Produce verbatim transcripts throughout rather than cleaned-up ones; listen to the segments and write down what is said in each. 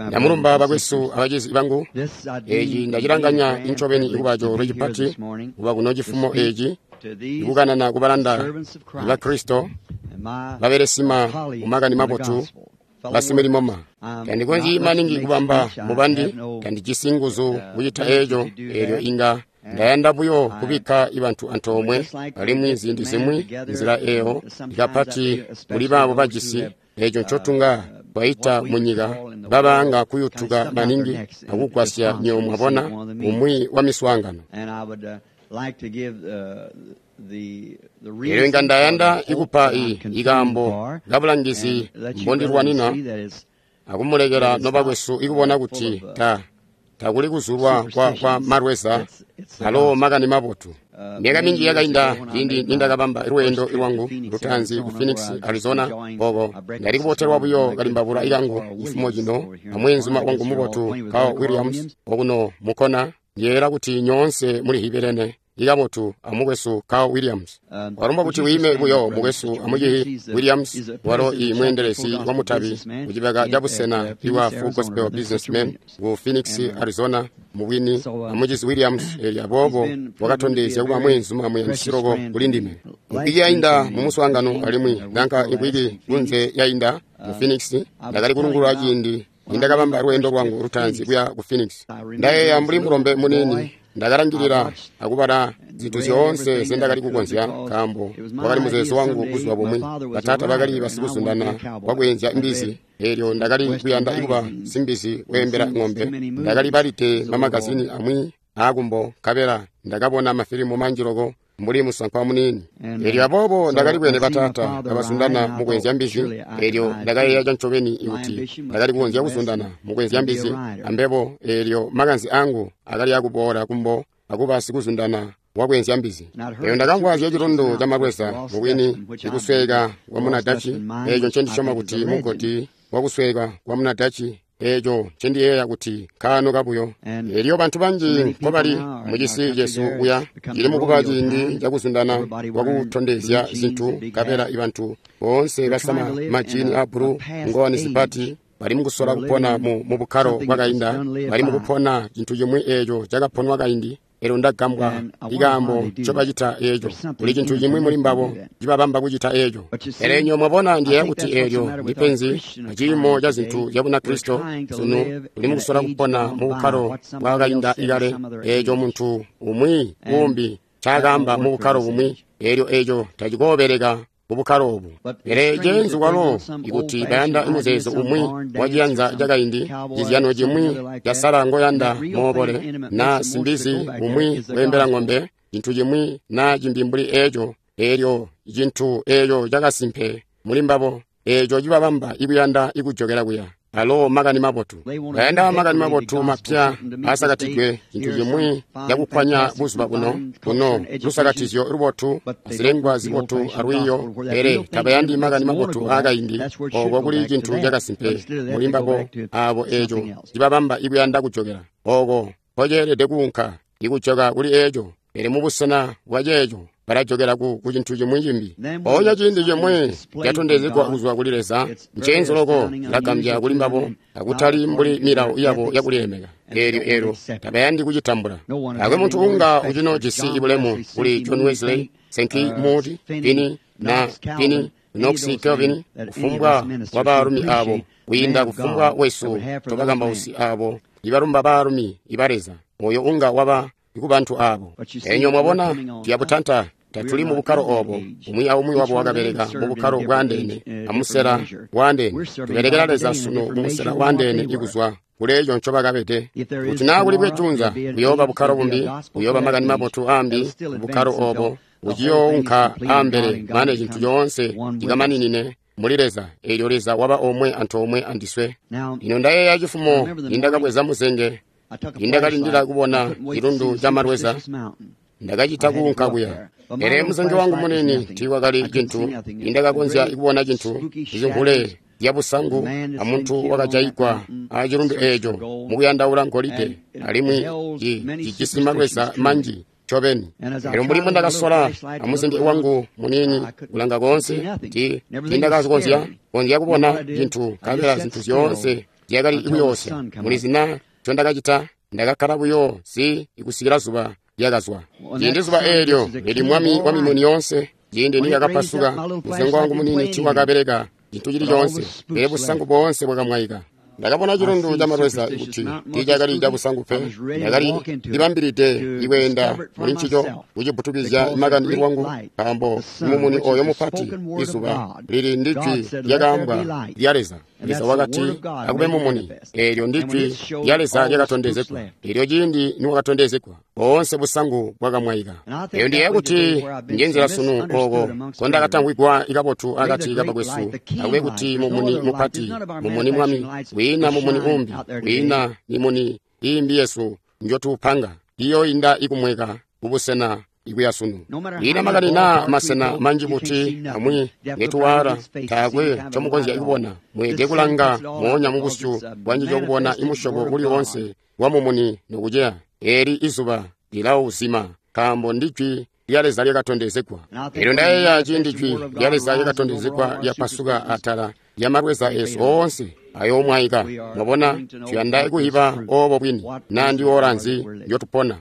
Ndamulumba bakwesu abacizi bangu. Eeci ndacilanganya ncobeni kuba coolwe cipati kuba kuno cifumo eeci ikukanana kubalanda ba Kristo babelesima mumakani mabotu basimilimoma. Tandikonzyi maningi kubamba mubandi, tandijisi nguzu kucita eeco. Eelyo inga ndayanda buyo kubikka ibantu antoomwe, alimwi ziindi zimwi nzila eyo ikapati kuli baabo bajisi eeco ncotunga twaita munyika babaanga kuyutuka maningi akugwasya nyo mwabona umwi wa miswaangano. Eelyo inga ndayanda ikupa ikaambo kabulangizi mbondilwanina akumulekela nobakwesu ikubona kuti ta takuli kuzulwa kwa, kwa malweza alo makani mabotu. Myaka minji yakainda ciindi nindakabamba lweendo lwangu lutaanzi ku Phoenix, Arizona, oko ndali kubotelwa buyo kalimbabula ikangu cifumo cino amweenzuma wangu mubotu Carl Williams okuno mukona. Ndiyeeyela kuti nyoonse muli hibelene ikabotu amukwesu Carl Williams. Walomba kuti wime buyo mukwesu amucihi Williams, walo i mweendelezi wa mutabi kucibaka ca busena iwa Full Gospel Businessmen ku Phoenix, Arizona, mubwini amucizi Williams. Eelyo aboobo wakatondezya kuba mweenzuma muyandisi-loko kuli ndime. Mvwiki yainda mu muswaangano alimwi nanka imvwiki kunze yainda mu Phoenix, ndakali kulungulula ciindi nindakabamba lweendo lwangu lutaanzi kuya ku Phoenix. Ndayeeya mbuli mulombe muniini ndakalangilila akubala zintu zyoonse zendakali kukonzya, nkaambo wakali muzeezo wangu buzuba bumwi. Bataata bakali basikuzundana wakweenzya imbizi, eelyo ndakali kuyanda kuba simbizi weembela ng'ombe. Ndakali balide mamagazini amwi aakumbo, nkabela ndakabona mafilimu manji loko mbuli musankwa muniini. Eelyo aboobo ndakali bwene bataata kabazundana mukweenzya mbizi. Eelyo ndakayeeya cancobeni kuti ndakali kukonzya kuzundana mukweenzya mbizi ambebo. Eelyo makanze angu akali akuboola kumbo akuba sikuzundana wakweenzya mbizi. Eelyo ndakamvwa zya cilundu ca malweza, mubwini ikusweka kwa munadachi, eeco ncendisyoma kuti mugodi wakusweka kwa munadachi, eeco ncendiyeeya kuti nkaano kabuyo. Eelyo bantu banji nkobali mucisi cesu kuya cili mukuba ciindi cakuzundana kwakutondezya zintu, nkabela ibantu boonse basama majini a bulu, ngowani zipati, bali mukusola kupona mu, mu bukkalo bwakainda, bali mukupona cintu cimwi eeco cakaponwa kaindi. Eelyo ndagambwa ikaambo ncobacita eeco. Kuli cintu cimwi muli mbabo cibabamba kucita eeco. Pele nyo mwabona, ndiyeeya kuti eelyo ndipenzi aciimo ca zintu zya Bunakristo sunu. Tuli mukusola kupona mu bukkalo bwakainda ikale, eeco muntu umwi umbi ncaakaamba mu bukkalo bumwi. Eelyo eeco tacikoobeleka mu bukkalo obu. Pele ceenzu kwalo ikuti bayanda muzeezo umwi waciyanza cakaindi, cizyano cimwi casala ngoyanda moobole, na simbizi umwi weembela ng'ombe, cintu cimwi na cimbi mbuli eeco. Eelyo cintu eeco cakasimpe muli mbabo, eeco cibabamba ikuyanda ikujokela kuya. Alo makani mabotu. Bayanda makani mabotu mapya asakatidwe, cintu cimwi cakukwanya buzuba buno buno lusakatizyo lubotu, azilengwa zibotu alwiiyo, pele tabayandi makani mabotu aakaindi. Oko kuli cintu cakasimpe muli mbabo aabo, eeco cibabamba ikuyanda kujokela oko nkoceelede kuunka, ikujoka kuli eeco. Pele mubusena bwa ceeco balajokela ku, ku cintu cimwi cimbi. Mpoonya ciindi cimwi catondezegwa kuzwa kuli Leza, ncenzo loko cilagambya kuli mbabo, akutali mbuli milawo yabo yakulilemeka. Eelyo eelyo tabayandi kucitambula. Taakwe muntu unga ucinojisi ibulemu kuli John Wesley, Sankey, Moody, Finney na Finney, Knox, Calvin, kufumbwa wa baalumi abo, kwiinda kufumbwa wesu tobakambausi abo ibalumba baalumi iba Leza, oyo unga waba kubantu abo. Enyo mwabona, tuyabutanta tatuli mu bukkalo obo. Umwi aumwi wabo wakabeleka mu bukkalo bwandeene amusela wandeene. Tubelekela Leza sunu mu musela wandeene ikuzwa kuleeco ncobakabede. Kuti naa kuli bwejunza kuyooba bukkalo bumbi, kuyooba makani mabotu ambi bukkalo obo buciyounka ambele mane cintu coonse cikamaninine muli Leza. Eelyo Leza waba omwe antoomwe andiswe. Lino ndayeeya cifumo nindakabweza muzenge, nindakalindila kubona cilundu ca malweza, ndakacita kuunka kuya. Pele muzenge wangu munini tiiwakali cintu, nindakakonzya kubona cintu cizingule zyabusangu amuntu wakajayigwa acilundu eeco mukuyandaula ngolide, alimwi cijisi malweza manji ncobeni. Elyo mbuli mbundakasola amuzenge wangu muniini kulanga koonse, tiindakakonzya konzya kubona cintu, nkabela zintu zyoonse zyakali kuyoosya. Mulizi na ncondakacita? Ndakakkala buyo si ikusikila zuba lyakazwa. Ciindi zuba eelyo lili mwami wa mimuni yoonse, ciindi nilyakapasuka, musengo wangu muniini tiiwakabeleka cintu cili coonse, pele busangu boonse bwakamwaika. Ndakabona cilundu ca malweza kuti tiicakali cabusangu pe. Ndakali libambilide ikweenda muli ncico kucibbutukizya makani lwangu, nkaambo mumuni oyo mupati izuba lili ndi jwi lyakaambwa lya Leza. Leza wakati akube mumuni, eelyo ndi jwi lya Leza lyakatondezegwa. Eelyo ciindi niwakatondezegwa, boonse busangu bwakamwaika. Eyo ndiyeeya kuti njenzila sunu ooko kondakatangwigwa ikabotu akati kabakwesu, akube kuti mumuni mupati, mumuni mwami, wiina mumuni umbi, wiina mimuni iimbi yesu njotuupanga, iyoinda ikumweka kubusena ikuya sunu. Ina makani naa masena manji buti amwi ngetuwala, taakwe ncomukonzya kubona. Mweelede kulanga moonya mubusyu bwanjijo kubona imusyobo uli woonse wa mumuni nokuceya. Eeli izuba lilauzima, nkaambo ndi jwi lya Leza lyakatondezegwa. Eelyo ndayeeya ciindi jwi lya Leza lyakatondezegwa lyapasuka atala lya malweza esu oonse ayoomwaika. Mwabona, tuyanda kuhiba oobo bwini naa ndi ora nzi njotupona.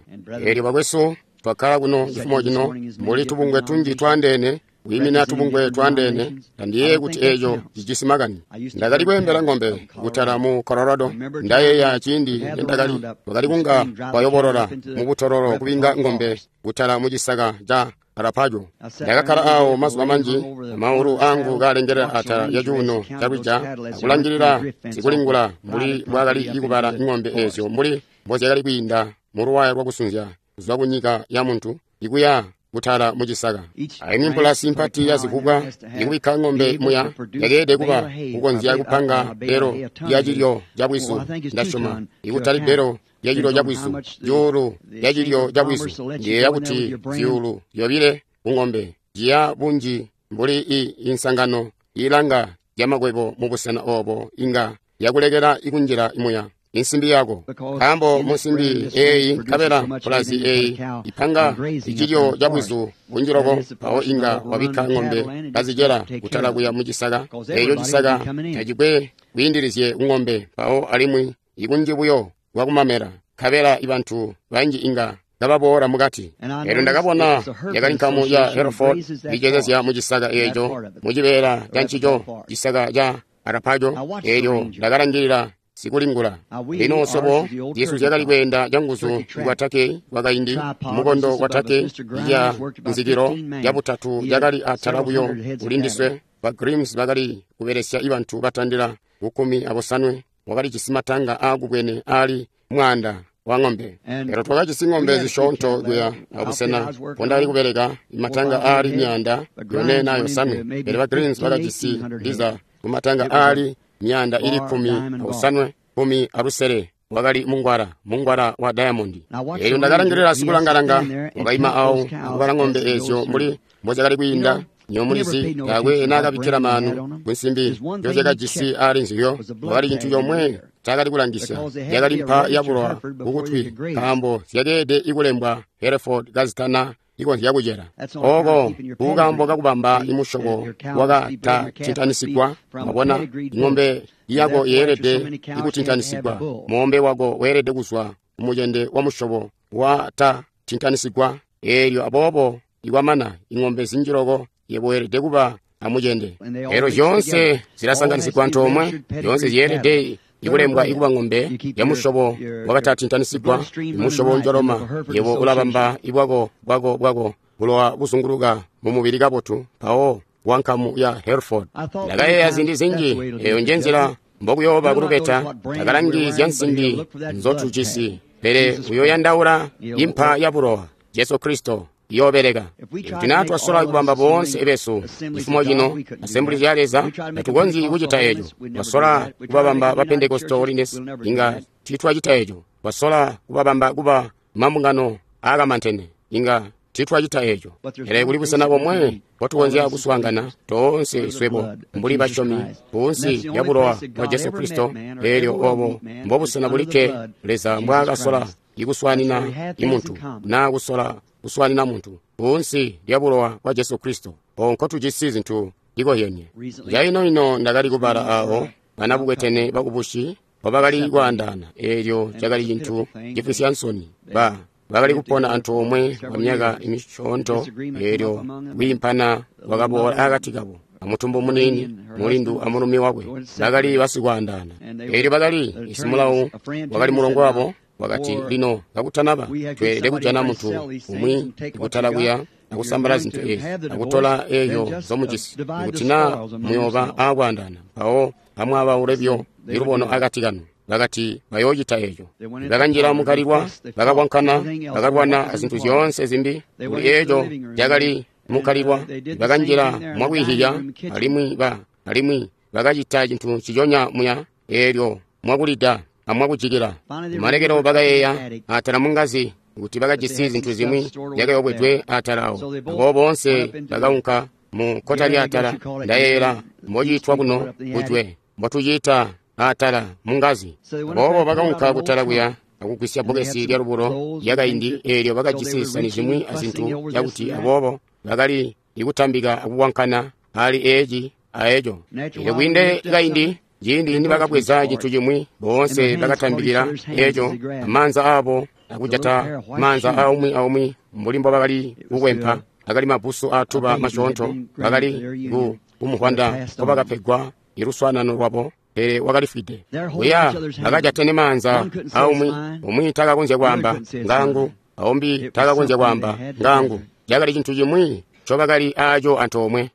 Eelyo bakwesu, twakkala kuno cifumo cino mbuli tubungwe tunji twaandeene, kwiimina tubungwe twaandeene. Tandiyeeye kuti eeco cijisi makani. Ndakali kweembela ng'ombe kutala mu Colorado. Ndayeeya ciindi nendakali twakali kunga twayobolola mubutololo kubinga ng'ombe kutala mu cisaka ca Arapajo. Ndakakkala awo mazuba manji, amaulu angu kaalengelela atala ya cuuno calwija, akulangilila sikulingula mbuli mbwaakali kubala ng'ombe eezyo mbuli mbozyakali kwiinda muluwaya lwakusunzya kuzwa kunyika ya muntu ikuya kutala mucisaka. Aimwi mpulasi mpati ya zivubwa ikubikka ng'ombe muya yakeelede kuba kukonzya kupanga belo lya cilyo ca bwizu. Ndasyoma ikutali belo lya cilyo ca bwizu, zyuulu lya cilyo ca bwizu. Ndiyeeya kuti zyuulu zyobile kung'ombe ciya bunji mbuli i insangano ilanga lyamakwebo mubusena oobo inga yakulekela ikunjila muya insimbi yako, nkaambo munsimbi eeyi nkabela mpulazi eeyi ipanga icilyo ca bwizu bunji loko, mpawo inga wabikka ng'ombe kazicela kutala kuya mucisaka. Eeco cisaka tacikwe kwiindilizye kung'ombe, mpawo alimwi ikunji buyo kwakumamela, nkabela ibantu banji inga kababoola mukati. Eelyo ndakabona yakali nkamu ya Hereford icezezya mucisaka eeco mucibeela ca ncico cisaka ca Arapajo. Eelyo ndakalangilila sikulingula. Lino sobo zyesu zyakali kweenda canguzu bwa Turkey bwakaindi, mukondo wa Turkey ya nzikilo yabutatu yakali atala buyo kulindiswe. Ba Grims bakali kubelesya ibantu batandila kukumi abosanwe, wakalijisi matanga aakubwene aali mwaanda wa ng'ombe. Elo twakajisi ng'ombe zisyoonto kuya abusena pondakali kubeleka, matanga aali myaanda yone na yosanwe. Pele ba Grims bakajisi ndiza kumatanga aali myaanda ili kkumi osanwe kkumi alusele wakali mungwala mungwala wa diamond. Eelyo ndakalangilila sikulangalanga wakaima awo akubala ng'ombe eezyo mbuli mbozyakali kwiinda. Nyomulizi taakwe naakabikkila maanu kunsimbi njozyakajisi aali nzilyo. Wakali cintu comwe ncaakali kulangisya, yakali mpa yabulowa kukutwi, nkaambo zyakeelede ikulembwa Hereford kazitana ikonzya kucela. Ooko kukaambo kakubamba imusyobo wakatatintanyisigwa. Mwabona, ng'ombe yako yeelede ikutintanyisigwa, moombe wako weelede kuzwa kumucende wa musyobo watatintanyisigwa. Eelyo aboobo ikwamana ing'ombe zinji loko yebo weelede kuba amucende. Eelyo zyoonse zilasanganisigwa antoomwe, zyoonse zyeelede ikulembwa ikuba ng'ombe ya musyobo wakatatintanyisigwa, imusyobo njoloma. Yebo ulabamba ibwako bwako bwako bulowa buzunguluka mumubili kabotu, mpawo wankamu ya Hereford. Ndakayeeya ziindi zinji, eyo njenzila mbokuyooba kulubeta. Takalangi zya nsimbi nzotujisi, pele uyoyandaula impa ya bulowa, Jesu Kristo iyoobeleka. Ikuti naa twasola kubamba boonse besu cifumo cino Assembly ya Leza, tatukonzyi kucita eco. Twasola kubabamba ba Pentecostal Holiness, inga tiitwacita eco. Twasola kubabamba kuba mambungano aakamantene, inga tiitwacita eco. Pele kuli busena bomwe mpotukonzya kuswaangana toonse swebo mbuli basyomi kunsi lya bulowa bwa Jesu Kristo. Eelyo obo mbobusena bulikke Leza mbwaakasola ikuswaanina imuntu naa kusola kuswaanina muntu kunsi lya bulowa bwa Jesu Kristo. Ooko nkotujisi zintu ikozyenie. Caino-ino ndakali kubala awo banabukwetene bakubusi mpobakali kwaandaana. Eelyo cakali cintu cifwisya nsoni. Ba bakali kupona antoomwe kwa myaka misyoonto, eelyo kwiimpana kwakaboola akati kabo. Amutumbu muniini, mulindu amulumi wakwe bakali basikwaandaana. Eelyo bakali isimulawu wakali mulongo wabo wakati, lino kakutanaba tweelede kujana muntu umwi kutala kuya akusambala zintu ezi akutola eeyo zomujisi. Ikuti naa muyooba aakwaandaana, mpawo amwaabaule byo ilubono akati kanu. Bakati bayoocita eeco. Bakanjila mukalilwa, bakakwankana, bakalwana azintu zyoonse zimbi. Kuli eeco cakali mukalilwa, bakanjila mwakwiihiya, alimwi ba alimwi bakacita cintu nciconya muya, eelyo mwakulida amwakujikila. Kumalekelo bakayeeya atala mungazi kuti bakajisi zintu zimwi zyakayobwedwe atala awo. Aboobo boonse bakaunka mu kkota lyaatala. Ndayeeyela mbociitwa kuno kujwe, mbotuciita atala mungazi. Aboobo bakaunka kutala kuya akugwisya bbokesi lyalubulo lyakaindi, eelyo bakajisi zisani zimwi azintu zyakuti, aboobo bakali ikutambika akukwankana ali eeci aeco. Eelyo kwiinde kaindi, ciindi nibakabweza cintu cimwi, boonse bakatambikila eeco amaanza aabo akujata maanza aumwi aumwi mbuli mbobakali kukwempa. Akali mabusu aatuba masyoonto, bakali ku kumuhwanda nkobakapegwa iluswaanano lwabo, pele wakalifwide. Kuya bakajatene maanza aumwi, umwi takakonzya kwaamba ngangu, aumbi takakonzya kwaamba ngangu. Cakali cintu cimwi ncobakali aaco antoomwe.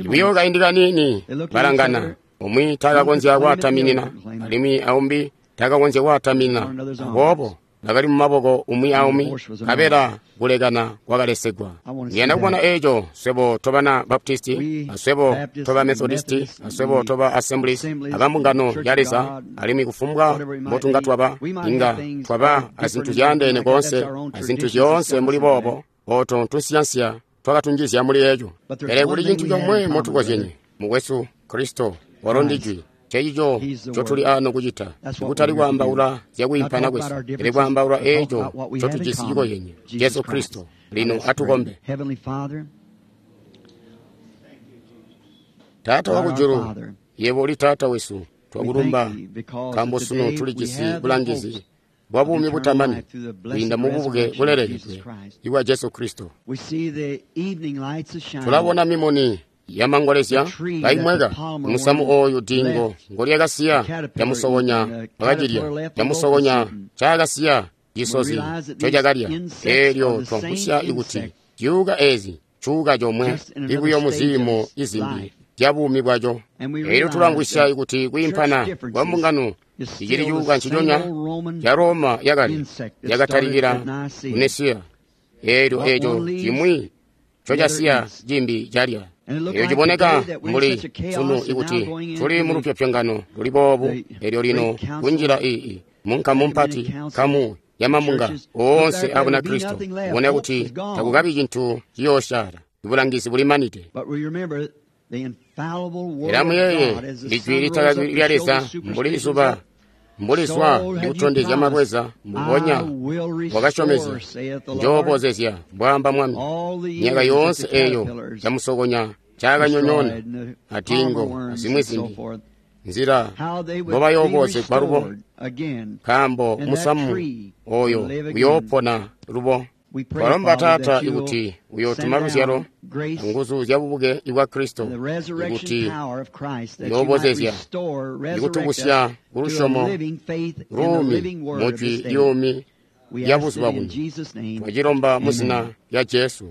Buyo kaindi kaniini balangana, umwi takakonzya kwaataminina, alimwi aumbi takakonzya kwaataminina. Aboobo bakali mumaboko umwi aumwi, nkabela kulekana kwakalesegwa. Ndiyanda kubona eeco swebo tobana Baptisti, aswebo toba Methodisti, aswebo toba Assemblies, abambungano ya Leza, alimwi kufumbwa mbotunga twaba, inga twaba azintu zyaandeene koonse, azintu zyoonse mbuli boobo, ooto tunsiyansiya twakatunjizya muli eeco. Pele kuli cintu comwe motukozyenye, mukwesu, Kristo walo ndi Jwi. Cecico ncotuli ano kucita, kutali kwaambaula zyakwiimpana kwesu, pele kwaambaula eeco ncotujisi cikozyenye, Jesu Kristo. Lino atukombe. Taata wakujulu, yebo uli Taata wesu, twakulumba nkaambo sunu tulijisi bulangizi bwa buumi butamani kwiinda mububuke bulelekedwe ibwa Jesu Kristo. Tulabona mimuni yamangolezya kaimweka musamu ooyu dingo ngolyakasiya lyamusokonya wakacilya, lyamusokonya ncaakasiya cisozi ncocakalya. Eelyo twamvwisya ikuti zyuuka eezi cuuka comwe ibuyo muziimo izimbi zyabuumi bwaco. Eelyo tulamvwisya ikuti kwiimpana kwa mbungano icili cuuka nciconya ca Roma yakale yakatalikila ku Nesiya. Eelyo eeco cimwi ncocasiya cimbi calya. Eelyo ciboneka mbuli sunu ikuti tuli mulupyopyongano luli boobu. Eelyo lino kunjila ii munkamu mpati, nkamu yamambunga oonse a Bunakristo, kubona kuti takukabi cintu ciyoosyaala, ibulangizi bulimanide. Pele amuyeeye ijwi litakaki lya Leza mbuli zuba mbuli zwa likutondezya malweza, mbubonya wakasyomezya, njoobozezya, mbwaamba Mwami. Myaka yoonse eeyo camusokonya ncaakanyonyoona atingo azimwi zimbi, nzila mbobayoobozegwa lubo, nkaambo musamu oyo uyoopona lubo. Twalomba Taata ikuti uyootuma luzyalo anguzu zyabubuke ibwa Kristo, ikuti uyoobozezya ikutubusya kulusyomo luumi mujwi lyuumi lya buzuba buno. Twacilomba muzina lya Jesu.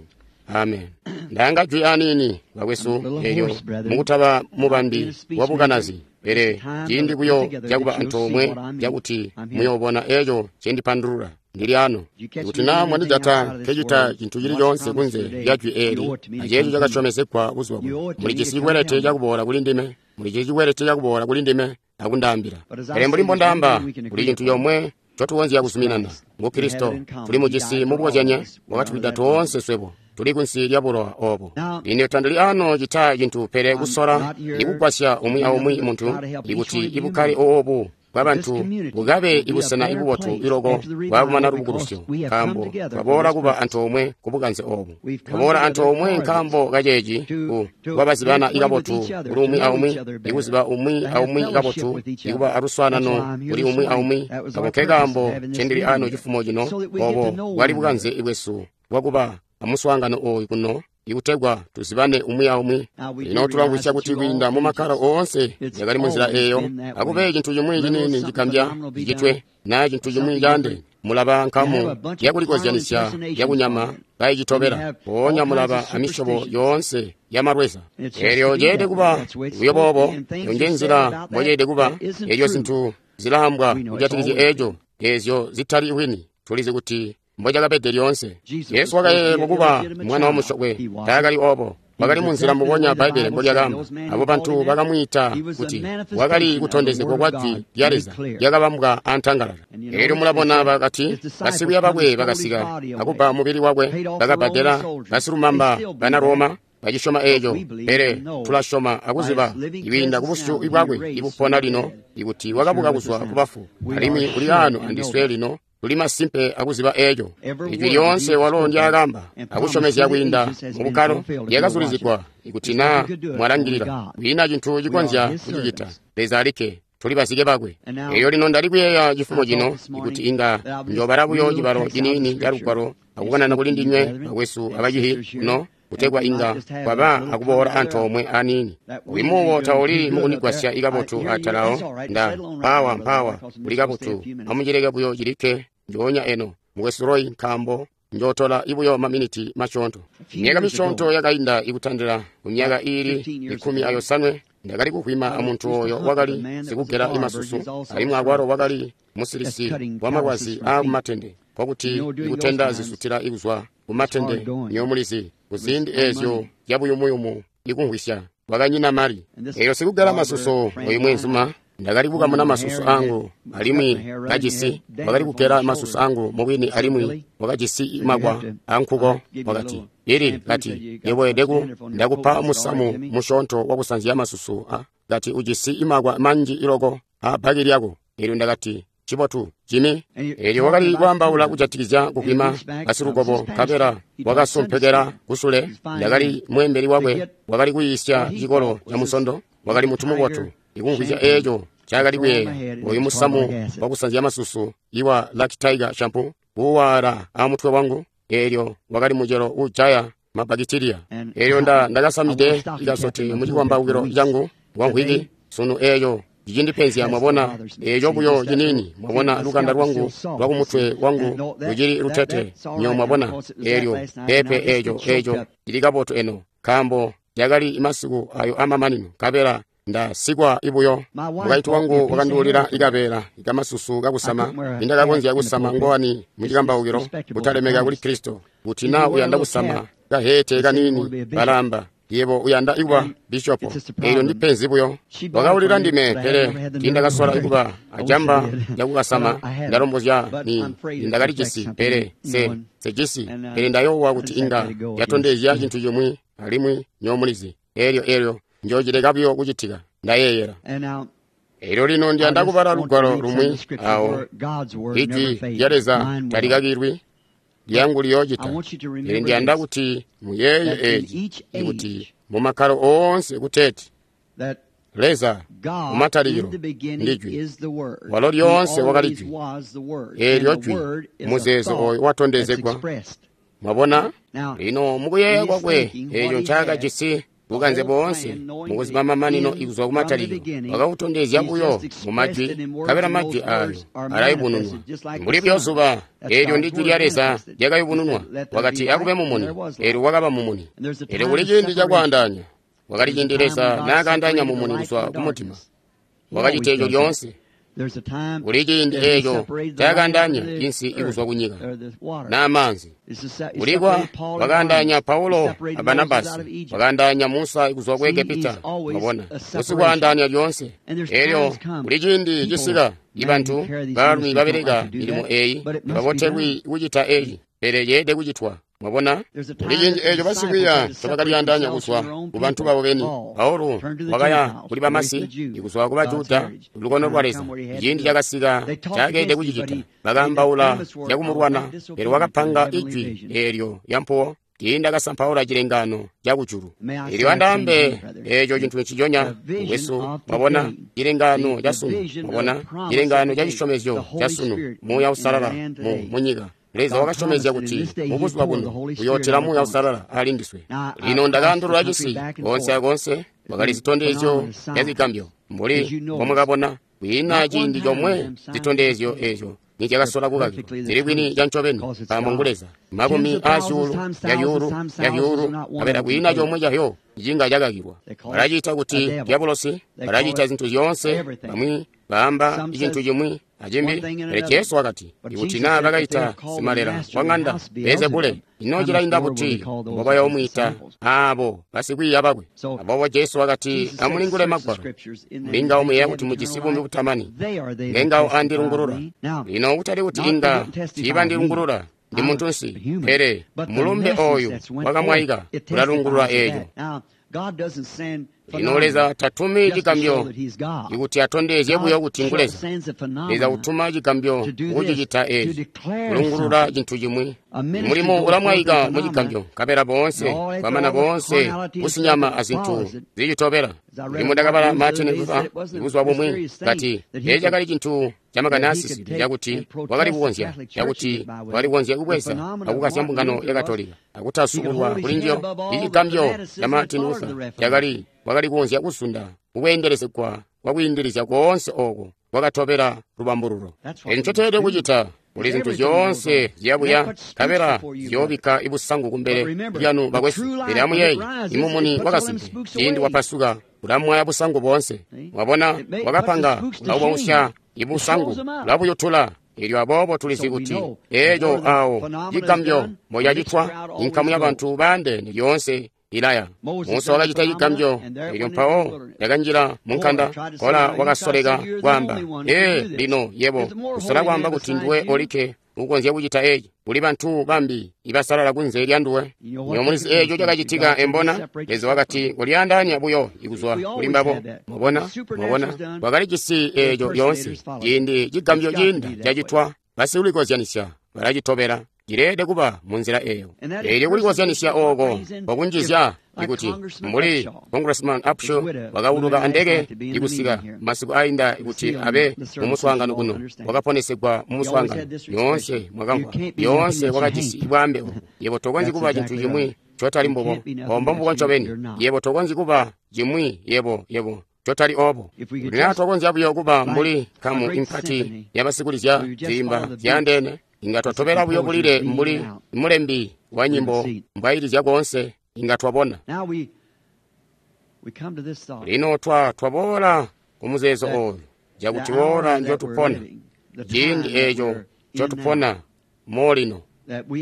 Amen. Ndanga jwi aniini bakwesu, eelyo mukutaba mubambi wabukanazi, pele ciindi buyo cakuba antoomwe cakuti muyoobona eeco ncendipandulula. Ndili ano. Ikuti naa mwandijata nkecita cintu cili coonse kunze lya jwi eeli aceeco cakasyomezegwa buzuba buno, mulijisi cikwelete cakuboola kuli ndime, mulijisi cikwelete cakuboola kuli ndime akundaambila. Pele mbuli mbondaamba, kuli cintu comwe ncotukonzya kuzuminana, ngu Kristo. Tuli mujisi mubukozyanye, wakatwida toonse swebo tuli kunsi lya bulowa oobo. Lino tandili ano cita cintu pele kusola ikugwasya umwi aumwi muntu ikuti ibukkale oobu bwabantu bukabe ibusena ibubotu iloko bwakumana lubukulusyo, nkaambo twaboola kuba antoomwe kubukanze oobu. Twaboola antoomwe nkaambo kaceeci ku kwabazibana ikabotu kuli umwi aumwi, ikuziba umwi aumwi kabotu, ikuba aluswaanano kuli umwi aumwi. Ako nkekaambo ncendili ano cifumo cino. Obo bwali bukanze bwesu bwakuba amuswaangano ooyu kuno, ikutegwa tuzibane umwi aumwi. Lino tulamvwisya kuti kwiinda mu makkalo oonse yakali munzila eeyo, akube cintu cimwi ciniini cigambya cicitwe naa cintu cimwi caande, mulaba nkamu yakulikozyanisya yakunyama kayicitobela, mpoonya mulaba amisyobo yoonse yamalweza. Eelyo ceelede kuba buyo boobo, eyo nje nzila mboceelede kuba. Eelyo zintu zilaambwa kujatikizya eeco, eezyo zitali wini, tulizi kuti mbocakabede lyoonse. Yesu wakayeeyelwa kuba mwana wamusyokwe, taakali oobo. Wakali munzila mbubonya Bbaibbele mbolyakaamba. Abo bantu bakamwiita kuti wakali kutondezegwa kwa Jwi lya Leza lyakabambwa antangalala. Eelyo mulabona bakati basikwiiya bakwe bakasika akubba mubili wakwe, bakabbadela basilumamba bana Roma bacisyoma eeco. Pele tulasyoma akuziba ikwiinda kubusyu bwakwe ibupona lino ikuti wakabuka kuzwa kubafu, alimwi uli ano andiswe lino. Tuli masimpe akuziba eeco. Ijwi lyoonse walo ndyaakamba akusyomezya kwiinda mubukkalo lyakazulizigwa. Ikuti naa mwalangilila, kwiina cintu cikonzya kucicita, Leza alikke. Tuli bazike bakwe. Eelyo lino ndali kuyeeya cifumo cino ikuti inga njoobala buyo cibalo ciniini ca Lugwalo akukanana kuli ndinywe bakwesu abacihi kuno, kutegwa inga kwaba akuboola antoomwe aniini. Uyu tauli mukundigwasya ikabotu atalawo. Nda mpawa mpawa kuli kabotu, amucileke buyo cilikke njoonya eno, mukwesu Roy, nkaambo njootola ibuyo maminiti masyoonto. Myaka misyoonto yakainda ikutandila kumyaka iili ikumi ayosanwe, ndakali kuhwima amuntu ooyo wakali sikugela imasusu, alimwi akwalo wakali musilisi wamalwazi aakumatende, nkokuti ikutenda zisutila ikuzwa kumatende. Nyomulizi kuziindi eezyo zyabuyumuyumu ikumvwisya, wakanyina mali. Eelyo sikugela masusu oyu mwenzuma, ndakali kukamuna masusu angu, alimwi kajisi wakali kugela masusu angu mubwini, alimwi wakajisi makwa ankuko. Wakati, ili kati yebo edeku ndakupa musamu musyoonto wakusanzya masusu a kati ujisi imakwa manji iloko a bhaki lyako. Eelyo ndakati, cibotu Jimmy. Eelyo wakali kwaambaula kujatikizya kukwima basilukobo, nkabela wakasompekela kusule. Ndakali mweembeli wakwe, wakali kuyiisya cikolo ca musondo, wakali muntu mubotu. Ikumvwisya eeco ncaakali kuyeeya, oyu musamu wakusanzya masusu iwa Lucky Tiger shampoo kuuwaala amutwe wangu, eelyo wakali mucelo uujaya mabakitiliya. Eelyo nda ndakasamide ikasote mucikwambaukilo cangu wamvwiki sunu. Eeco cicindipenzya, mwabona, eeco buyo ciniini, mwabona, lukanda lwangu lwakumutwe wangu lucili lutete nyo, mwabona. Eelyo pepe eeco eeco cili kabotu eno, nkaambo yakali masiku ayo amamanino, nkabela ndasikwa ibuyo. Mukaintu wangu wakanduulila ikabeela ikamasusu kakusama, nindakakonzya kusama ngowani mucikambaukilo, kutalemeka kuli Kristo. Kuti naa uyanda kusama kahete kaniini, balamba yebo uyanda ikuba bishopo. Eelyo ndipenzi buyo. Wakaulila ndime, pele tiindakasola ikuba ajamba lyakukasama. Ndalombozya ni ndakalijisi, pele se sejisi, pele ndayoowa kuti inga yatondezya cintu cimwi, alimwi nyomulizi. Eelyo eelyo njoocileka buyo kucitika, ndayeeyela. Eelyo lino ndiyanda kubala lugwalo lumwi awo ijwi lya Leza talikakilwi, lyangu liyoocita. Pele ndiyanda kuti muyeeye eeci, ikuti mumakkalo oonse kuteeti Leza mumatalikilo ndi Jwi, walo lyoonse wakali Jwi. Eelyo Jwi muzeezo ooyo watondezegwa. Mwabona? Lino mukuyeeya kwakwe eeco ncaakajisi bukanze boonse mukuziba mamanino ikuzwa kumatalikilo, wakakutondezya buyo mu majwi, nkabela majwi ayo alayubununwa mbuli buyo zuba. Eelyo ndi Jwi lya Leza lyakayubununwa. Wakati akube mumuni, eelyo wakaba mumuni. Eelyo kuli ciindi cakwaandaanya, wakali ciindi Leza naakaandaanya mumuni kuzwa kumutima. Wakacita eeco lyoonse. Kuli ciindi eeco cakaandaanya insi ikuzwa kunyika naa maanzi. Kulikwa wakaandaanya Paulo a Barnabasi, wakaandaanya Musa ikuzwa ku Egepita. Mwabona, usikwaandaanya lyoonse. Eelyo kuli ciindi cisika ibantu baalumi babeleka milimo eeyi babotelwi kucita eeci, pele yeelede kucitwa. Mwabona, kuli ciindi eeco basikwiiya ncobakalyaandaanya kuzwa ku bantu babo beni. Paulo wakaya kuli bamasi, ikuzwa ku Bajuda, lukono lwa Leza. Ciindi cakasika cakeelede kucicita. Bakaambaula zyakumulwana, pele wakapanga ijwi eelyo lyampuwo. Tiindakasampaula cilengaano cakujulu. Elyo andaambe eeco cintu nciconya mukwesu. Mwabona, cilengaano ca sunu. Mwabona, cilengaano ca cisyomezyo ca sunu, Muuya Uusalala mu munyika. Leza wakasyomezya kuti mubuzuba buno uyootila Muuya Uusalala ali ndiswe. Lino ndakaandulula cisi koonse akoonse, kwakali zitondezyo zya zigambyo mbuli mbomwakabona. Kwiina ciindi comwe zitondezyo eezyo nizyakasola kukakilwa. Zili kwini ca ncobeni, nkaambo ngu Leza. Makumi aazyuulu ya zyuulu ya zyuulu, nkabela kwiina comwe cazyo cinga cakakilwa. Balaciita kuti dyabulosi, balaciita zintu zyoonse, bamwi baamba cintu cimwi acimbi. Pele Jesu wakati, ikuti naa bakaita simalela wa ŋanda Beelzebule, ino cilainda buti mbobayoomwiita aabo basikwiiya bakwe? Aboobo Jesu wakati, amulingule Magwalo, mulingawo muyeeya kuti mujisi buumi butamani, ngengawo andilungulula. Lino kutali kuti inga tiibandilungulula, ndi muntunsi, pele mulumbe ooyu wakamwaika ulalungulula eeco. Lino Leza tatumi cigambyo ikuti atondezye buyo kuti ngu Leza. Leza utuma cigambyo kucicita eeci, kulungulula cintu cimwi. Mulimo ulamwaika mu cigambyo, nkabela boonse kwamana boonse kusinyama azintu zicitobela. Limo ndakabala Martin Luther buzuba bumwi kati eeci cakali cintu camakani aasisili cakuti wakali kukonzya cakuti wakali kukonzya kubweza akukasya mbungano ya Katolika akutasubulwa kuli njiyo. Icigambyo ca Martin Luther cakali wakali kukonzya kuzunda kukweendelezegwa kwakwiindilizya koonse ooko kwakatobela lubambululo. Eeci ncoteelede kucita. Kuli zintu zyoonse ziyabuya, nkabela ziyoobikka ibusangu kumbele lyanu bakwesu. Pele amuyeeye, imumuni wakasimpe ciindi wapasuka ulamwaya busangu boonse. Mwabona, wakapanga ulaubwausya ibusangu, ulabuyutula. Elyo aboobo tulizi kuti eeco awo cigambyo mboyacitwa, inkamu yabantu baandeene lyoonse ilaya. Musa wakacita cigambyo, elyo mpawo yakanjila munkanda. Kola wakasoleka kwaamba, ee, lino yebo usola kwaamba kuti nduwe olikke ukonzya kucita eeci. Kuli bantu bambi ibasalala kunze lya nduwe. Nyo mulizi eeco cakacitika embona. Leza wakati kolyaandaanya buyo ikuzwa kuli mbabo. Mwabona, mwabona, wakalijisi eeco lyoonse. Ciindi cigambyo ciinda cacitwa, basikulikozyanisya balacitobela. Cileelede kuba munzila eeyo. Eelyo kulikozyanisya ooko kwakunjizya ikuti mbuli Congressman Upshaw wakauluka andeke ikusika masiku ainda kuti abe mumuswaangano kuno, wakaponesegwa mumuswaangano. Yoonse mwakamvwa, yoonse wakajisi bwaambe obu. Yebo tokonzyi kuba cintu cimwi cotali mbubo, ombo mbubo ncobeni. Yebo tokonzyi kuba cimwi yebo yebo cotali obo. Kuti naa twakonzya buyo kuba mbuli nkamu impati yabasikulizya ziimba zyaandeene, inga twatobela buyo bulile mbuli mulembi wa nyimbo mbwailizya koonse, inga twabona. Lino twa twaboola kumuzeezo ooyu cakuti woola njotupona, ciindi eeco ncotupona molino,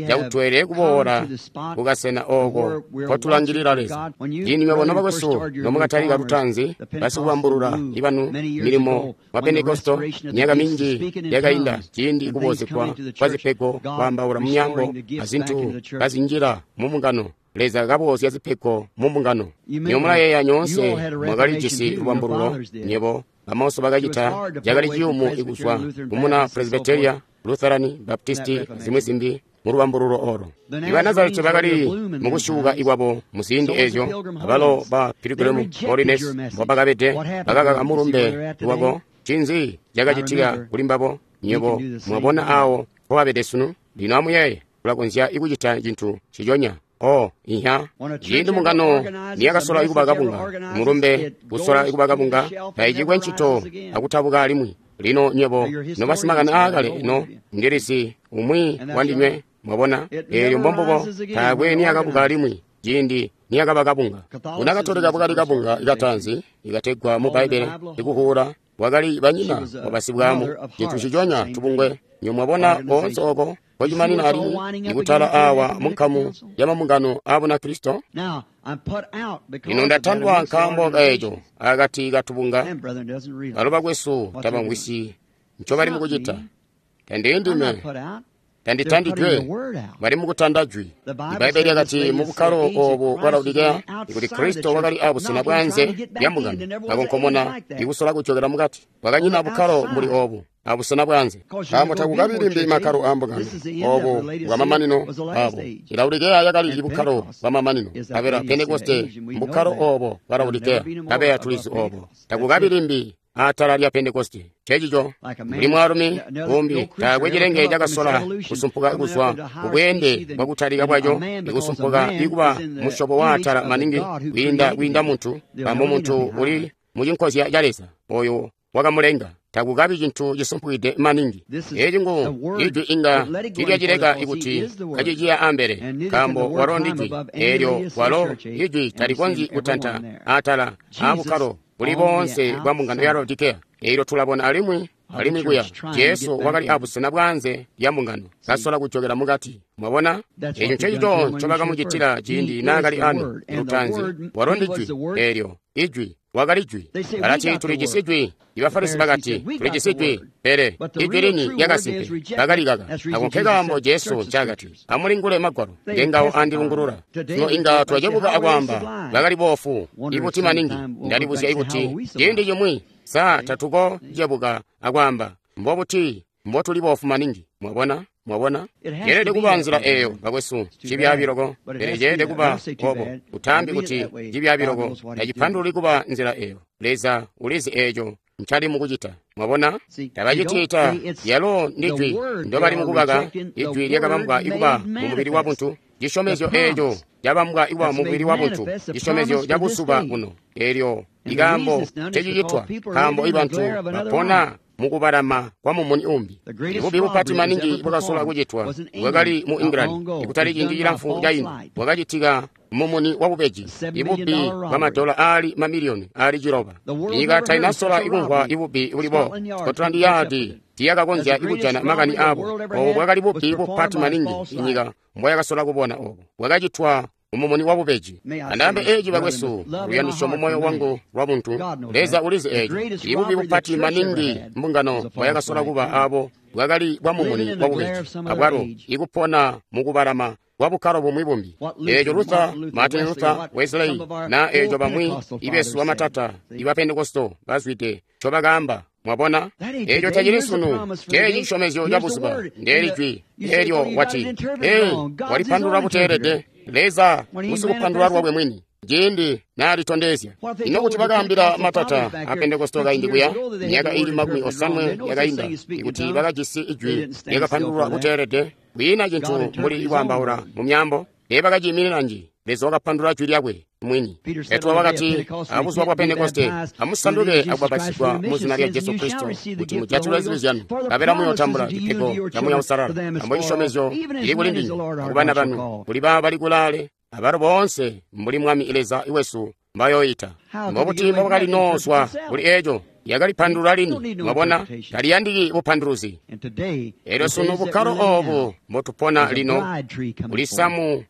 cakuti tweelede kuboola kukasena ooko nkotulangilila Leza. Ciindi nywebo nobakwesu nomwakatalika lutaanzi basikubambulula ibanu milimo wa Pentekosto myaka minji yakainda, ciindi kuboozegwa kwa zipego, kwaambaula mumyaambo azintu kazinjila mumbungano, Leza kaboozya zipego mumbungano. Nywebo mulayeeya nyoonse mwakalijisi lubambululo, nywebo bamauso bakacita, cakali ciyumu ikuzwa kumuna Presbyteria, Lutherani, Baptisti, zimwi zimbi mulubambululo olo. Iba Nazareti bakali mukusyuuka ikwabo muziindi eezyo, abalo ba Pilgrim Holiness mbobakabede, bakakaka mulumbe wako. Ncinzi cakacitika kuli mbabo? Nywebo mwabona awo mpobabede sunu. Lino amuyeeye, tulakonzya ikucita cintu nciconya. Oh, inya ciindi mbungano niyakasola ikuba kabunga, mulumbe kusola ikuba kabunga, taicikwe ncito akutabuka alimwi. Lino nywebo nobasimakani aakale ino ndilisi umwi wandinywe, mwabona, eelyo mbombubo taakwe niyakabuka alimwi ciindi niyakaba kabunga. Bunakatolika bwakali kabunga ikatanzi ikategwa mu Bbaibbele ikuhuula, bwakali banyina wabasibwaamu, cintu nciconya tubungwe. Nywebo mwabona koonse ooko kocimanina alimwi ikutala awa munkamu yamambungano aa Bunakristo. Lino ndatandwa nkaambo kaeco akati katubunga. Balo bakwesu tabamvwisyi ncobali mukucita. Tandili ndime, Tanditandidwe, bali mukutanda jwi. Ibbaibbele lyakati mu bukkalo obu bwa Laodikeya ikuti Kristo wakali abusena bwaanze lya mbungano, kakonkomona ikusola kujokela mukati. Kwakanyina bukkalo mbuli obu abusena bwaanze, nkaambo takukabi limbi makkalo aa mbungano. Obu bwamamanino abo. Laodikeya yakali bukkalo bwamamanino, nkabela Pentekoste mbukkalo obo bwa Laodikeya, nkabela tulizi obo. Takukabi limbi atala lya Pentekoste. Cecico mbuli mwaalumi umbi taakwe cilenge cakasola kusumpuka kuzwa kubweende bwakutalika bwaco, ikusumpuka ikuba musyobo waatala maningi kwiinda kwiinda muntu, nkaambo muntu uli mucinkozya ca Leza oyo wakamulenga. Takukabi cintu cisumpukide maningi. Eci ngu ijwi inga tilyacileka ikuti kaciciya ambele, nkaambo walo ndi jwi. Eelyo walo ijwi talikonzyi kutanta atala aabukkalo buli boonse bwa mbungano ya Laodikeya. Eelyo tulabona alimwi alimwi kuya Jesu wakali abusena bwaanze lya mbungano, kasola kujokela mukati. Mwabona, eco ncecico ncobakamucitila ciindi naakali ano lutaanzi. Walo ndi jwi. Eelyo ijwi wakali jwi. Balati tulijisi jwi. Ibafarisi bakati tulijisi jwi, pele ijwi lini lyakasimpe bakalikaka. Ako nkekaambo Jesu ncaakati, amulingule magwalo, ngengawo andilungulula. Sino inga twacebuka akwaamba bakali boofu ibuti maningi. Ndalibuzya ikuti ciindi cimwi sa tatuko cebuka akwaamba mbobuti mbotuli boofu maningi. Mwabona? Mwabona, ceelede kuba nzila eyo, bakwesu. Cibyaabi loko, pele ceelede kuba obo. Utaambi kuti cibyaabi loko, tacipandululi kuba nzila eyo. Leza ulizi eco ncali mukucita. Mwabona, tabacitiita. Yalo ndi jwi ndobali mukubaka, ijwi lyakabambwa ikuba mu mubili wa buntu. Cisyomezyo eco cabambwa ikuba mu mubili wa buntu, cisyomezyo ca buzuba buno. Eelyo ikaambo tecicitwa, nkaambo ibantu bapona mukubalama kwa mumuni umbi. Ibubi bupati maningi bwakasola kucitwa bwakali mu England ikutali ciindi cilamfu caino, bwakacitika mumuni wabubeji, ibubi bwamadola aali mamiliyoni aali ciloba. Nyika tainasola ikumvwa ibubi bulibo. Scotland Yard tiyakakonzya ikujana makani abo. Obo bwakali bubi bupati maningi inyika mbwayakasola kubona. Obo bwakacitwa mumuni wabubeji. Andaambe eci bakwesu, luyandisyo mu moyo wangu lwa buntu. Leza ulizi eci. Ibubi bupati maningi mbungano mbwayakasola kuba abo bwakali bwa mumuni wabubeji, abwalo ikupona mukubalama kwa bukkalo bumwi bumbi. Eeco Luther, Martin Luther, Wesley, na eeco bamwi ibesu bamatata iba Pentekosto bazwide ncobakaamba. Mwabona, eeco tacili sunu. Ceeci cisyomezyo ca buzuba. Ndeeli jwi. Eelyo wati, ee, walipandulula buteelede. Leza usikupandulula lwakwe mwini ciindi naalitondezya. Ino kuti bakaambila matata a Pentekosto kaindi kuya myaka ili makumi osanwe yakainda ikuti bakajisi ijwi lyakapandululwa buteelede, kwiina cintu mbuli ikwaambaula mu myaambo, teebakaciiminina nji. Leza wakapandulula jwi lyakwe mwini. Petro wakati abuzuba bwa Pentekoste, amusanduke akubapatizigwa mu zina lya Jesu Kristo kuti mujatilwe zibi zyanu, nkabela muyootambula cipego ca Muuya Uusalala. Ambo cisyomezyo cili kuli ndinywe akubana banu, kuli baabo bali kulaale, abalo boonse mbuli Mwami Leza wesu mbayooita. Mbobuti mbobakali noozwa kuli eeco? Yakalipandulula lini. Mwabona, taliyandiki bupanduluzi. Eelyo sunu bukkalo obu mbotupona lino kuli samu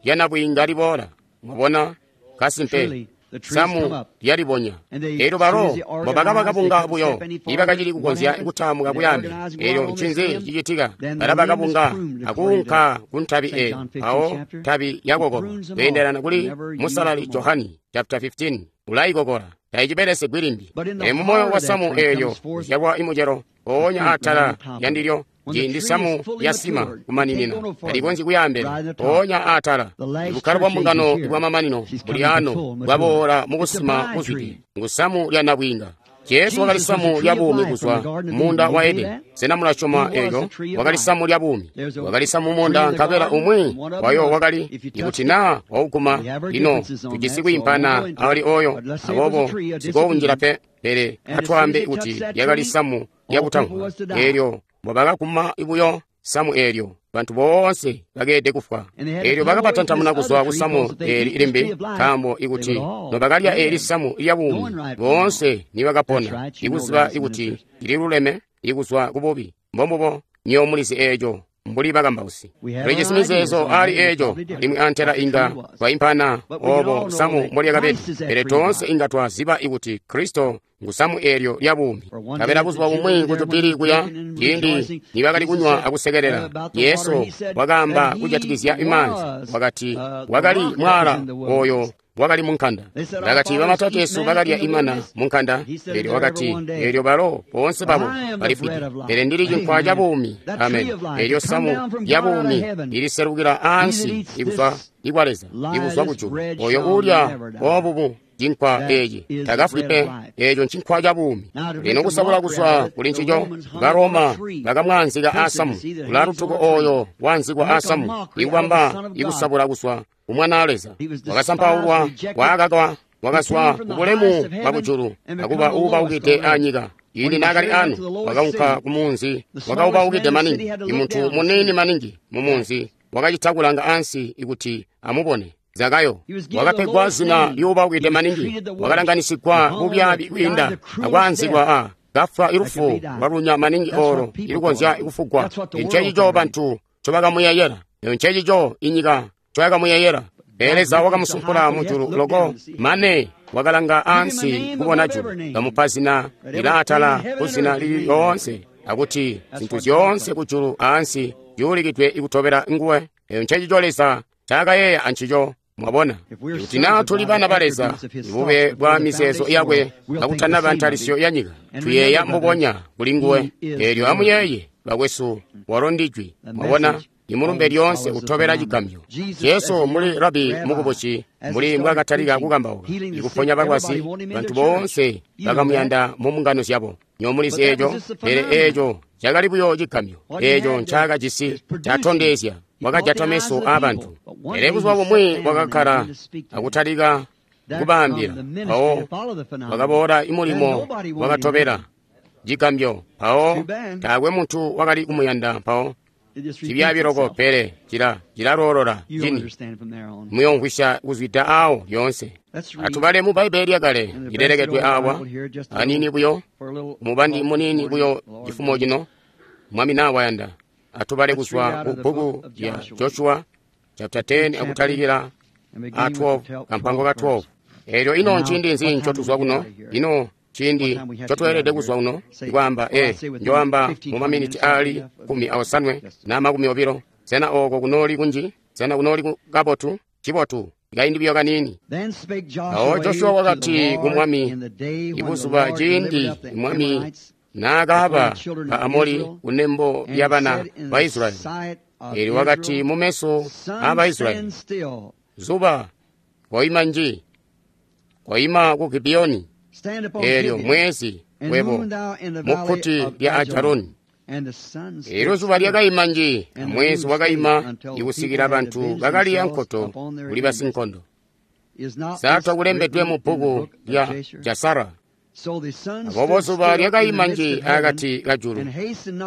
lyanabwiinga liboola. Mwabona, kasimpe samu lyalibonya. Eelyo balo mbobakaba kabunga buyo ibakacili kukonzya kutaamuka kuyaambele. Eelyo ncinzi cicitika? Balaba kabunga akuunka ku ntabi eyo, mpawo ntabi yakokolwa kweendelana kuli Musalali Johani chapter fifteen, ulayikokola tayicibelesegwi limbi. E mumoyo wa samu eelyo kuzyalwa imucelo mpoonya atala lyandilyo. Ciindi samu yasima kumaninina talikonzyi kuyaambele, mpoonya atala. Ibukkalo bwa mbungano bwamamanino buli ano bwaboola mukusima kuzwide, ngu samu lya nabwiinga. Jesu wakali samu lya buumi kuzwa munda wa Edeni. Sena mulasyoma eeco? Wakali samu lya buumi, wakali samu munda, nkabela umwi wayo wakali ikuti naa wauguma. Lino tujisi kwiimpana ali oyo, aboobo sikounjila pe. Pele atwaambe kuti lyakali samu lyakutamvwa. Eelyo mbobakaguma buyo samu eelyo, bantu boonse bakeelede kufwa. Eelyo bakabatantamuna kuzwa ku samu eeli limbi, nkaambo ikuti nobakalya eeli samu lya buumi, boonse nibakapona, ikuziba ikuti lililuleme ikuzwa ku bubi. Mbombubo, nywebo mulizi eeco, mbuli bakambausi. Tulijisi mizeezo ali eeco, alimwi antela inga twaimpana obo samu mbolyakabede, pele toonse inga twaziba ikuti Kristo ngu samu eelyo lya buumi. Kabela buzuba bumwi ku Jubili kuya, ciindi nibakali kunywa akusekelela, Jesu wakaamba kujatikizya imaanzi, wakati wakali mwaala oyo wakali munkanda. Bakati bamatateesu bakalya imana munkanda, eelyo wakati, eelyo balo boonse babo balifwide, pele ndili cinkwa ca buumi. Amen. Eelyo samu lya buumi liliselukila ansi ikuzwa ikwa Leza, ikuzwa kujulu. Oyo uulya obubu cinkwa eeci takafwi pe. Eeco ncinkwa ca buumi. Lino kusabula kuzwa kuli ncico, Baroma bakamwaanzika aasamu, ulalutuko oyo waanzikwa aasamu, ikubamba ikusabula kuzwa kumwanaa Leza. Wakasampaulwa, waakakwa, wakazwa kubulemu bwakujulu akuba uubaukide anyika. Ciindi naakali anu, wakaunka kumunzi, wakaubaukide maningi, imuntu muniini maningi mumunzi, wakacita kulanga ansi ikuti amubone. Zakayo wakapegwa zina lyuubaukide maningi, wakalanganisigwa bubyaabi kwiinda akwaanzikwa a kafwa ilufu lwalunya maningi olo ilukonzya kufugwa. Ncencico bantu ncobakamuyeyela, ncencico inyika ncoyakamuyeyela. Pele Leza wakamusumpula mujulu loko mane wakalanga ansi kubona julu, kamupa zina lilaatala kuzina lili lyoonse, akuti zintu zyoonse kujulu ansi zyuulikidwe ikutobela nguwe. Ncencico Leza ncaakayeeya ancico. Mwabona, kuti naa tuli bana ba Leza, ibube bwa mizeezo yakwe kakutanaba ntalisyo ya nyika, tuyeeya mbubonya kuli nguwe. Eelyo amuyeeye, bakwesu, walo ndijwi. Mwabona, imulumbe lyoonse utobela cigambyo. Jesu muli rabi mukubusi, mbuli mbwaakatalika kukambauka, ikuponya balwazi, bantu boonse bakamuyanda mu mbungano zyabo. Nyomulizi eeco, pele eeco cakali buyo cigambyo. Eeco ncaakajisi catondezya wakajata meso aabantu. Pele buzuba bumwi wakakkala akutalika kubaambila, mpawo wakaboola imulimo wakatobela cigambyo. Mpawo taakwe muntu wakali kumuyanda. Mpawo cibyaabi loko, pele cila cilaloolola cini. Muyomvwisya kuzwida aawo lyoonse. Atubale mu Bbaibbele lyakale lilelekedwe aawa aniini buyo, mubandi muniini buyo cifumo cino, Mwami naa wayanda. Atubale kuzwa ku bbuku lya Joshua chapter ten akutalikila a twelve, kampango ka twelve. Eelyo ino nciindi nzi ncotuzwa kuno? Ino ciindi ncotweelede kuzwa kuno? Ikwaamba e njoamba mu maminiti aali kumi aosanwe na makumi obilo. Sena ooko kunooli kunji? Sena kunooli kabotu? Cibotu. Kaindi buyo kaniini. Awo Joshua wakati ku Mwami, ibuzuba ciindi Mwami naakaaba ba Amori kunembo lya bana ba Israyeli. Eelyo wakati mumeso aa Israyeli, zuba koima nji, koima ku Gibiyoni, eelyo mwezi webo mukkuti lya Ajaloni. Eelyo zuba lyakaima nji, mwezi wakaima ikusikila bantu bakaliya nkoto kuli basinkondo. Saatwa kulembedwe mu bbuku lya Jasara. Aboobo zuba lyakaima nji akati kajulu,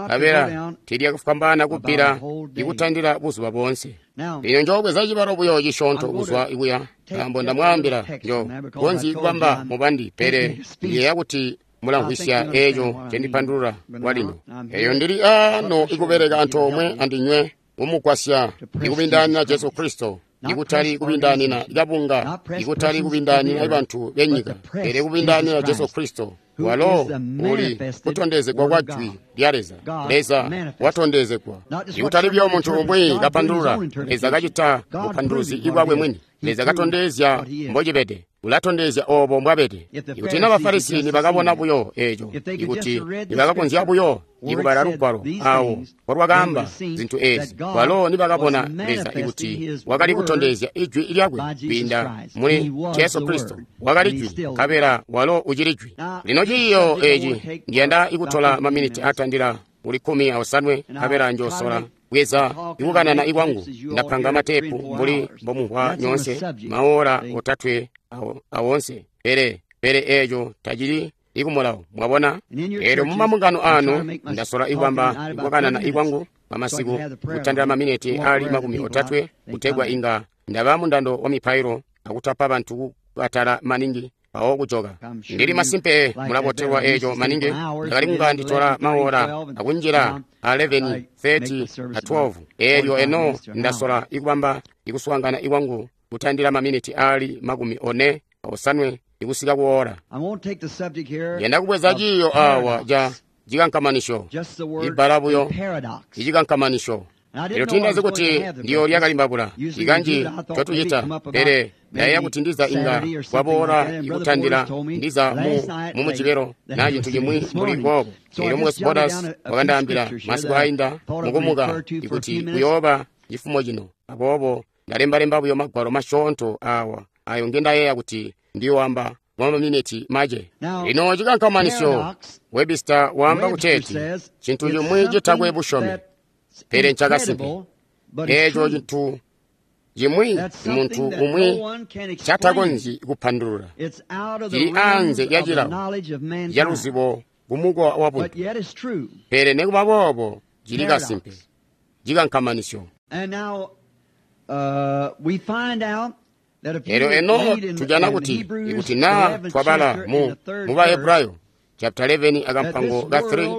kabela tiilyakafwambaana kubbila ikutandila buzuba boonse. Lino njoobweza cibalo buyo cisyoonto kuzwa ikuya, nkaambo ndamwaambila njo konzyi kubamba mubandi, pele ndiyeeya kuti mulamvwisya eeco ncendipandulula kwalino. Eeyo ndili aano ikubeleka antoomwe andinywe kumugwasya ikubindaanina Jesu Kristo, ikutali kubindaanina kabunga, ikutali kubindaanina bantu benyika, pele kubindaanina Jesu Kristo, walo uli kutondezegwa kwa jwi lya Leza. Leza watondezegwa, ikutali buyo muntu umwi kapandulula. Leza kacita bupanduluzi ibwakwe mwini. Leza katondezya mbocibede, ulatondezya obo mbwabede. Ikuti na Bafarisi nibakabona buyo eeco, ikuti nibakakonzya buyo ikubala lugwalo awo mpolwakaamba zintu eezi, balo nibakabona Leza ikuti wakali kutondezya ijwi lyakwe kwiinda muli Jesu Kristo, wakali jwi, nkabela walo ucili jwi. Lino ciiyo eeci ndiyanda ikutola maminiti atandila kuli kkumi aosanwe, nkabela njosola bweza ikukanana ikwangu. Ndapanga matepu mbuli mbomumvwa nyoonse, maora otatwe awonse, pele pele eeco tacili ikumulawo. Mwabona? Eelyo mumambungano anu ndasola ikubamba ikukanana ikwangu pamasiku kutandila maminiti ali makumi otatwe, kutegwa inga ndaba mundando wa mipailo akutapa bantu kukatala maningi. mpawo kujoka. Ndili masimpe mulabotelwa eco maningi. Ndakali kunga nditola maora akunjila a eleven thirty a twelve. Elyo eno ndasola ikubamba ikuswaangana ikwangu kutandila maminiti ali makumi one osanwe ikusika kuora. Yenda kubweza ciyo awa ja cikankamanisho, ibbala buyo icikankamanisho. Elyo tindazi kuti ndiyo lyakalimbabula ikanji totucita, pele ndayeeya kuti ndiza inga kwaboola ikutandila ndiza mu mumujibelo na cintu cimwi mbuli boobo. Elyo Mukwesu Borders wakandaambila masiku ainda mukumuka ikuti kuyooba cifumo cino. Aboobo ndalembalemba buyo magwalo masyoonto awa ayo ngendayeeya kuti ndiyoamba mwa maminiti mace. Lino cikankamanisyo, Webster waamba kuteeti cintu cimwi citakwe busyomi, pele ncakasimpe. Eeco cintu cimwi muntu umwi catakonzyi kupandulula, cili anze lya cilawo ca luzibo kumukowa wa buntu, pele nekuba boobo cili kasimpe, cikankamanisyo. Elyo eno tujana kuti ikuti naa twabala mu mu Bahebrayo chapter eleven akampango ka three,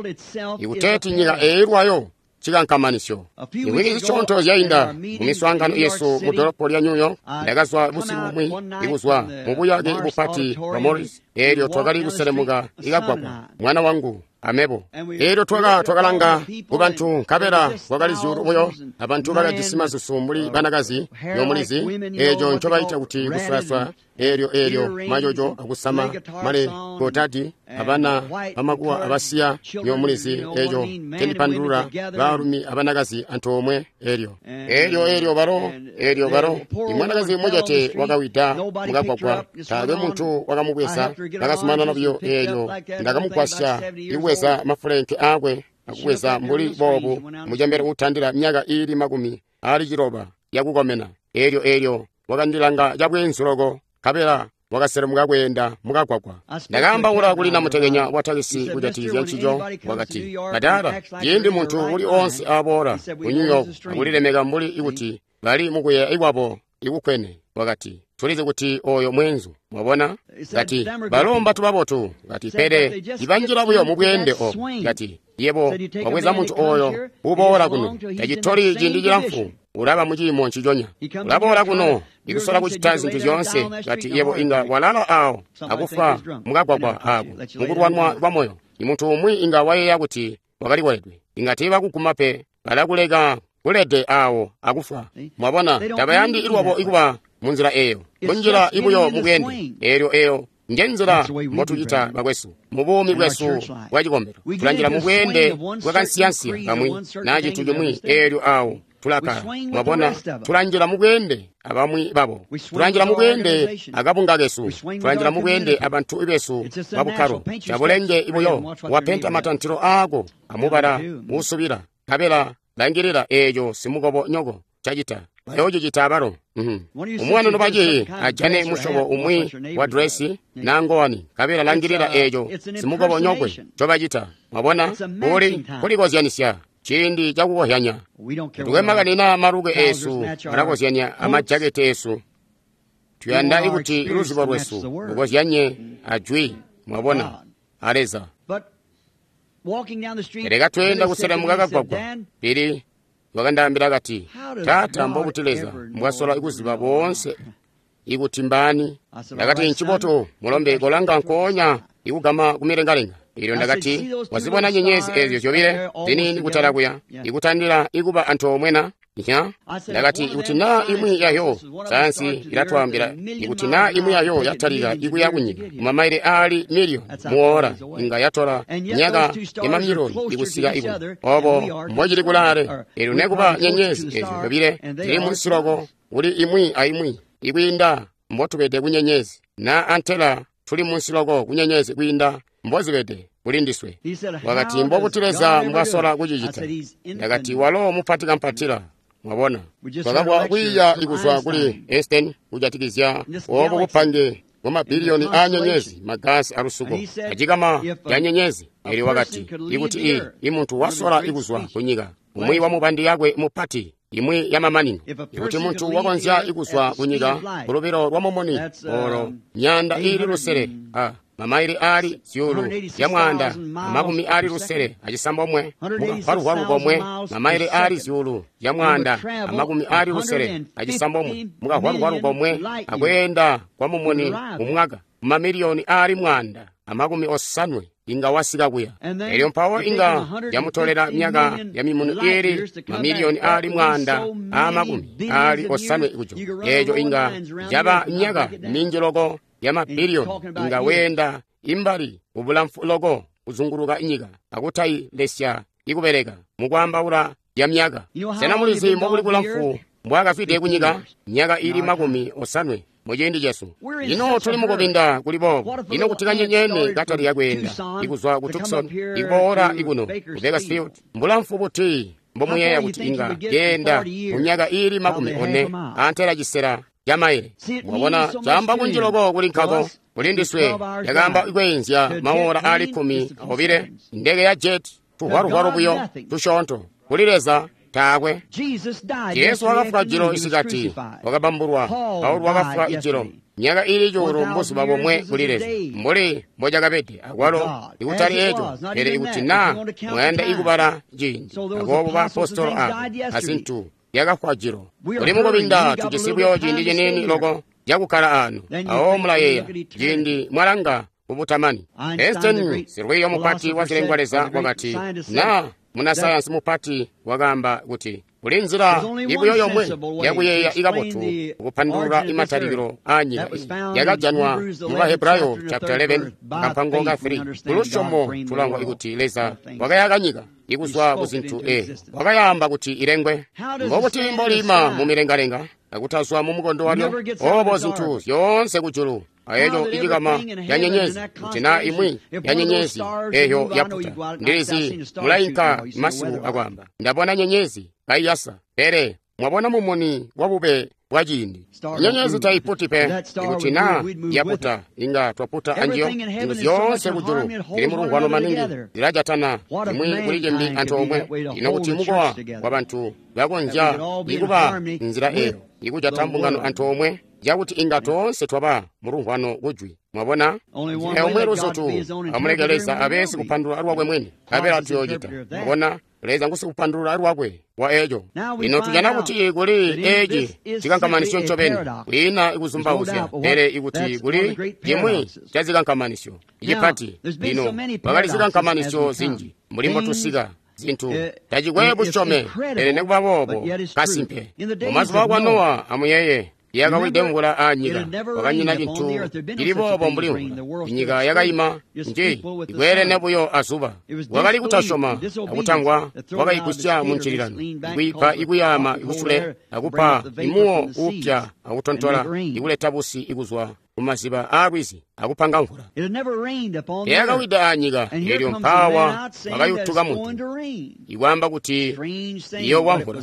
ikuteeti nyika eyi lwayo cikankamanisyo. Imwiki zisyoonto zyainda mu miswaangano yesu mu dolopo lya New York, ndakazwa busiku bumwi ikuzwa mu buyake bupati bwa Morris. Elyo twakali kuselemuka ikagwagwa, mwana wangu amebo. Elyo twaka twakalanga ku bantu, nkabela kwakali zyuulu buyo abantu bakajisi masusu mbuli banakazi nyomulizi, eco ncobaita kuti kuswaswa. Elyo elyo majojo akusama male gotadi abana bamakuwa abasiya nyomulizi, eco cendipandulula baalumi abanakazi antoomwe. Elyo elyo elyo balo elyo balo imwanakazi mucete wakawida mukagwagwa, taakwe muntu wakamubweza, ndakazumanana buyo. Elyo ndakamugwasya ikubweza mafulenke aakwe akubweza mbuli boobu mucembele utandila myaka iili makumi aali ciloba yakukomena. Elyo elyo wakandilanga cabweenzu loko, nkabela wakaselemuka kweenda mukagwagwa. Ndakaambaula kuli namutekenya wa takisi kujatikizya ncico. Wakati, "Badala, ciindi muntu uli oonse aboola ku New York akulilemeka mbuli ikuti bali mukuyeeya ikwabo ikukwene," wakati, "tulizi kuti oyo mweenzu." Mwabona? Kati, balo mbatu babotu. Kati, pele ibanjila buyo mu bweende obo. Kati, yebo wabweza muntu oyo uboola kuno, tacitoli ciindi cilamfu ulaba muciimo nciconya. Ulaboola kuno ikusola kucita zintu zyoonse. Kati, yebo inga walala awo akufa mukagwagwa ako mukulwanwa kwa moyo. Imuntu umwi inga wayeeya kuti wakalikoledwe, inga tiibakuguma pe, balakuleka kulede awo akufa. Mwabona, tabayandi ilwabo ikuba munzila eyo, munjila ibuyo mubweende. Elyo eyo njenzila mbotucita bakwesu mu buumi bwesu bwa cikombelo. Tulanjila mu bweende bwakansiyansiya kamwi na cintu cimwi, elyo awo tulakala. Mwabona, tulanjila mu bweende abamwi babo, tulanjila mu bweende akabunga kesu, tulanjila mu bweende abantu besu babukkalo. Cabulenge ibuyo wapenta matantilo aako amubala uusubila, nkabela langilila eeco simukobo nyoko cacita, bayoocicita abalo. Umwana nobaci ajane musyobo umwi wa dresi na ngowani, nkabela langilila eeco simukobo nyokwe ncobacita. Mwabona, kuli kulikozyanisya ciindi cakukozyanya. Tukwe makani naa maluke eesu alakozyanya amajaketi eesu. Tuyanda ikuti luzibo lwesu lukozyanye ajwi, mwabona, a Leza. Pele katweenda kuselemuka kagwagwa, Pili wakandaambila kati, "Taata, mbobuti Leza mbwasola kuziba boonse ikuti mbaani?" Ndakati, "Ncibotu, mulombe, kolanga nkoonya ikugama kumilengalenga." Elyo ndakati, "Wazibona nyenyezi ezyo zyobile ziniini kutala kuya, ikutandila ikuba antoomwe na?" Nya? Ndakati, ikuti naa imwi yayo sayansi ilatwaambila ikuti naa imwi yayo yatalika ikuya kunyika kumamaile aali miliyoni muora, inga yatola myaka yamamiliyoni ikusika ikuno. Obo mbocili kulaale. Elyo nekuba nyenyezi ezyo zyobile zili munsi loko kuli imwi aimwi ikwiinda mbotubede kunyenyezi, na antela tuli munsi loko kunyenyezi kwiinda mbozibede kuli ndiswe. Wakati, "Mbobuti Leza mbwasola kucicita?" Ndakati, "Walo mupati kampatila." Mwabona, twakabwa kwiiya ikuzwa kuli Einstein kujatikizya obo bupange bwa mabiliyoni a nyenyezi, magasi alusuko acikama ca nyenyezi. Elyo wakati, ikuti i imuntu wasola ikuzwa kunyika, umwi wa mubandi yakwe mupati imwi yamamanino. Ikuti muntu wakonzya ikuzwa kunyika kulubilo lwa mumuni olo myaanda iili lusele a mamaili aali zyuulu zya mwaanda amakumi aali lusele acisambomwe mukafalufalu komwe, mamaili aali zyuulu zya mwaanda amakumi aali lusele acisambomwe mukafalufalu komwe, akweenda kwa mumuni mumwaka mamiliyoni aali mwaanda amakumi osanwe inga wasika kuya. Elyo mpawo inga yamutolela myaka ya mimuni iili mamiliyoni aali mwaanda amakumi aali osanwe kujuka. Eeco inga yaba myaka minji loko ya mabiliyoni inga weenda imbali ubulamfu loko kuzunguluka inyika akutailesya ikubeleka mukwaambaula ya myaka. Sena mulizi mbokuli kulamfu mbwaakafwide kunyika? Myaka iili makumi osanwe muciindi cesu. Ino tuli mukubinda kuli boobo. Ino kuti kanyenyene katali yakweenda ikuzwa ku Tucson ikuboola ikuno ku Bakersfield, mbulamfu buti mbomuyeeya kuti inga yeenda mu myaka iili makumi one antela cisela ca maile? Mwabona, caamba kunji loko kuli nkako kuli ndiswe. Yakaamba ikweenzya maola aali kkumi obile ndeke ya jet, tuhwaluhwalu buyo tusyoonto. Kuli Leza taakwe. Jesu wakafwa jilo isikati, wakabambulwa. Paulo wakafwa ijilo. Myaka iili cuulu mbuzuba bomwe kuli Leza, mbuli mbocakabede akwalo ikutali eco, pele ikuti naa mwayanda ikubala ciindi. Aboobo baapostolo abo azintu yakafwa jilo. Kuli mukubinda tujisi buyo ciindi ciniini loko cakukkala ano. Awo mulayeeya ciindi mwalanga kubutamani. Einstein, silwiiyo mupati wa zilengwa Leza, wakati naa munasayansi mupati wakaamba kuti kuli nzila ibuyo yomwe yakuyeeya ikabotu kupandulula imatalikilo aanyika yakajanwa mu Bahebrayo chapter eleven kampango ka three. Kulusyomo tulangwa ikuti Leza wakayaka nyika ikuzwa ku zintu e wakayaamba kuti ilengwe. Mbokuti mbolima mu milengalenga akutazwa mu mukondo walyo, obo zintu zyoonse kujulu ayeco icikama ya nyenyezi, kuti naa imwi ya nyenyezi eyo yaputa. Ndilizi mulainka masiku akwaamba ndabona nyenyezi kaiyasa, pele mwabona mumuni wa bube bwa ciindi. Nyenyezi taiputi pe. Ikuti naa yaputa inga twaputa anjiyo. Zintu zyoonse kujulu zili mulumvwano maningi, zilajatana imwi kuli cimbi antoomwe. Ino kuti mukowa wa bantu bakonzya ikuba nzila eyo ikujata mbungano antoomwe cakuti inga toonse twaba mulumvwano kujwi. Mwabona, omwe luzutu amuleke Leza abe sikupandulula lwakwe mwini, abela tuyoocita. Mwabona, Leza ngusikupandulula lwakwe wa eco. Ino tujana kuti kuli eci cikankamanisyo ncobeni, kwiina ikuzumbauzya, pele ikuti kuli cimwi ca zikankamanisyo icipati. Lino kwakali zikankamanisyo zinji mbuli mbotusika zintu tacikwe busyome, pele nekuba boobo kasimpe. Mumazuba akwa Nowa, amuyeeye, yakawide mvula aanyika, kwakanyina cintu cili boobo mbuli mvula. Inyika yakayima nji ikweelene buyo azuba. Wakali kutasyoma akutangwa wakaigusya mu ncililano, ikwiipa ikuyaama ikusule, akupa imuwo uupya akutontola, ikuleta busi ikuzwa kumaziba aalwizi akupanga mvula. Yakawida aanyika, elyo mpaawa wakayutuka muntu ikwaamba kuti iyowa mvula.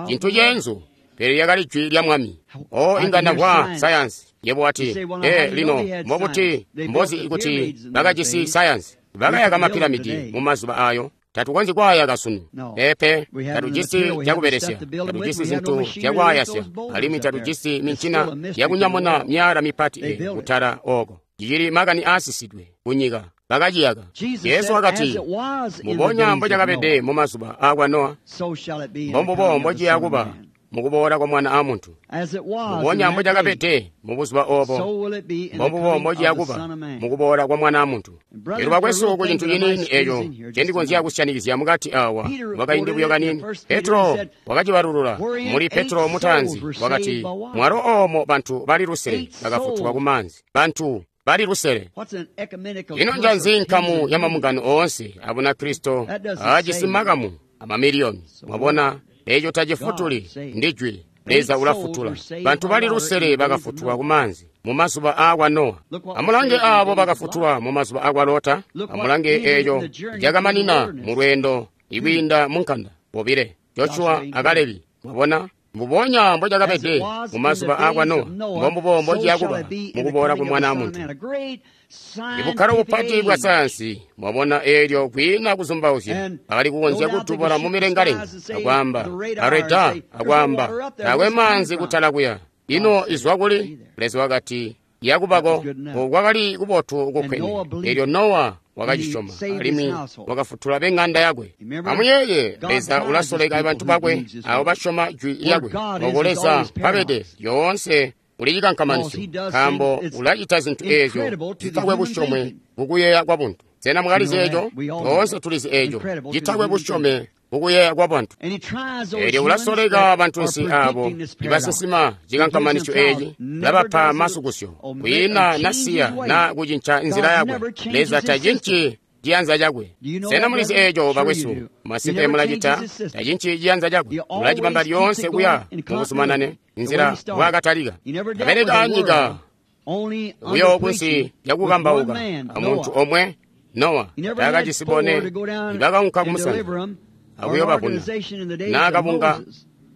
Cintu ceenzu, pele lyakali jwi lya Mwami. O inga ndamvwa sayansi. Yebo wati, e lino mbobuti mbozi ikuti bakajisi sayansi? Bakayaka mapiramidi mu mazuba ayo. Tatukonzyi kwaayaka sunu. Peepe, tatujisi cakubelesya, tatujisi zintu zyakwaayasya, alimwi tatujisi mincina yakunyamuna myala mipati e kutala oko. Cicili makani aasisidwe kunyika. Bakaciyaka. Yesu wakati, mbubonya mbocakabede mu mazuba aakwa Nowa, mbombubo mbociya kuba mukuboola kwa Mwana a Muntu. Mbubonya mbocakabede mubuzuba obo, mbombubo mbociya kuba mukuboola kwa Mwana a Muntu. Lino bakwesu, ku cintu ciniini eco ncendikonzya kusyanikizya mukati awa mwakaindi buyo kaniini. Petro wakacibalulula muli Petro mutaanzi, wakati mwalo oomo bantu bali lusele bakafutulwa ku maanzi. Bantu bali lusele. Ino njanzi nkamu ya mamungano oonse abunakristo aajisi makamu amamiliyoni? Mwabona, eco tacifutuli, ndi jwi. Leza ulafutula. Bantu bali lusele bakafutulwa ku maanzi mu mazuba aakwa Nowa. Amulange aabo bakafutulwa mu mazuba aakwa Lota. Amulange eco cakamanina mu lweendo ikwiinda mu nkanda bobile, Joshua a Kalebi. Mwabona, Mbubonya mbocakabede mumazuba aakwa Nowa, mbombubo mbociyakuba mukuboola kwa Mwana a Muntu. Ibukkalo bupati bwa sayansi, mwabona, eelyo kwiina kuzumbauzya bakali kukonzya kutubona mumilengalenga akwaamba areda, akwaamba taakwe maanzi kutala kuya. Ino izwa kuli? Leza wakati yakubako. Kwakali kubotu kukwene. Eelyo Nowa wakacisyoma alimwi wakafutula beng'anda yakwe. Amuyeeye, Leza ulasoleka bantu bakwe abo basyoma jwi lyakwe. Oko Leza mpabede lyoonse uli cikankamanisyo, nkaambo ulacita zintu eezyo zitakwe busyome mukuyeeya kwa buntu. Sena mwakalizi eeco? Toonse tulizi eeco citakwe busyome mukuyeeya kwa bantu. Eelyo ulasoleka bantunsi abo ibasinsima cikankamanisyo eeci, ulabapa masukusyo. Kwiina nasiya na kucinca nzila yakwe. Leza tacinci ciyanza cakwe. Sena mulizi eeco, bakwesu? Masimpe mulacita. Tacinci ciyanza cakwe, ulacibamba lyoonse kuya mukuzumanane nzila bwakatalika. Abeleka anyika buyo kunsi lyakukambauka amuntu omwe, Nowa, taakajisi bone ibakaunka kumusanza akuyobavuna naakabunga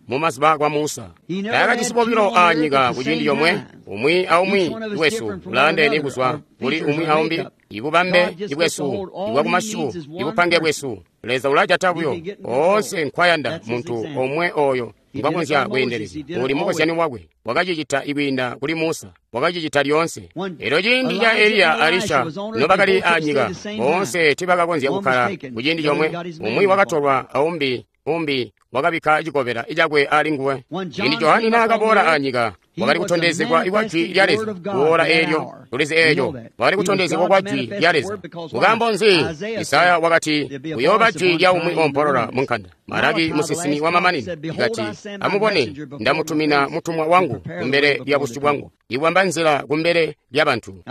mumazuba kwa Musa. Taakajisi bobilo aanyika kuciindi comwe. Umwi aumwi wesu ulaandeene kuzwa kuli umwi aumbi. Ibubambe ibwesu ibwakumasyu, ibupange bwesu, Leza ulajata buyo oonse nkwayanda muntu omwe oyo ngwakonzya kweendelezya. Uli mukozyani wakwe. Wakacicita ikwiinda kuli Musa, wakacicita lyoonse. Elyo ciindi ca Eliya Elisha nobakali aanyika, boonse tiibakakonzya kukkala kuciindi comwe. Umwi wakatolwa aumbi umbi wakabikka cikobela cakwe ali nguwe. Ciindi Johani naakaboola aanyika, wakali kutondezegwa kwa jwi lya Leza. Kuola eelyo, tulizi eeco, wakali kutondezegwa kwa jwi lya Leza. Nkaambo nzi? Isaya wakati, kuyooba jwi lya umwi oompolola munkanda. Malaki musinsimi wa mamanino ikati, amubone, ndamutumina mutumwa wangu kumbele lya busyu bwangu, iwamba nzila kumbele lya bantu.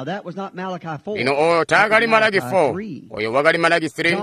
Lino oyo taakali Malaki four, oyo wakali Malaki three.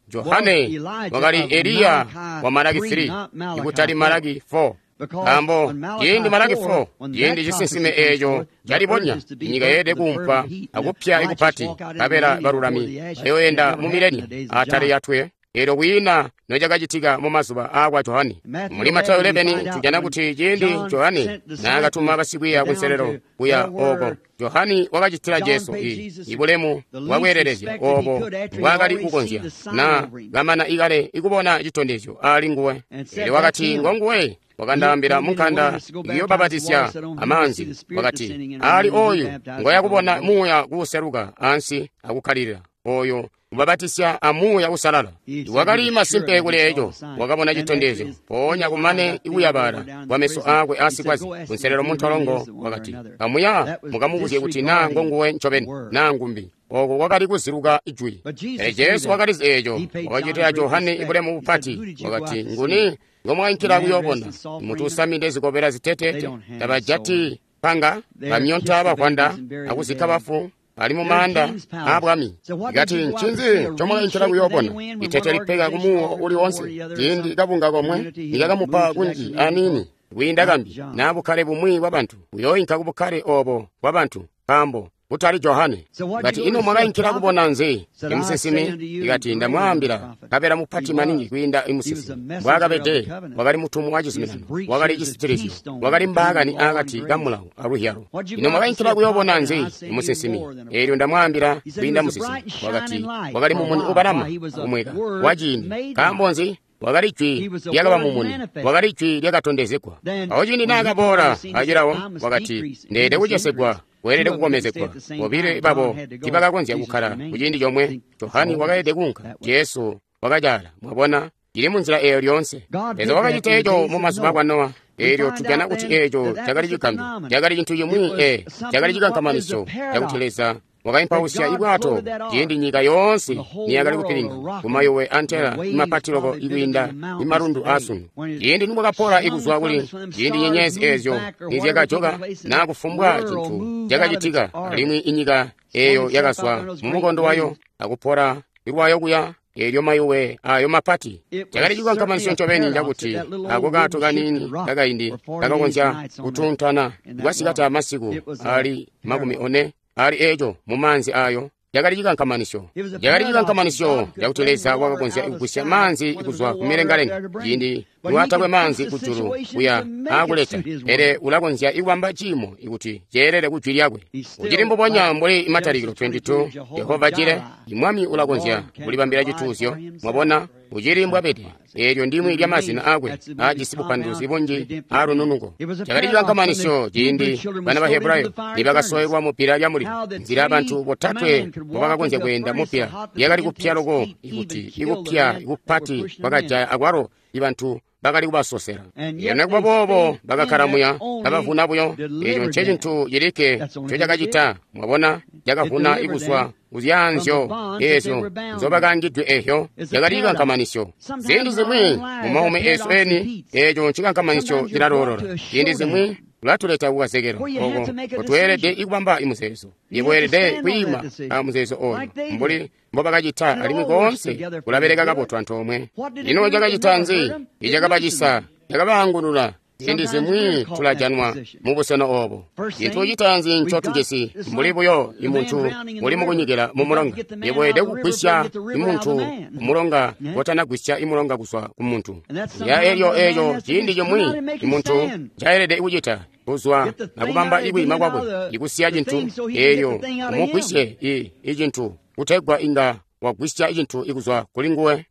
Johane wakali Eliya wa Malaki three, ikutali Malaki four. Nkaambo ciindi Malaki four, ciindi cisinsime eeco calibonya, inyika yeelede kuumpwa akupya ikupati, nkabela balulami bayooenda mu milenium atali yatwe. Eelyo kwiina nocakacitika mumazuba aakwa Johane. Muli Matayo eleven tujana kuti ciindi Johane naakatuma basikwiiya kunselelo kuya ooko, Johane wakacitila Jesu i ibulemu bwakweelelezya oobo mbwaakali kukonzya, na kamana ikale ikubona citondezyo ali nguwe. Eelyo wakati, ngonguwe wakandaambila munkanda iyobbabatisya amaanzi, wakati, ali oyu ngoyakubona muuya kuuseluka ansi akukkalilila, oyo ubabatisya amuuya usalala. Wakali masimpe kuli eco, wakabona citondezyo. Mpoonya kumane ikuyabala kwameso aakwe asikwaze kunselelo muntolongo, wakati, kamuya mukamubuzye kuti naa ngonguwe ncobeni naa ngumbi. Oko kwakali kuziluka ijwi. Pele Jesu wakalizi eeco, wakacitila Johane ibulemu bupati. Wakati, nguni ngomwainkila kuyoobona? Mutu usamide zikobela zitetete? Tabajati panga, bamyonta bavwanda akuzikka bafu ali mumaanda aabwami. Ikati, ncinzi ncomwainkila kuyoobona? Itete lipeka kumuwo uli wonse. Ciindi kabunga komwe nikakamupa kunji aniini kwiinda kambi, naa bukkale bumwi bwa bantu, uyooinka kubukkale oobo bwa bantu, nkaambo kutali Johane. Ikati, ino mwakainkila kubona nzi? Imusinsimi? Ikati, ndamwaambila, nkabela mupati maningi kwiinda imusinsimi. Mbwaakabede, wakali mutumwa wa cizuminano, wakali cisitilizyo, wakali mbaakani aakati kamulawo aluhyalo. Ino mwakainkila kuyoobona nzi? Imusinsimi? Eelyo ndamwaambila, kwiinda musinsimi. Wakati, wakali mumuni ubalama akumweka wa ciindi. Nkaambo nzi? Wakali jwi lyakaba mumuni, wakali jwi lyakatondezegwa. Awo ciindi naakaboola acilawo, wakati, ndeede kucesegwa, weelede kukomezegwa. Bobile babo tiibakakonzya kukkala kuciindi comwe. Johane wakaelede kuunka, Jesu wakacaala. Mwabona, cili munzila eeyo lyoonse. Leza wakacita eco mumazuba akwa Nowa. Eelyo tujana kuti eeco cakali cigambyo, cakali cintu cimwi, e cakali cikankamanisyo cakuti Leza wakaimpausya ibwato ciindi nyika yoonse niyakali kupilinga kumayowe antela imapatiloko ikwiinda imalundu aasunu. Ciindi nimwakapola ikuzwa kuli ciindi nyenyezi eezyo nizyakajoka naa kufumbwa cintu cakacitika, alimwi inyika eeyo yakazwa mumukondo wayo akupola ilwayo kuya eelyo mayowe ayo mapati. Cakali cikankamanisyo ncobeni cakuti ako kaato kaniini kakaindi kakakonzya kutuntana kwasikati masiku ali makumi one ali eeco mumaanzi ayo. Cakali cikankamanisyo, cakali cikankamanisyo cakuti Leza wakakonzya kugwisya maanzi kuzwa kumilengalenga ciindi iwatakwe maanzi kujulu kuya aakuleta, pele ulakonzya ikubamba ciimo ikuti ceelele ku jwi lyakwe. Ucili mbubonya mbuli Matalikilo makumi aali abili, Jehova Jire, Mwami ulakonzya kulibambila cituuzyo. Mwabona, ucili mbwabede. Eelyo ndimwi lya mazina aakwe aajisi bupanduluzi bunji aalununuko. Cakali cikankamanisyo ciindi bana ba Hebrayo nibakasowelwa mupila lya mulilo, nzila bantu botatwe mbobakakonzya kweenda mupila lyakali kupya loko ikuti ikupya ikupati kwakajaya akwalo ibantu bakali kubasosela. Elyo nekuba boobo bakakkala muya kabavuna buyo. Eeco ncecintu cilikke ncocakacita. Mwabona, cakavuna ikuzwa kuzyaanzyo eezyo nzobakaangidwe ehyo. Cakali cikankamanisyo. Ziindi zimwi mumaumi eesu eni eeco ncikankamanisyo cilaloolola. Ziindi zimwi ulatuleta kukazekelo oko kotweelede ikubamba imuzeezo. Iweelede kwiima a muzeezo oyo mbuli mbobakacita, alimwi koonse kulabeleka kabotu antoomwe. Ino cakacita nzi? Icakabacisa, cakabaangulula. Ziindi zimwi tulajanwa mubusena oobo. Cintu citaanzi ncotujisi mbuli buyo imuntu uli mukunyikila mumulonga. Iweelede kugwisya imuntu kumulonga kotanagwisya imulonga kuzwa kumuntu. Ya elyo eeco ciindi cimwi imuntu ncaelede kucita kuzwa akubamba ikwiima kwakwe ikusiya cintu eeyo umugwisye icintu kutegwa inga wagwisya icintu ikuzwa kuli nguwe.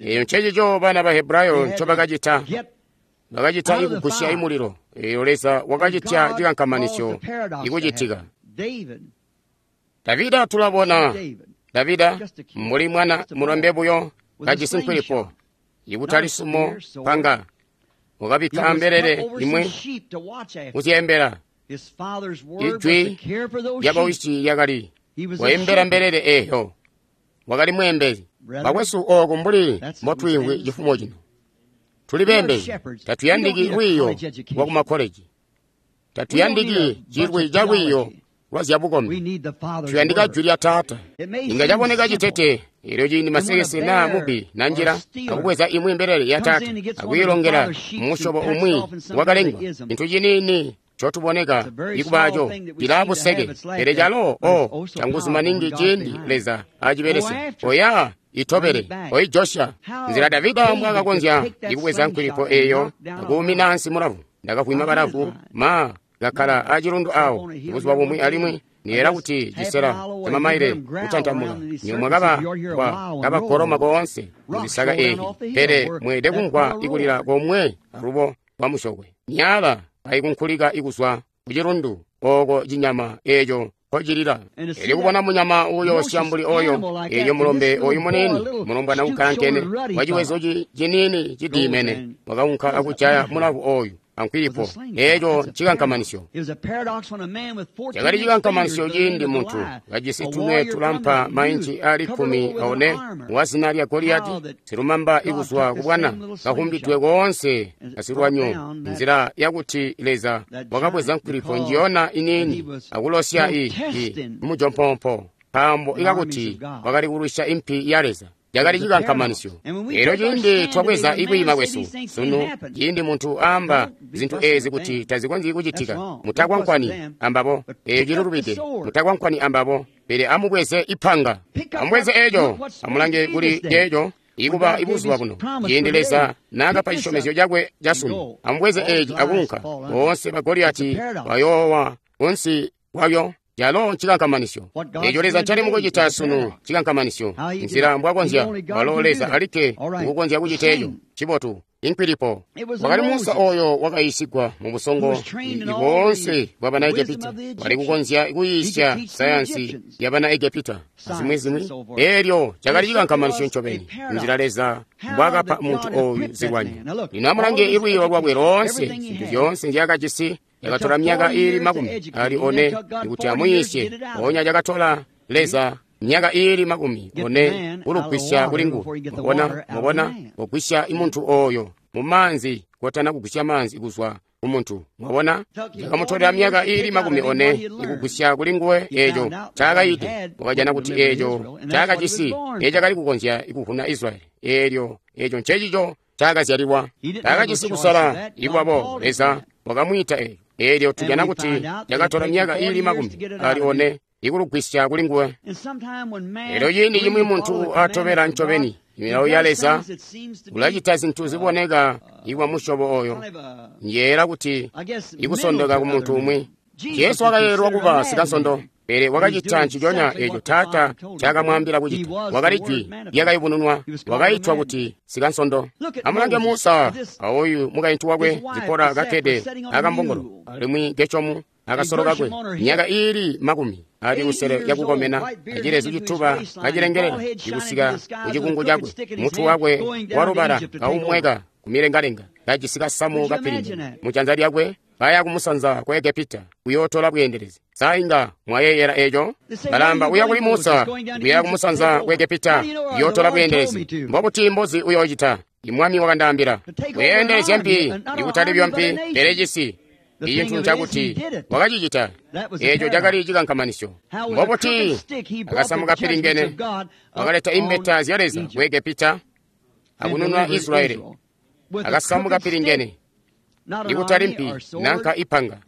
Eeyo ncecico bana ba Hebrayo ncobakacita. Bakacita ikugwisya imulilo. Eeyo Leza wakacitya cikankamanisyo ikucitika. Davida tulabona Davida mbuli mwana mulombe buyo kajisi nkwilipo ikutali sumo panga, wakabikka mbelele imwi kuzyeembela. Ijwi lyabawisi lyakali waimbela mbelele eeyo. Wakali mweembezi. Bakwesu, ooku mbuli mbotwiimvwi cifumo cino, tuli beembezi. Tatuyandiki lwiiyo lwa kumakkoleji, tatuyandiki cilwi ca lwiiyo lwa zyabukombi, tuyandika jwi lya Taata. Inga caboneka citete eelyo ciindi masekese naa mubbi nanjila akubweza imwi mbelele ya Taata akuyilongela mumusyobo umwi wakalengwa, cintu ciniini cotuboneka ikubaaco cilaa buseke, pele calo o canguzu maningi ciindi Leza acibelesya. Oya itobele, oijosya. Nzila Davida mbwaakakonzya ikubweza nkwilipo eeyo akuumina ansi mulavu. Ndakavwima balavu ma kakkala acilundu awo buzuba bumwi, alimwi niyela kuti cisela camamaile kutantamuka nyomwe kaba kwa kabagoloma koonse muzisaka eeyi, pele mweelede kumvwa ikulila komwe alubo kwa musyokwe. Myala aikunkulika ikuzwa kucilundu ooko cinyama eeco nkocilila. Elyo kubona munyama uuyoosya mbuli oyo, elyo mulombe oyu muniini mulombwana ukkalankene waciwezo ciniini cidiimene wakaunka akujaya mulavu oyu ankwilipo. Eeco ncikankamanisyo. Cakali cikankamanisyo ciindi muntu kajisi tunwe tulampa mainci ali kkumi aone wazina lya Goliyati, silumamba ikuzwa kubwana, kahumbidwe koonse asilwanyo, nzila yakuti Leza wakabweza nkwilipo njiyona iniini akulosya i i mujompompo, nkaambo ikakuti wakali kulwisya impi ya Leza. Cakali cikankamanisyo. Elyo ciindi twabweza ikwiima kwesu sunu, ciindi muntu aamba zintu eezi kuti tazikonzyi kucitika, mutakwankwani ambabo. Eeyo cilulubide, mutakwankwani ambabo, pele amubweze ipanga, amubweze eeco, amulange kuli ceeco ikuba ibuzuba buno ciindi Leza naakapa cisyomezyo cakwe casunu. Amubweze eeci akunka, boonse ba Goliyati bayoowa kunsi kwabyo. Calo ncikankamanisyo. Eeco Leza ncali mukucita sunu cikankamanisyo. Nzila mbwakonzya walo Leza alikke ukukonzya kucita eeco cibotu. Inkwilipo wakali Musa oyo wakayiisigwa mu busongo boonse bwa bana Egepita, wali kukonzya kuyiisya sayansi ya bana Egepita azimwi-zimwi. Eelyo cakali cikankamanisyo ncobeni, nzila Leza mbwaakapa muntu oyu zilwanyo. Lino amulange ilwiiyo lwakwe loonse, zintu zyoonse nzyaakajisi. Yakatola myaka iili makumi ali one ikuti amuyiisye, mpoonya cakatola Leza myaka iili makumi one kulugwisya kuli nguwe. Mwabona, mwabona, kugwisya imuntu oyo mumaanzi kotana kugwisya maanzi kuzwa kumuntu. Mwabona, cakamutolela myaka iili makumi one ikugwisya kuli nguwe eeco ncaakayide. Wakajana kuti eeco ncaakajisi eecakali kukonzya ikuvuna Israyeli. Eelyo eeco ncecico ncaakazyalilwa. Taakajisi kusala ikwabo. Leza wakamwiita eeco. Eelyo tujana kuti cakatola myaka iili makumi ali one ikulugwisya kuli nguwe. Eelyo ciindi cimwi muntu atobela ncobeni Milawo ya Leza ulacita zintu ziboneka ikwa musyobo oyo. Njeela kuti ikusondoka ku muntu umwi. Jesu wakayeeyelwa kuba sikansondo, pele wakacita nciconya eeco Taata ncakamwaambila kucita. Wakali jwi lyakayubununwa, wakaitwa kuti sikansondo. Amulange Musa aoyu mukaintu wakwe Zipora kakkede akambongolo, alimwi Geshomu akasolo kakwe, myaka iili makumi ali lusele yakukomena, acilezu cituba kacilengelela ikusika kucikungu cakwe, mutu wakwe walubala kaumweka kumilengalenga, kajisi kasamu kapilimba mujanza lyakwe, kaya kumusanza ku Egepita kuyootola bweendelezi. Sa inga mwayeeyela eco? Balamba uya kuli Musa kuya kumusanza ku Egepita kuyootola bweendelezi. Mbobuti mbozi uyoocita? Imwami wakandaambila weendelezya mpi, ikutali byo mpi, pele cisi. Icintu ncakuti wakacicita. Eeco cakali cikankamanisyo. Mbobuti akasamu kapilingene wakaleta imbeta zya Leza ku Egepita akunununa Israyeli. Akasamu kapilingene, ikutali mpi nanka ipanga,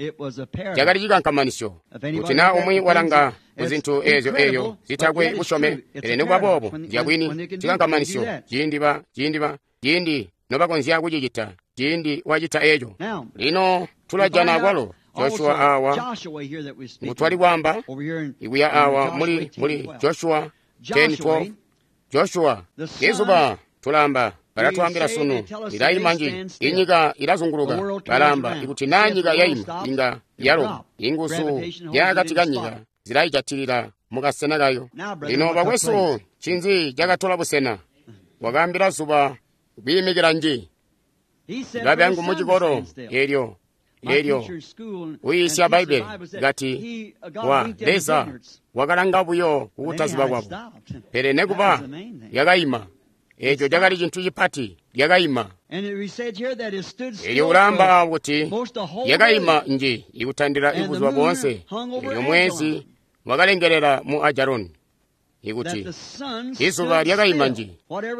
cakali cikankamanisyo. Kuti naa umwi walanga kuzintu eezyo eeyo zitakwe busyome, pele nikuba boobo nzyabwini, cikankamanisyo ciindi ba ciindi ba ciindi nobakonzya kucicita, ciindi wacita eeco. Lino tulajana kwalo Joshua awa ngutwali kwaamba ikuya awa muli muli Joshua ten twelve. Joshua izuba tulamba balatwaambila sunu lilaima nji, inyika ilazunguluka. Balamba ikuti naa nyika yaima inga yaloba, inguzu zyakati kanyika zilaijatilila mukasena kayo. Lino bakwesu, ncinzi cakatola busena? Wakaambila zuba kwiimikila nji. Babyangu mucikolo elyo elyo uyiisya Bbaibbele kati wa Leza wakalanga buyo kukutaziba kwabo, pele nekuba yakaima. Eeco cakali cintu cipati, lyakaima. Elyo ulaamba kuti lyakaima nji ikutandila ibuzuba boonse. Elyo mwezi wakalengelela mu Ajaloni. Ikuti izuba lyakaima nji,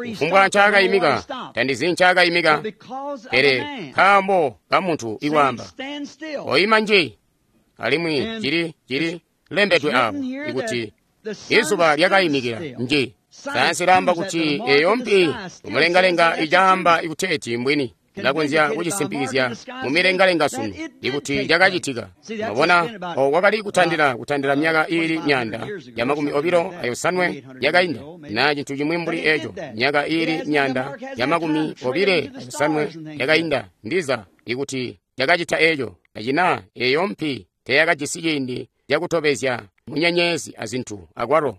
kufumbwa ncaakaimika, tandizi ncaakaimika, pele nkaambo ka muntu ikwaamba oima nji. Alimwi cili cili lembedwe awo ikuti izuba lyakaimikila nji. Sayansi ilaamba kuti eyo mpi umulengalenga icaamba ikuteeti mbwini ilakonzya kucisimpikizya mumilengalenga sunu ikuti cakacitika. Mwabona, oko kwakali kutandila kutandila myaka iili myaanda ya makumi obilo ayosanwe yakainda, na cintu cimwi mbuli eco, myaka iili myaanda ya makumi obile ayosanwe yakainda, ndiza ikuti cakacita eco. Acina eyo mpi teyakajisi ciindi cakutobezya munyenyezi azintu akwalo.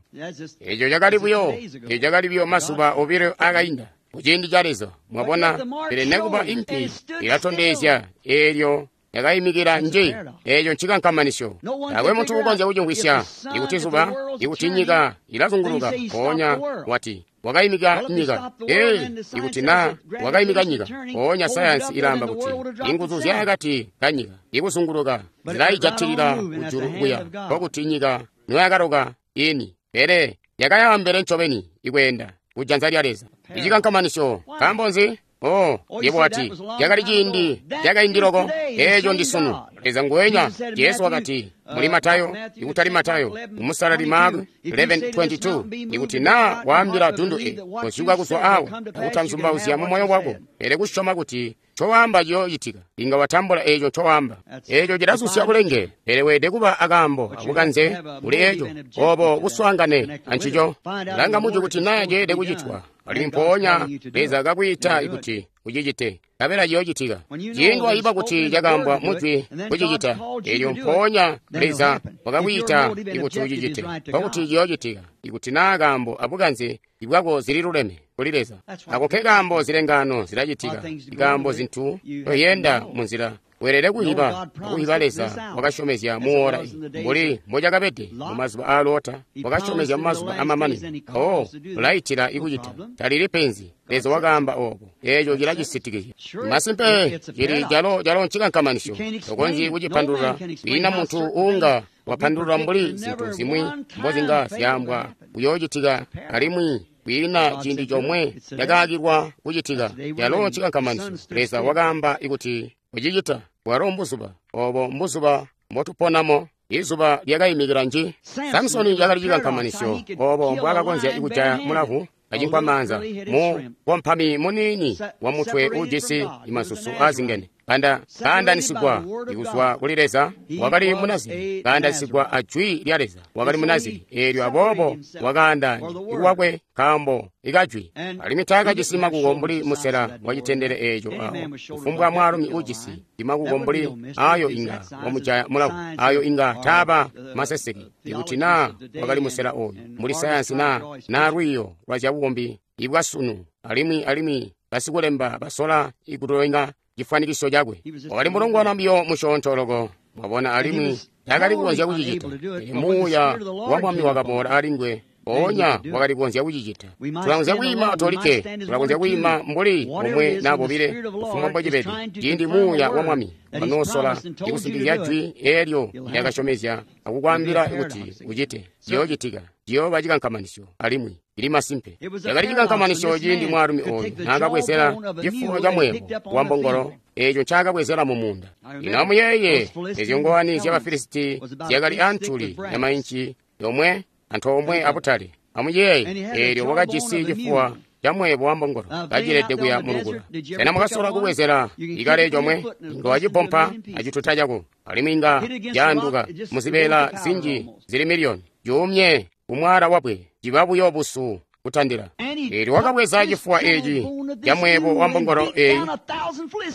Eco cakali buyo, eco cakali buyo mazuba obilo akainda kuciindi ca Leza. Mwabona, pele nekuba impi ilatondezya eelyo yakaimikila nji. Eeco ncikankamanisyo. Taakwe muntu ukonzya kucimvwisya. Ikuti zuba, ikuti nyika ilazunguluka, mpoonya wati wakaimika nyika. Ee, ikuti naa wakaimika nyika, mpoonya sayansi ilaamba kuti inguzu zyakati kanyika ikuzunguluka zilaijatilila kujulu kuya, nkokuti nyika noyakaloka ini, pele yakayaambele ncobeni ikweenda kujanza lya Leza. Icikankamanisyo. Nkaambo nzi? Oh, yebo wati cakali ciindi cakaindi loko. Eeco ndi sunu. Leza nguwenya. Jesu wakati muli Matayo, ikutali Matayo, umusalali Mark eleven twenty-two, ikuti naa waambila dundu e kozyuka kuzwa awo akutanzumbauzya mu moyo wako, pele kusyoma kuti ncowaamba ciyoocitika, inga watambula eeco ncowaamba. Eeco cilasusya bulenge, pele weelede kuba akaambo abukanze kuli eeco, obo buswaangane ancico. Langa muju kuti naa ceelede kucitwa, alimwi mpoonya Leza kakwiita ikuti ucicite, kabela ciyoocitika. Ciindi wayiba kuti cakaambwa mujwi kucicita, eelyo mpoonya Leza wakakwiita ikuti ucicite, nkokuti ciyoocitika. Ikuti naa kaambo abukanze ibwako zililuleme kuli Leza. Ako nke kaambo zilengano zilacitika, ikaambo zintu toyenda munzila weelede kuyiba akuyiba Leza wakasyomezya muora mbuli mbocakabede mumazuba aa Lota, wakasyomezya mumazuba amamanino. Oh, ulaitila ikucita talili penzi. Leza wakaamba obo, eeco cilacisitikizya. Masimpe cili calo calo ncikankamanisyo, tokonzyi kucipandulula. Kwiina muntu uunga wapandulula mbuli zintu zimwi mbozinga zyaambwa kuyoocitika, alimwi kwiina ciindi comwe cakaakilwa kucitika. Calo ncikankamanisyo. Leza wakaamba ikuti kucicita. Bwalo mbuzuba obo mbuzuba mbotuponamo. Izuba lyakaimikila nji. Samsoni cakali cikankamanisyo, obo mbwaakakonzya kujaya mulavu kacinkwamaanza mu kompami muniini wa mutwe ujisi masusu aazingene kanda kaandanisigwa ikuzwa kuli Leza, wakali Munaziri, kaandanisigwa a jwi lya Leza, wakali Munaziri. Eelyo aboobo wakaandaanya lwakwe nkaambo ikajwi, alimwi taakajisi makuko mbuli musela wa citendele eeco awo. Kufumbwa mwaalumi ujisi makuko mbuli ayo inga wamujaya mulavu, ayo inga taaba maseseke ikuti naa wakali musela oyu mbuli sayansi naa naa lwiiyo lwa zyabukombi ibwasunu, alimwi alimwi basikulemba basola ikutolenga chifwanikiso chakwe. Wakali mulongwana biyo musyoonto loko, mwabona, alimwi taakali kukonzya kucicita. Pele Muuya wa Mwami wakaboola alinguwe, mpoonya wakali kukonzya kucicita. Tulakonzya kwiima tolikke, tulakonzya kwiima mbuli omwe naa bobile, kufumbwa mbocibede. Ciindi Muuya wa Mwami wanoosola ikusimpikizya jwi eelyo lyakasyomezya akukwaambila kuti ucite, ciyoocitika, ciyooba cikankamanisyo alimwi ili masimpe. Cakali cikankamanisyo ciindi mwaalumi oyu naakabwezela cifulo ca mweebo wa mbongolo eeco ncaakabwezela mu muunda. Lino amuyeeye, ezyo ngowani zya Bafilisiti zyakali antuli ya mainci yomwe antoomwe abutale. Amuyeeye, eelyo wakajisi cifuwa ca mweebo wa mbongolo kacilede kuya mulukula. Sena mwakasola kubwezela ikale comwe? Inga wacipompa acituta cako, alimwi inga caanduka muzibeela zinji zili miliyoni. Cuumye kumwaala wabwe, ciba buyo busu kutandila. Eelyo wakabweza cifuwa eci ca mweebo wa mbongolo eyi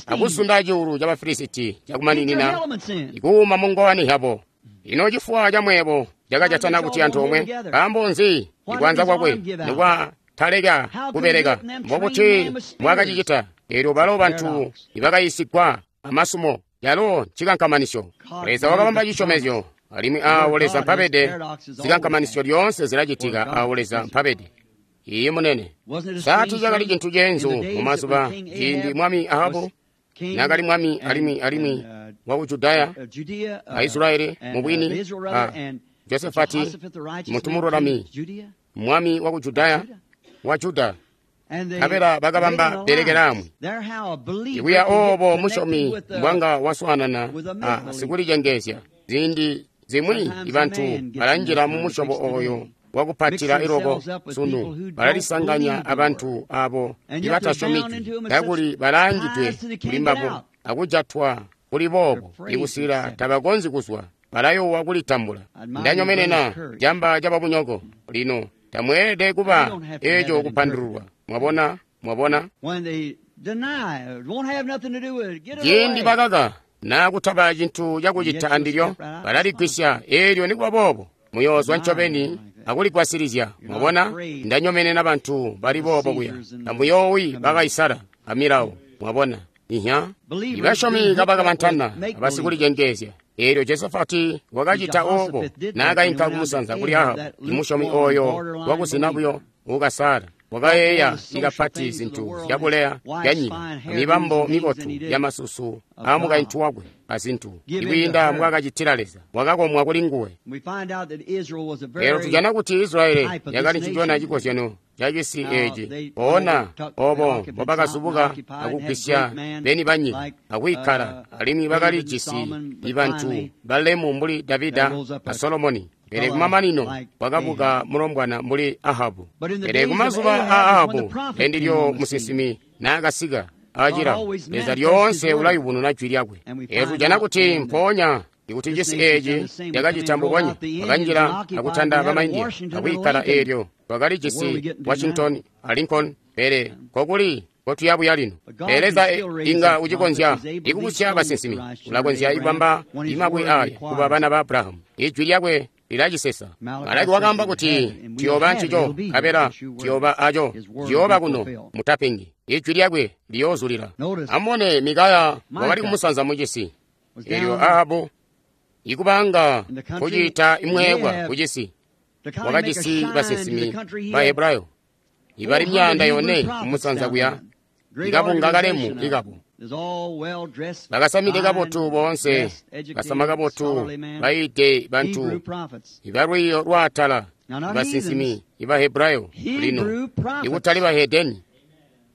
akusunda cuulu ca Bafilisiti cakumaninina ikuuma mu ngowani yabo. Ino cifuwa ca mweebo cakajatana kuti antoomwe? Nkaambo nzi ikwanza kwakwe nikwataleka kubeleka? Mbobuti mbwakacicita? Eelyo balo bantu ibakayisigwa amasumo, yalo ncikankamanisyo. Leza wakabamba cisyomezyo, alimwi aawo Leza mpabede, zikankamanisyo lyoonse zilacitika aawo Leza mpabede. Iye munene. Saati cakali cintu ceenzu mu mazuba ciindi Mwami Ahabu naakali mwami alimwi alimwi waku Judaya a Israyeli mubwini, a Josefati muntu mululami, mwami waku Judaya wa Juda, nkabela bakabamba bbelekelaamwi. Ikuya oobo musyomi mbwanga waswaanana a sikulicengeezya. Ziindi zimwi ibantu balanjila mu musyobo oyo wakupatila iloko sunu, balalisanganya abantu abo ibatasyomi jwi, kakuli balaangidwe kuli mbabo akujatwa kuli boobo ikusila tabakonzyi kuzwa, balayowa kulitambula. Ndanyomenena camba cababunyoko. Lino tamweelede kuba eco kupandululwa. Mwabona, mwabona? Ciindi bakaka naa kutaba cintu cakucita andilyo, balaligwisya. Eelyo nikuba boobo muyoozwa ncobeni akuligwasilizya. Mwabona, ndanyomenena bantu bali boobo kuya. Tamuyoowi bakaisala amilawo. Mwabona, ihya ibasyomi kabakamantana abasikulicengeezya. Eelyo Josafati wakacita oobo naakainka kumusanza kuli Ahabu, imusyomi oyo wakuzina buyo ukasala. Wakayeeya ikapati zintu zyabuleya byanyika, mibambo mibotu yamasusu aamukaintu wakwe azintu ikwiinda mbwaakacitila Leza. Wakakomwa kuli nguwe. Lero tujana kuti Israyeli yakali ncicona cikozyano ca cisi eeci. Poona obo mbobakazubuka akugwisya beni banyika akwiikkala, alimwi bakalijisi ibantu balemu mbuli Davida a Solomoni. Pele kumamanino kwakabuka mulombwana mbuli Ahabu. Pele kumazuba a Ahabu ndendilyo musinsimi naakasika acilawo. Leza lyoonse ulayubununa jwi lyakwe. Eelyo tujana kuti mpoonya ikuti cisi eeci cakacita mbubonya, bakanjila akutanda bamaindiya akwiikkala. Eelyo twakalijisi Washington a Lincoln, pele kokuli kotuyabuya lino. Pele Leza inga ucikonzya ikubusya basinsimi, ulakonzya ikubamba imabwe aya kuba bana ba Abrahamu. Ijwi lyakwe lilacisesa. Malaki wakaamba kuti tuyooba ncico, nkabela tuyooba aco, ciyooba kuno mutapengi. Ijwi lyakwe liyoozulila. Amubone, Mikaya wakali kumusanza mucisi. Eelyo Ahabu ikubanga kuciita imweebwa kucisi, wakajisi basinsimi ba Hebrayo ibali myanda yone kumusanza kuya, ikabunga kalemu ikabo. Bakasamide kabotu boonse, basama kabotu, bayiide bantu ibalwiiyo lwaatala, basinsimi iba Hebrayo lino, ikutali bahedeni,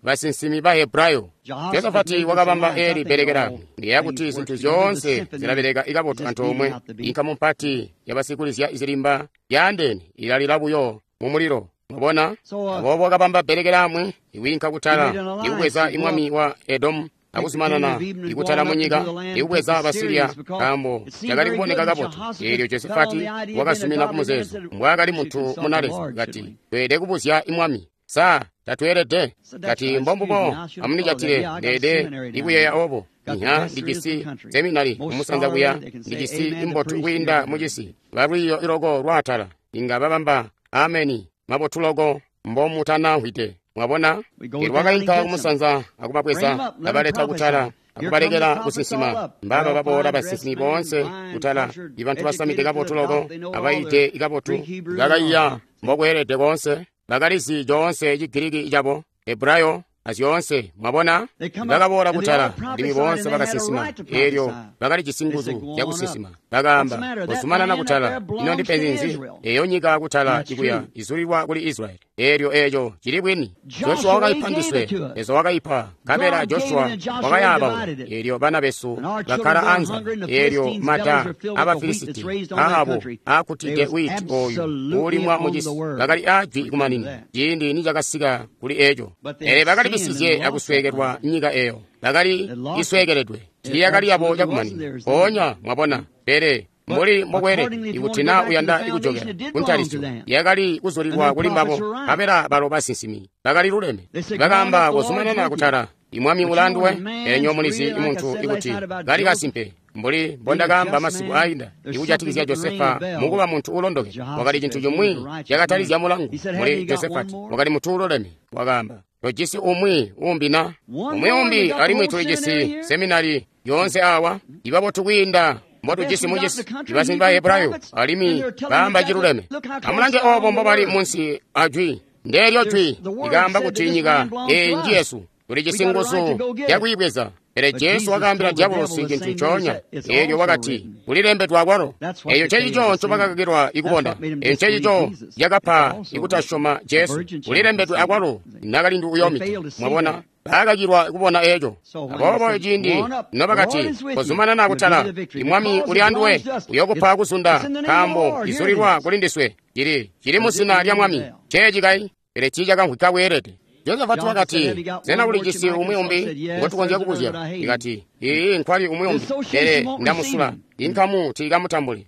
basinsimi ba Hebrayo. Josafati wakabamba eli bbelekela ndiyeeya kuti zintu zyoonse zilabeleka ikabotu antoomwe. Inkamu mpati yabasikulizya zilimba yaandeene ilalila buyo mumulilo Mwabona? Aboobo wakabamba bbelekelaamwi ikwiinka kutala ikubweza imwami wa Edomu akuzumanana ikutala munyika ikubweza Basiliya nkaambo cakali kuboneka kabotu. Eelyo Josefati wakazumina kumuzeezo mbwaakali muntu munaleza kati tweelede kubuzya imwami. Sa tatweelede? Kati mbombubo, amunicatile ndeede ikuyeeya obo. Inya ndijisi seminari kumusanza kuya, ndijisi imbotu kwiinda mucisi, balwiiyo iloko lwaatala inga babamba ameni mabotu loko mbomutanamvwide. Mwabona? Eelyo wakainka kumusanza akubabweza abaleta kutala akubalekela kusinsima. Mbaba baboola basinsimi boonse kutala, ibantu basamide kabotu loko abaite kabotu, bakaiya mbokweelede koonse, bakalizi coonse Chigiriki cabo, Hebrayo azyoonse. Mwabona? Bakaboola kutala alimwi boonse bakasinsima. Eelyo bakalijisi nguzu zyakusinsima. Bakaamba, kozumanana kutala. Ino ndipenzi nzi? Eyo nyika kutala ikuya izulilwa kuli Israyeli. Eelyo eeco cili bwini. Joshua wakaipa ndiswe, Leza wakaipa, nkabela Joshua wakayaaba. Eelyo bana besu bakkala anza. Eelyo mada Abafilisiti aabo aakutide witi oyu uulimwa mucisi bakali ajwi kumanina ciindi nicakasika kuli eeco. Pele bakali bisizye akusweekelwa nyika eyo, bakali isweekeledwe, tiiyakali yabo cakumanina. Mpoonya mwabona, pele mbuli mbokweelede ikuti naa uyanda ikujokela kuntalisyo, yakali kuzulilwa kuli mbabo, nkabela balo basinsimi bakali luleme. Bakaamba, kozumanana kutala, imwami ulanduwe. Enyo mulizi imuntu ikuti kali kasimpe mbuli mbondakaamba masiku ainda ikujatikizya Josefa mukuba muntu ulondoke, wakali cintu cimwi cakatalizya mulangu muli Josefati, wakali muntu uloleme. Wakaamba, tojisi umwi umbi na umwi umbi, alimwi tulijisi seminari yoonse awa ibabotu kwiinda mbotujisi mucisi, ibasimbi ba Hebrayo, alimwi baamba ciluleme. Amulange obo mbobali munsi ajwi. Ndeelyo jwi likaamba kuti nyika eyi njiyesu, tulijisi nguzu yakwiibweza. Pele Jesu wakaambila diabolosi cintu ncoonya. Eelyo wakati, kulilembedwe akwalo. Eyo ncecico ncobakakakilwa ikubona. Eyo ncecico cakapa ikutasyoma Jesu. Kulilembedwe akwalo, nakalindu uyomita. Mwabona? Baakakilwa kubona eeco. Aboobo ciindi nobakati, kozumanana kutala, imwami uli anduwe, uyokupa kuzunda, nkaambo izulilwa kuli ndiswe. Cili cili muzina lya mwami. Ceeci kai, pele tiicakamvwika bweelede. Josafati wakati, sena ulijisi umwi umbi ngotukonzya kubuzya? Ikati, ii nkwali umwi umbi, pele ndamusula, inkamu tiikamutambuli.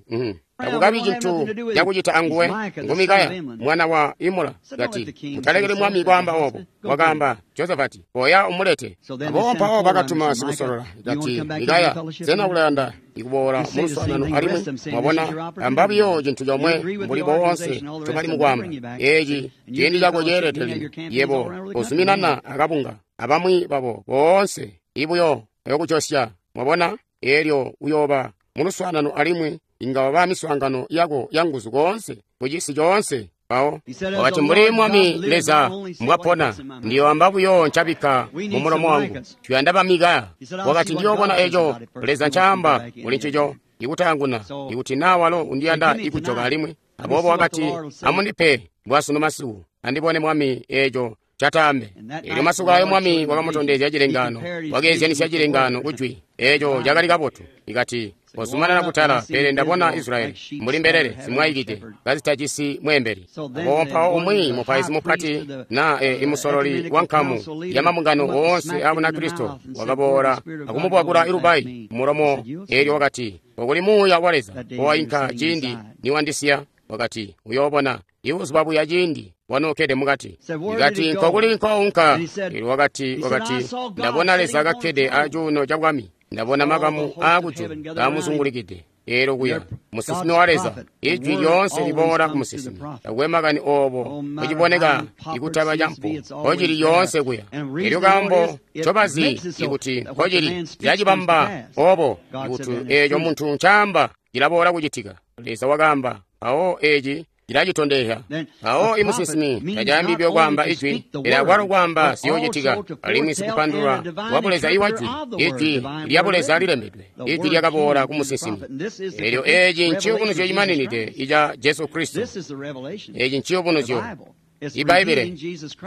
Takukabi cintu cakucita anguwe. Ngu Mikaya mwana wa Imula. Kati, mutalekeli mwami kwaamba obo. Wakaamba, Josafati, oya umulete. Aboobo mpawo bakatuma sikusolola. Kati, Mikaya, sena ulayanda ikuboola muluswaanano alimwi? Mwabona, amba buyo cintu comwe mbuli boonse ncobali mukwaamba. Eeci ciindi cako ceelede lino. Yebo uzuminana akabunga abamwi babo boonse ibuyo ayokujosya. Mwabona, eelyo uyooba muluswaanano alimwi inga waba miswaangano yako yanguzu koonse mucisi coonse. Mpawo wakati, mbuli mwami Leza mbwapona, ndiyoamba buyo ncabikka mumulomo wangu. Tuyanda ba Mikaya. Wakati, ndiyoobona eco Leza ncaamba kuli ncico ikutaanguna, ikuti naa walo undiyanda ikujoka alimwi. Aboobo wakati, amundipe bwasunu masiku andibone mwami eco cataambe. Eelyo masiku ayo mwami wakamutondezya cilengaano, wakeezyanisya cilengaano kujwi. Eeco cakali kabotu. Ikati, kozumanana kutala, pele ndabona Israyeli mbuli mbelele zimwaikide kazitajisi mweembeli. Aboobo mpawo umwi mupaizi mupati na e, imusololi wa nkamu ya mabungano woonse a Bunakristo wakaboola akumubwakula ilubayi mulomo. Eelyo wakati, okuli muuya wa Leza owainka ciindi niwandisiya. Wakati, uyoobona ibuzuba buya ciindi wanookede mukati. Ikati, nkokuli nkounka? Eelyo wakati, wakati ndabona Leza kakkede acuuno ca bwami, ndabona makamu aakujulu kaamuzungulikide. Eelyo kuya musinsimi wa Leza, ijwi lyoonse liboola ku musinsimi. Takwe makani oobo kuciboneka ikutaba campo, nkocili lyoonse kuya. Eelyo kaambo ncobazi ikuti nkocili zyacibamba oobo, ikuti eeco muntu ncaamba cilaboola kucitika. Leza wakaamba, mpawo eeci cilacitondezya. Mpawo imusinsimi tacaambi buyo kwaamba ijwi, pele akwalo kwaamba ziyoocitika. Alimwi sikupandulula wa Buleza iwa jwi, ijwi lya Buleza lilembedwe, ijwi lyakaboola ku musinsimi. Eelyo eeci nciyubunuzyo cimaninide ica Jesu Kristo. Eeci nciyubunuzyo Ibbaibbele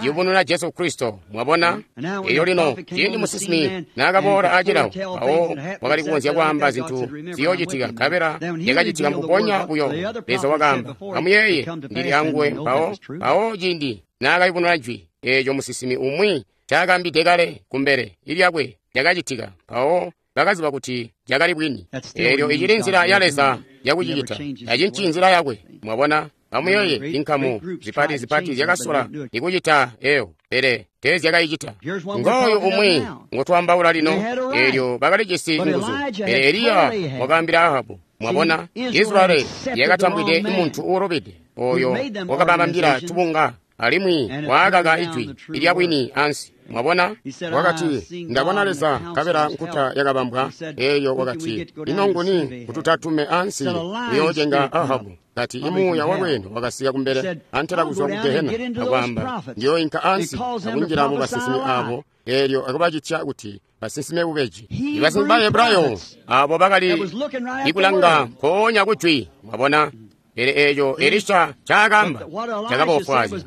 liyubununa Jesu Kristo. Mwabona? Elyo lino ciindi musinsimi naakaboola acilawo, mpawo wakali kukonzya kwaamba zintu ziyoocitika, nkabela yakacitika mbubonya buyo. Leza wakaamba, amuyeeye, ndili anguwe. Mpawo mpawo ciindi naakayubununa jwi eeco musinsimi umwi ncaakaambide kale kumbele ilyakwe lyakacitika, mpawo bakaziba kuti lyakali bwini. Eelyo icili nzila ya Leza yakucicita, tacinci nzila yakwe. Mwabona? Amuyeeye, inkamu zipati zipati zyakasola ikucita eyo, pele teezyakayicita. Ngooyu umwi ngotwaambaula lino. Eelyo bakalijisi nguzu, pele Eliya wakaambila Ahabu. Mwabona, Israyeli yakatambwide muntu uulubide oyo wakababambila tubunga, alimwi waakaka ijwi ilya bwini ansi. Mwabona, wakati, ndabona Leza nkabela nkuta yakabambwa. Eyo wakati, ino nguni kututatume ansi kuyoocenga Ahabu? Kati imuuya walweeno wakasika kumbele antela kuzwa ku Gehena akwaamba, ndiyooinka ansi akunjila mu basinsimi abo, eelyo akubacitya kuti basinsime bubeji. Ibasinsimi ba Hebrayo abo bakali ikulanga mpoonya kujwi. Mwabona? Pele eeco Elisha ncaakaamba cakaboofwaazya.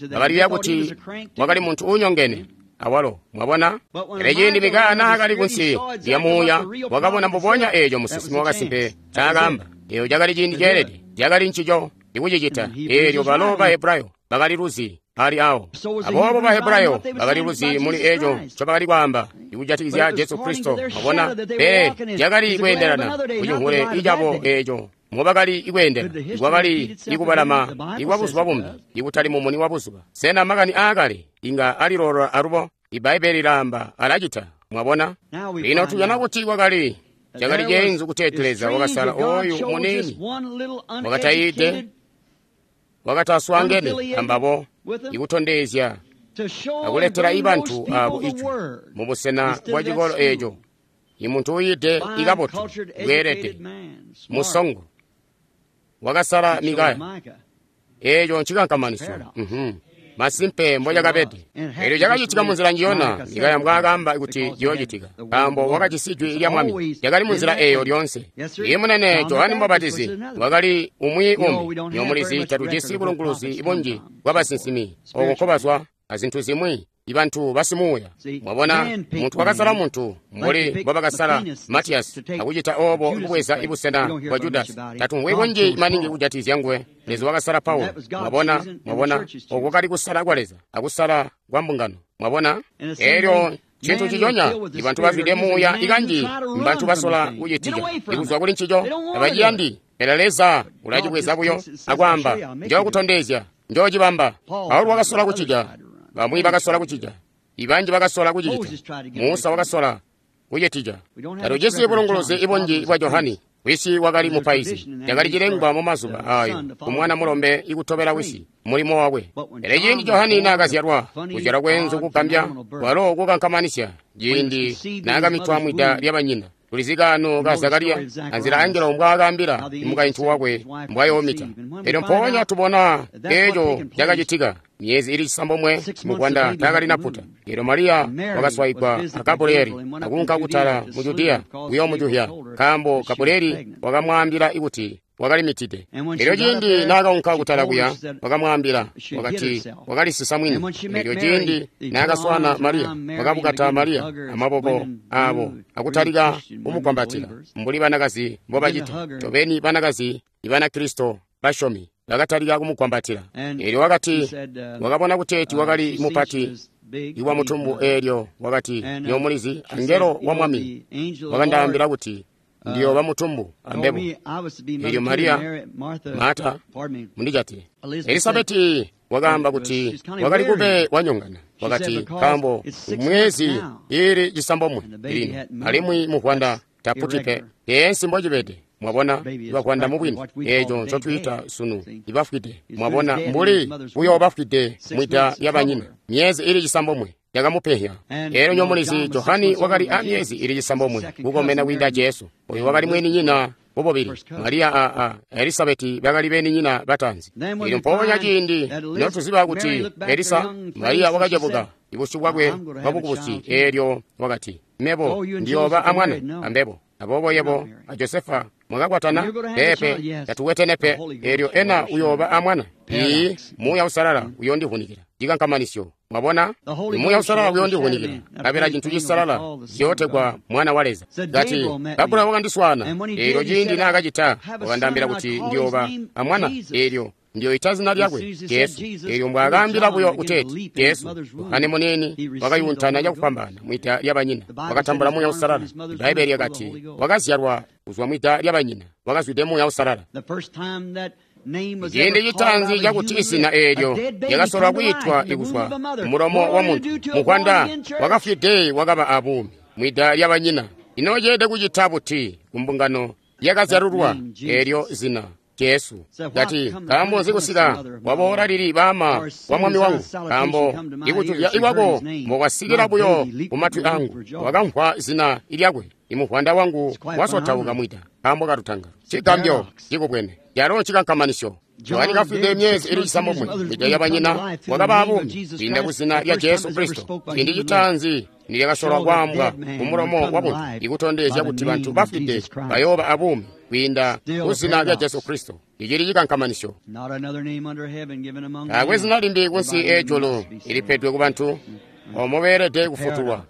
Bakaliya kuti wakali muntu uunyongene awalo. Mwabona? Pele ciindi Mikaya naakali kunsi lya muuya, wakabona mbubonya eeco musinsimi wakasimpe ncaakaamba. Eeyo cakali ciindi ceelede, cakali ncico ikucicita. Eelyo balo ba Hebrayo bakali luzi ali awo. Aboobo ba Hebrayo bakali luzi muli eeco ncobakali kwaamba ikujatikizya Jesu Kristo. Mwabona? Pele cakali kweendelana kucihule icabo eeco mubakali ikweendela, ikwakali ikubalama ikwa buzuba bumbi, ikutali mumuni wa buzuba. Sena makani aakale inga alilolola alubo? Ibbaibbele lilaamba alacita. Mwabona? Lino tujana kuti kwakali cakali ceenzu kuteeti Leza wakasala oyu muniini wakatayiide, wakataswaangene ambabo, ikutondezya akuletela ibantu abo ijwi mubusena bwa cikolo eeco. Imuntu uyiide ikabotu, bweelede, musongo, wakasala Mikaya. Eeco ncikankamanisyo. Masimpe mbocakabede. Eelyo cakacitika munzila njiyona Mikaya mbwaakaamba kuti ciyoocitika, nkaambo wakajisi jwi lya Mwami. Lyakali munzila eeyo lyoonse. Iye munene Johane Mubapatizi wakali umwi umbi. Nyomulizi tatujisi bulunguluzi bunji bwabasinsimi oko nkobazwa azintu zimwi, ibantu basimuuya. Mwabona, muntu wakasala muntu mbuli mbobakasala Matiyasi akucita oobo kubweza ibusena bwa Judasi. Tatumvwi kunji maningi kujatikizya nguwe. Leza wakasala Paulo. Mwabona, mwabona, oko kali kusala kwa Leza akusala kwa mbungano. Mwabona, eelyo cintu ciconya ibantu bazwide muuya ikanji mbantu basola kucitija ikuzwa kuli ncico, tabaciyandi. Pele Leza ulacibweza buyo akwaamba, njookutondezya, njoocibamba. Paulo wakasola kucija, bamwi bakasola kucija, ibanji bakasola kucicita. Musa wakasola kucitija. Tatujisi bulunguluzi ibunji bwa Johani. Wisi wakali mupaizi. Cakali cilengwa mu mazuba ayo kumwana mulombe ikutobela wisi mulimo wakwe. Pele ciindi Johani naakazyalwa, kuzyalwa kweenzu kugambya kwalo kukankamanisya, ciindi naakamitwa mwida lyabanyina. Tulizi kaano ka Zakariya anzila angelo mbwaakaambila mukaintu wakwe mbwayoomita. Elyo mpoonya tubona eeco cakacitika. Myezi ili cisambomwe muvwanda taakali naputa. Elyo Mariya wakaswaigwa a Gabrieli akuunka kutala mu Judiya kuyoomujuhya, nkaambo Gabrieli wakamwaambila kuti wakalimitide. Elyo ciindi naakaunka kutala kuya, wakamwaambila wakati wakalisisa mwini. Elyo ciindi naakaswaana Mariya, wakabukata Mariya amaboko aabo akutalika kumukwambatila mbuli banakazi mbobacita. Tobeni banakazi Ibanakristo basyomi bakatalika kumukwambatila. Elyo wakati wakabona kuteeti wakali mupati iwa mutumbu. Eelyo wakati, nyomulizi, angelo wa Mwami wakandaambila kuti ndiyooba mutumbu ambebo. Elyo Mariya, Marta, mundijate, Elisabeti wakaamba kuti wakali kube wanyongana. Wakati, nkaambo mwezi ili cisambomwe lino, alimwi muvwanda taputi pe. Teensi mbocibede. Mwabona, ibavwanda mubwini, eeco ncotwiita sunu ibafwide. Mwabona, mbuli buyo bafwide mwida lyabanyina. Myezi ili cisambomwe yakamupehya. Eelyo nyomulizi Johani wakali a myezi ili cisambomwe kukomena kwiinda Jesu. Oyu wakali mweninyina bobobili. Mariya a, a Elisabeti bakali beninyina batanzi. Eelyo mpoonya ciindi notuziba kuti Elisa, Mariya wakacebuka ibusyu bwakwe bwabukubusi. Eelyo wakati, mebo ndiyooba amwana ambebo. Aboobo yebo a Josefa mwakakwatana? Peepe, tatukwetene pe. Eelyo ena uyooba amwana? Ii Muuya Uusalala uyondivunikila. Cikankamanisyo. Mwabona? Muuya Uusalala uyondivunikila. Kabela cintu cisalala ciyootegwa Mwana wa Leza. Kati, Gabriel wakandiswaana. Eelyo ciindi naakacita, wakandaambila kuti ndiyooba amwana. Eelyo ndiyoita zina lyakwe Jesu. Eelyo mbwaakaambila buyo kuteeti Jesu, Yohane muniini wakayuntana cakufwambaana mwida lyabanyina, wakatambula Muuya Uusalala. Ibbaibeli lyakati wakazyalwa kuzwa mwida lyabanyina, wakazwide Muuya Uusalala. Ciindi citaanzi cakuti izina eelyo lyakasolwa kwiitwa ikuzwa mulomo wa muntu muvwanda wakafwide wakaba abuumi mwida lyabanyina. Ino ceelede kucita buti kumbungano yakazyalulwa eelyo zina Jesu? Kati, nkaambo nzi kusika waboola lili baama wa mwami wangu? Nkaambo ikutulya ikwako mbokwasikila buyo kumatwi angu, wakamvwa zina lyakwe. Imuvwanda wangu wasotauka mwida nkaambo kalutangalo. Cigambyo cikubwene calo cikankamanisyo. Yohane kafwide myezi ili cisambomwe mwida lyabanyina wakaba abuumi kwiinda kuzina lya Jesu Kristo. Ciindi citaanzi nilyakasolwa kwaambwa kumulomo wa buntu ikutondezya kuti bantu bafwide bayooba abuumi kwiinda kuzina lya Jesu Kristo. Icili cikankamanisyo. Taakwe zina limbi kunsi ejulu ilipedwe ku bantu omo beelede kufutulwa.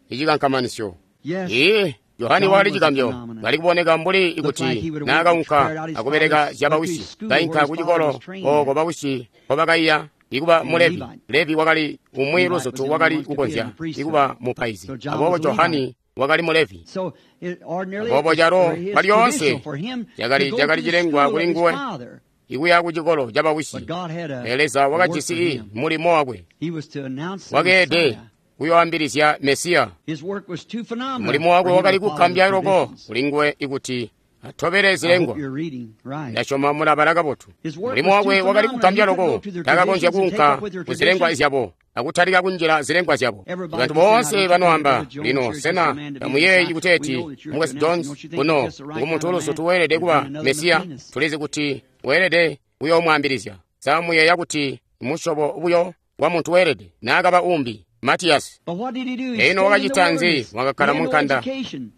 Icikankamanisyo. Ee, Yohane wakali cigambyo, kali kuboneka mbuli ikuti naakaunka akubeleka zyabawisi, kainka kucikolo ooko bawisi nkobakaiya ikuba mu Levi. Levi wakali umwi luzutu wakali kukonzya ikuba mupaizi. Aboobo Johani wakali mu Levi. Aboobo calo palyoonse cakali cakali cilengwa kuli nguwe ikuya kucikolo cabawisi. Pele Leza wakajisi mulimo wakwe, wakeede kuyoambilizya Mesiya. Mulimo wakwe wakali kugambya loko kuli nguwe ikuti atobele zilengwa. Ndasyoma mulabala kabotu. Mulimo wakwe wakali kugambya loko, takakonzya kuunka kuzilengwa zyabo akutalika kunjila zilengwa zyabo. Bantu boonse banoamba lino, sena tamuyeeyi kuteeti Mukwesu Jones kuno ngumuntu uluzutu weelede kuba Mesiya? Tulizi kuti weelede kuyoomwaambilizya. Sa muyeeya kuti musyobo buyo wa muntu weelede naakaba umbi Matiyasi? Ino wakacita nzi? Wakakkala munkanda,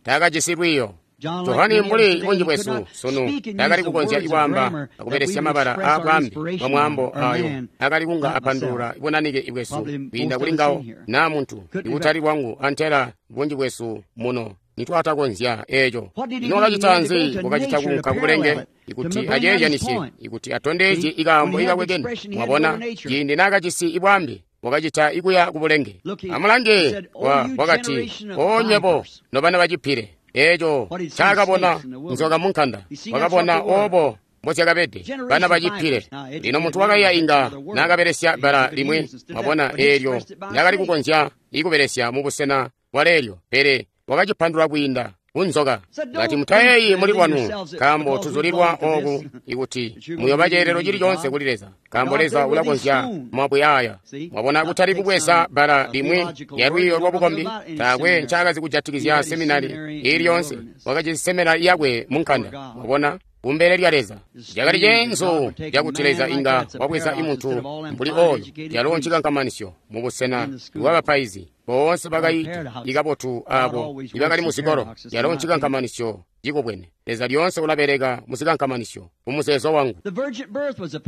taakajisi lwiiyo. Johani mbuli bunji bwesu sunu taakali kukonzya ikwaamba akubelesya mabala aabwambi bwa mwaambo ayo akali kunga apandulula bunanike bwesu kwiinda kuli ngawo naa muntu ikutali bwangu antela bunji bwesu muno nitwatakonzya eeco. Ino wakacita nzi? Wakacita kuunka kubulenge ikuti aceezyanisye, ikuti atondezye ikaambo ikakwekene. Mwabona, ciindi naakajisi ibwambi wakacita ikuya kubulenge. Amulange, wakati, o nywebo nobana bacipile. Eeco ncaakabona nzoka munkanda, wakabona oobo mbozyakabede bana bacipile. Lino muntu wakaiya inga naakabelesya bbala limwi, mwabona, eelyo naakali kukonzya ikubelesya mubusena bwaleelyo, pele wakacipandula kwiinda kunzoka. Kati, mutayeeyi muli lwanu, nkaambo tuzulilwa ooku ikuti muyoba ceelelo cili coonse kuli Leza, nkaambo Leza ulakonzya mabwe aya. Mwabona, kutali kubweza bbala limwi lya lwiiyo lwabukombi. Taakwe ncaakazi kujatikizya seminari iili yoonse. Wakajisi seminari yakwe munkanda, mwabona, kumbele lya Leza. Cakali ceenzu cakuti Leza inga wabweza imuntu mbuli oyo, calo ncikankamanisyo mubusena bwabapaizi boonse bakaita ikabotu abo ibakali muzikolo. Calo ncikankamanisyo cikubwene. Leza lyoonse ulabeleka muzikankamanisyo kumuzeezo wangu.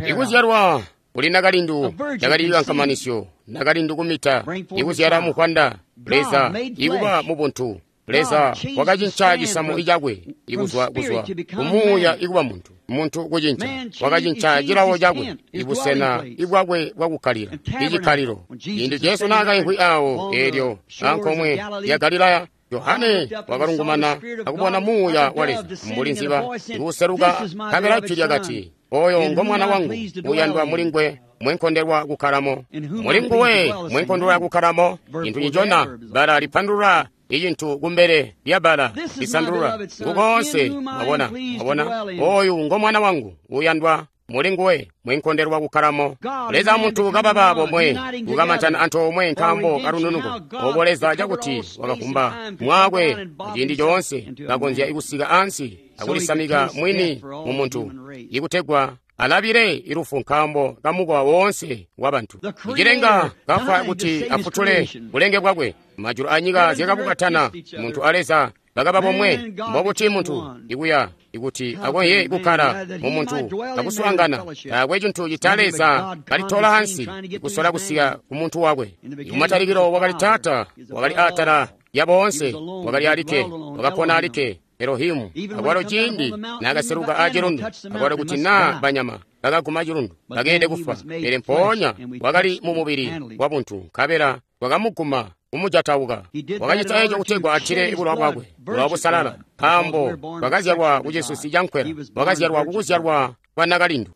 Ikuzyalwa kuli nakalindu cakali cikankamanisyo, nakalindu kumita, ikuzyala muvwanda, Leza ikuba mubuntu. Leza wakacinca cisamu icakwe ikuzwa kuzwa kumuuya ikuba muntu, muntu kucinca wakacinca cilawo cakwe, ibusena ibwakwe bwakukkalila, icikkalilo. Ciindi Jesu naakaimvwi awo eelyo ankomwe ya Galilaya, Yohane wakalungumana akubona Muuya wa Leza mbuli nziba ikuseluka, nkabela jwi lyakati, oyo ngo mwana wangu uyandwa muli ngwe mwenkondelwa kukkalamo. Muli nguwe mwenkondelwa kukkalamo. Cintu ncicona bbala lipandulula icintu kumbele lya bbala lisandulula ngukoonse. Mwabona, mwabona, oyu ngo mwana wangu uyandwa muli nguwe mwenkondelwa kukkalamo. Leza muntu kababa bomwe kukamantana antoomwe nkaambo kalununuko. Obo Leza cakuti wakavumba mwakwe ciindi coonse kakonzya ikusika ansi akulisamika mwini mu muntu ikutegwa alabile ilufu nkaambo kamukowa woonse wa bantu. Icilenga kafwa kuti afutule bulenge bwakwe. Majulu anyika zyakabukatana, muntu a Leza Bakaba bomwe. Mbobuti muntu ikuya ikuti akonye kukkala mu muntu akuswaangana taakwe cintu cita Leza kalitola ansi ikusola kusika ku muntu wakwe. Kumatalikilo wakali Taata, wakali atala ya boonse, wakali alikke, wakapona alikke Elohimu. Akwalo ciindi naakaseluka a cilundu, akwalo kuti naa banyama bakaguma cilundu bakeelede kufwa, pele mpoonya wakali mu mubili wa buntu, nkabela wakamuguma kumujatauka. Wakacita eco kutegwa atile bulowa bwakwe, bulowa busalala, nkaambo bwakazyalwa ku cisusi ca nkwela, wakazyalwa kukuzyalwa kwa nakalindu.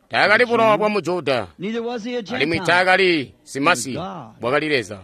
Taakali bulowa bwa Mujuda, alimwi taakali simasi, bwakali Leza.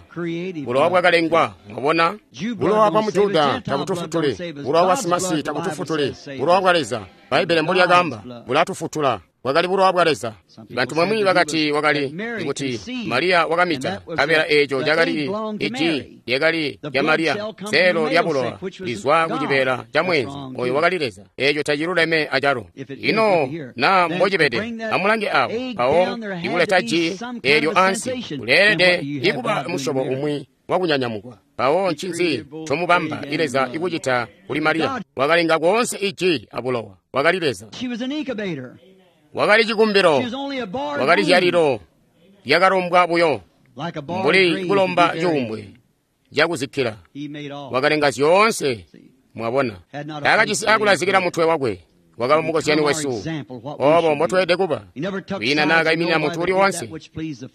Bulowa bwakalengwa, mwabona? Bulowa bwa Mujuda tabutufutuli, bulowa bwa simasi tabutufutuli, bulowa bwa Leza, Bbaibele mbolyakaamba, bulatufutula. Bwakali bulowa bwa Leza. Bantu bamwi bakati wakali kuti Mariya wakamita, nkabela eeco cakali iji lyakali lya Mariya, seelo lya bulowa lizwa ku cibeela ca mwezi, oyo wakali Leza. Eeco taciluleme acalo. Ino na mbocibede, amulange awo, mpawo ikuleta ji eelyo ansi, kuleelede ikuba musyobo umwi wakunyanyamukwa. Mpawo ncinzi ncomubamba Leza ikucita kuli Mariya? Wakalenga koonse iji abulowa, wakali Leza. Wakali cikumbilo, wakali zyalilo lyakalombwa buyo, mbuli kulomba cuumbwe cakuzikkila. Wakalenga zyoonse, mwabona. Taakajisi akulazikila mutwe wakwe. Wakaba mukozyani wesu, obo mbotweelede kuba. Kwiina naakaiminina muntu uli woonse,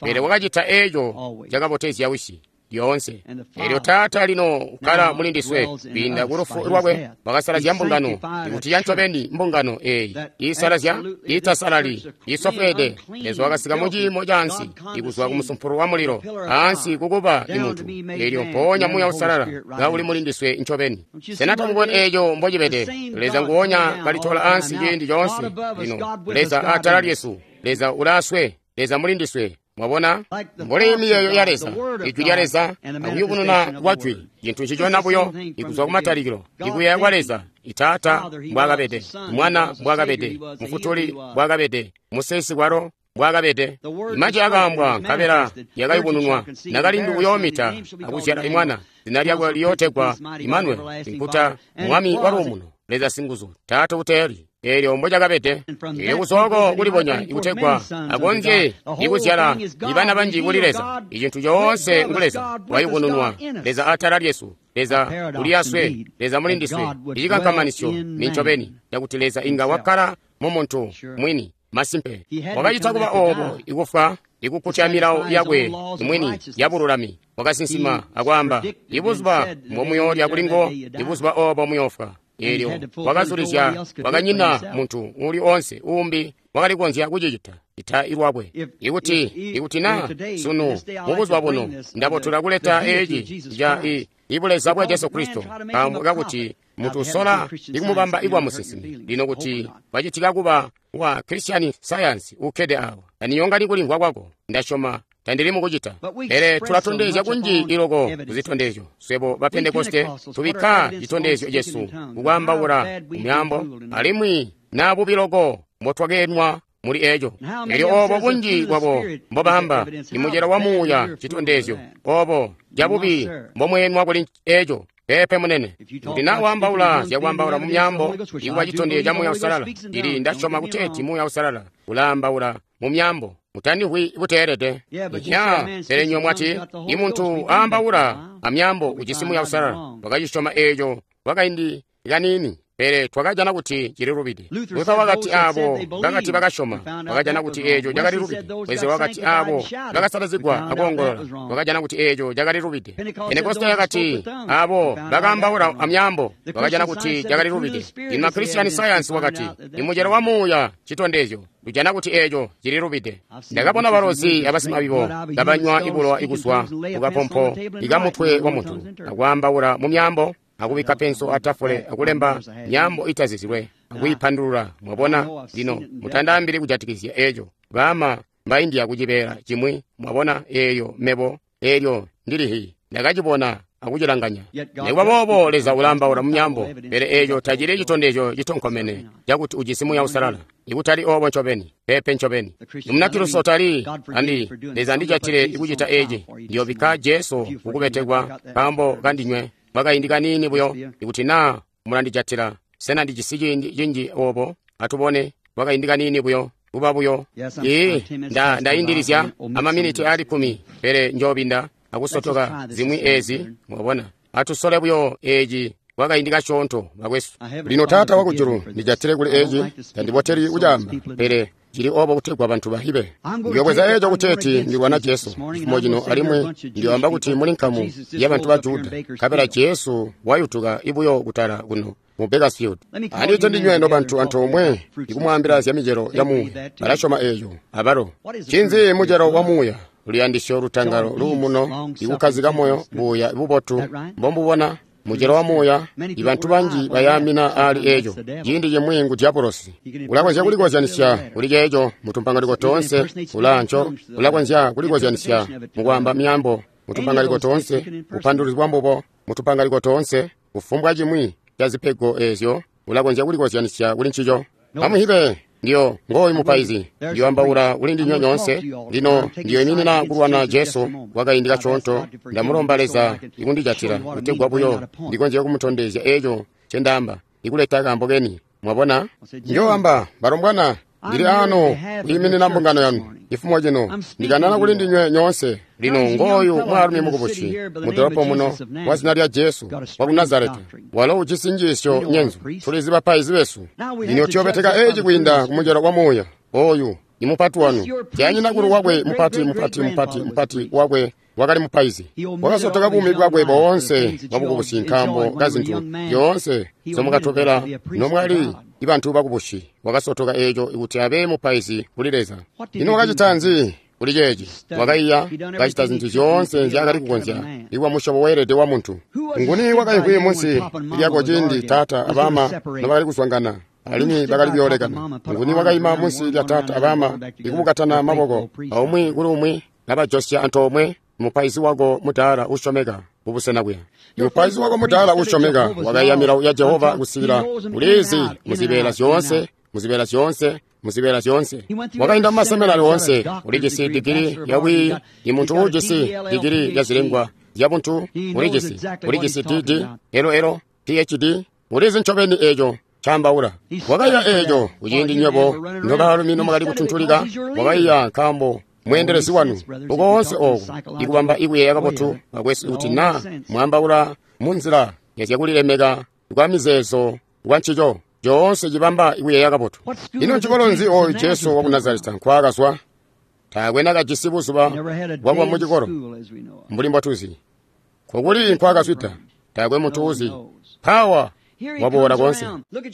pele wakacita eeco cakabotezya Wisi lyoonse. Eelyo Taata lino ukkala muli ndiswe kwiinda ku lufu lwakwe, wakasalazya mbungano, ikuti ya ncobeni mbungano eeyi iisalazya, iitasalali, iisofweede. Leza wakasika mu ciimo caansi, ikuzwa ku musumpulu wa mulilo ansi kukuba imuntu. Eelyo mpoonya Muuya Uusalala kauli muli ndiswe ncobeni. Sena tamuboni eeco mbocibede? Leza nguonya kalitola ansi ciindi coonse. Lino Leza atala lyesu, Leza ulaaswe, Leza muli ndiswe. Mwabona, mbuli miyeeyo ya Leza, ijwi lya Leza akuyubununa kwa jwi, cintu ncicona buyo ikuzwa kumatalikilo, ikuyeeya kwa Leza, Taata mbwaakabede, Mwana mbwaakabede, Mufutuli mbwaakabede, Musesi kwalo mbwaakabede. Majwi akaambwa nkabela yakayubununwa, nakalindu uyoomita akuzyala imwana, zina lyakwe liyootegwa Imanueli, inkuta Mwami wa luumuno, Leza singuzu, Taata uteeli. Eelyo mbocakabede. Eelyo kuzoko kulibonya ikutegwa akonzye ikuzyala ibana banji kuli Leza. Icintu coonse ngu Leza wayubununwa, Leza atala lyesu, Leza uli aswe, Leza muli ndiswe. Icikankamanisyo ni ncobeni cakuti Leza inga wakkala mu muntu mwini. Masimpe wakacita kuba oobo ikufwa ikukkutya milawo yakwe mwini yabululami. Wakasinsima akwaamba, ibuzuba mbomuyoolya kulingo, ibuzuba oobo muyoofwa. Eelyo wakazulizya, wakanyina muntu uuli oonse uumbi wakali kukonzya kucicita ita ilwakwe. Ikuti ikuti na sunu mubuzuba buno ndabotola kuleta eeci ca ibuleza bwa Jesu Kristo, nkaambo kakuti muntu usola ikumubamba ikwa musinsimi. Lino kuti wacitika kuba wa Christian Science ukkede awa, taniyonga kulimvwa kwako, ndasyoma tandili mukucita. Pele tulatondezya kunji iloko kuzitondezyo. Swebo ba Pentekoste tubikka citondezyo cesu kukwaambaula mumyaambo, alimwi na bubi loko mbotwakeenwa muli eco. Elyo obo bunji bwabo mbobamba imucelo wa Muuya citondezyo, obo cabubi mbomweenwa kuli eco. Pepe munene, kuti na waambaula zyakwaambaula mu myaambo ikuba citondezyo ca Muuya Uusalala, ili ndasyoma kuteeti Muuya Uusalala ulaambaula mu myaambo. Mutandihwi buteelede. Ya, pele nywe mwati, imuntu aambaula amyaambo ujisi Muuya Uusalala. Wakacisyoma eeco kwakaindi kaniini, pele twakajana kuti cililubide. Luther wakati aabo bakati bakasyoma, wakajana kuti eeco cakalilubide. Wesley wakati aabo bakasalazigwa akoongolola, wakajana kuti eeco cakalilubide. Pentekoste yakati aabo bakaambaula amyaambo, wakajana kuti cakalilubide. Ino Christian Science wakati imucelo wa Muuya citondezyo, tujana kuti eeco cililubide. Ndakabona balozi abasimabibo kabanywa ibulowa ikuzwa kukapompo ikamutwe wa muntu, akwaambaula mu myaambo, akubikka penso atafule, akulemba myaambo itazizilwe, akuyipandulula. Mwabona, lino mutandaambili kujatikizya eeco. Baama mbaindia kucibeela cimwi, mwabona, eeyo mebo, eelyo ndilihi ndakacibona akucilanganya. Nikuba boobo Leza ulaambaula mu myaambo, pele eeco tacili citondezyo citonkomene cakuti ujisi Muuya Uusalala. Ikutali oobo ncobeni, pepe ncobeni. Munakristo tali andi Leza ndijatile ikucita eeci, ndiyobikka Jesu kukubetekwa nkaambo kandinywe. Kwakaindi kaniini buyo, ikuti naa mulandijatila. Sena ndijisi ciindi cinji obo? Atubone. Kwakaindi kaniini buyo, kuba buyo. Ee, nda ndaindilizya amaminiti ali kkumi, pele njoobinda akusotoka zimwi ezi, mwabona. Atusole buyo eci kwakaindi kasyoonto, bakwesu. Lino Taata wakujulu, ndijatile kuli eci, tandiboteli kucaamba, pele cili obo kutegwa bantu bahibe. Ndiyobweza eco kuteeti ndilwana Jesu cifumo cino, alimwi ndiyoamba kuti muli nkamu ya bantu ba Juda, nkabela Jesu wayutuka ibuyo kutala kuno mu Bakersfield. Andite ndinywe no bantu antoomwe ikumwaambila zya micelo ya muuya. Balasyoma eeyo abalo. Ncinzi mucelo wa muuya? Luyandisyo, lutangalo, luumuno, ikukkazika moyo, buuya, bubotu. Mbombubona mucelo wa muuya, ibantu banji bayaamina ali eeco. Ciindi cimwi ngu diabolosi. Ulakonzya kulikozyanisya kuli ceeco mutumpangaliko toonse, ulaanco. Ulakonzya kulikozyanisya mukwaamba myaambo mutumpangaliko toonse, bupanduluzi bwa mbubo mutumpangaliko toonse, kufumbwa cimwi ca zipego eezyo ulakonzya kulikozyanisya kuli ncico. Amuhibe, ndiyo ngooyu mupaizi, ndiyoambaula kuli ndinywe nyoonse. Lino ndiyoiminina kulwana Jesu kwakaindi kasyoonto. Ndamulomba Leza ikundijatila kutegwa buyo ndikonzye kumutondezya eeco ncendaamba, ikuleta kaambo keni. Mwabona? Ndiyoamba, balombwana, ndili ano kwiiminina mbungano yanu ifumo cino, ndikanana kuli ndinywe nyoonse. Lino ngooyu mwaalumi mukubusi mudolopo muno wa zina lya Jesu wa ku Nazareta, walo ujisi njiisyo nyenzu. Tulizi bapaizi besu. Lino tuyobeteka eci kwiinda kumucelo wa muuya. Oyu ni mupati wanu, tyanyinakulu wakwe mupati mupati mupati mupati wakwe wakali mupaizi. Wakasotoka buumi bwakwe boonse bwabukubusi nkaambo ka zintu zyoonse zomukatobela nomwali ibantu bakubusi. Wakasotoka eeco kuti abe mupaizi kuli Leza. Ino wakacita nzi kuli ceeci? Wakaiya, kacita zintu zyoonse nzyaakali kukonzya ikuba musyobo weelede wa muntu. Nguni wakaimvwi munsi lyako ciindi taata abama nobakali kuzwangana alimwi bakali kuyoolekana? Nguni wakaima munsi lya taata abama ikubukatana maboko aumwi kuli umwi nabajosya antoomwe? Mupaizi wako mudaala usyomeka kubusena kuya. Mupaizi wako mudaala usyomeka wakaiya milawo ya Jehova kusikila ulizi muzibeela zyoonse, muzibeela zyoonse, muzibeela zyoonse. Wakainda mumaseminari oonse, ulijisi digiri yabwiiyi. Imuntu uujisi digiri ya zilengwa zyabuntu ulijisi, ulijisi D D, L L, P H D, ulizi ncobeni eeco caambaula. Wakaiya eeco kuciindi nywebo nobaalumi nomwakali kutuntulika. Wakaiya nkaambo mweendelezi wanu ukoonse ooku ikubamba ikuyeeya kabotu, bakwesu, kuti naa mwaambaula munzila yazyakulilemeka kwa mizeezo kwa ncico coonse cibamba ikuyeeya kabotu. Ino ncikolo nzi ooyu Jesu waku Nazareta nkwaakazwa? Taakwe nakajisi buzuba bwakuba mucikolo mbuli mbwatuzi. Kokuli nkwaakazwida? Taakwe muntu uzi. Pawa waboola koonse.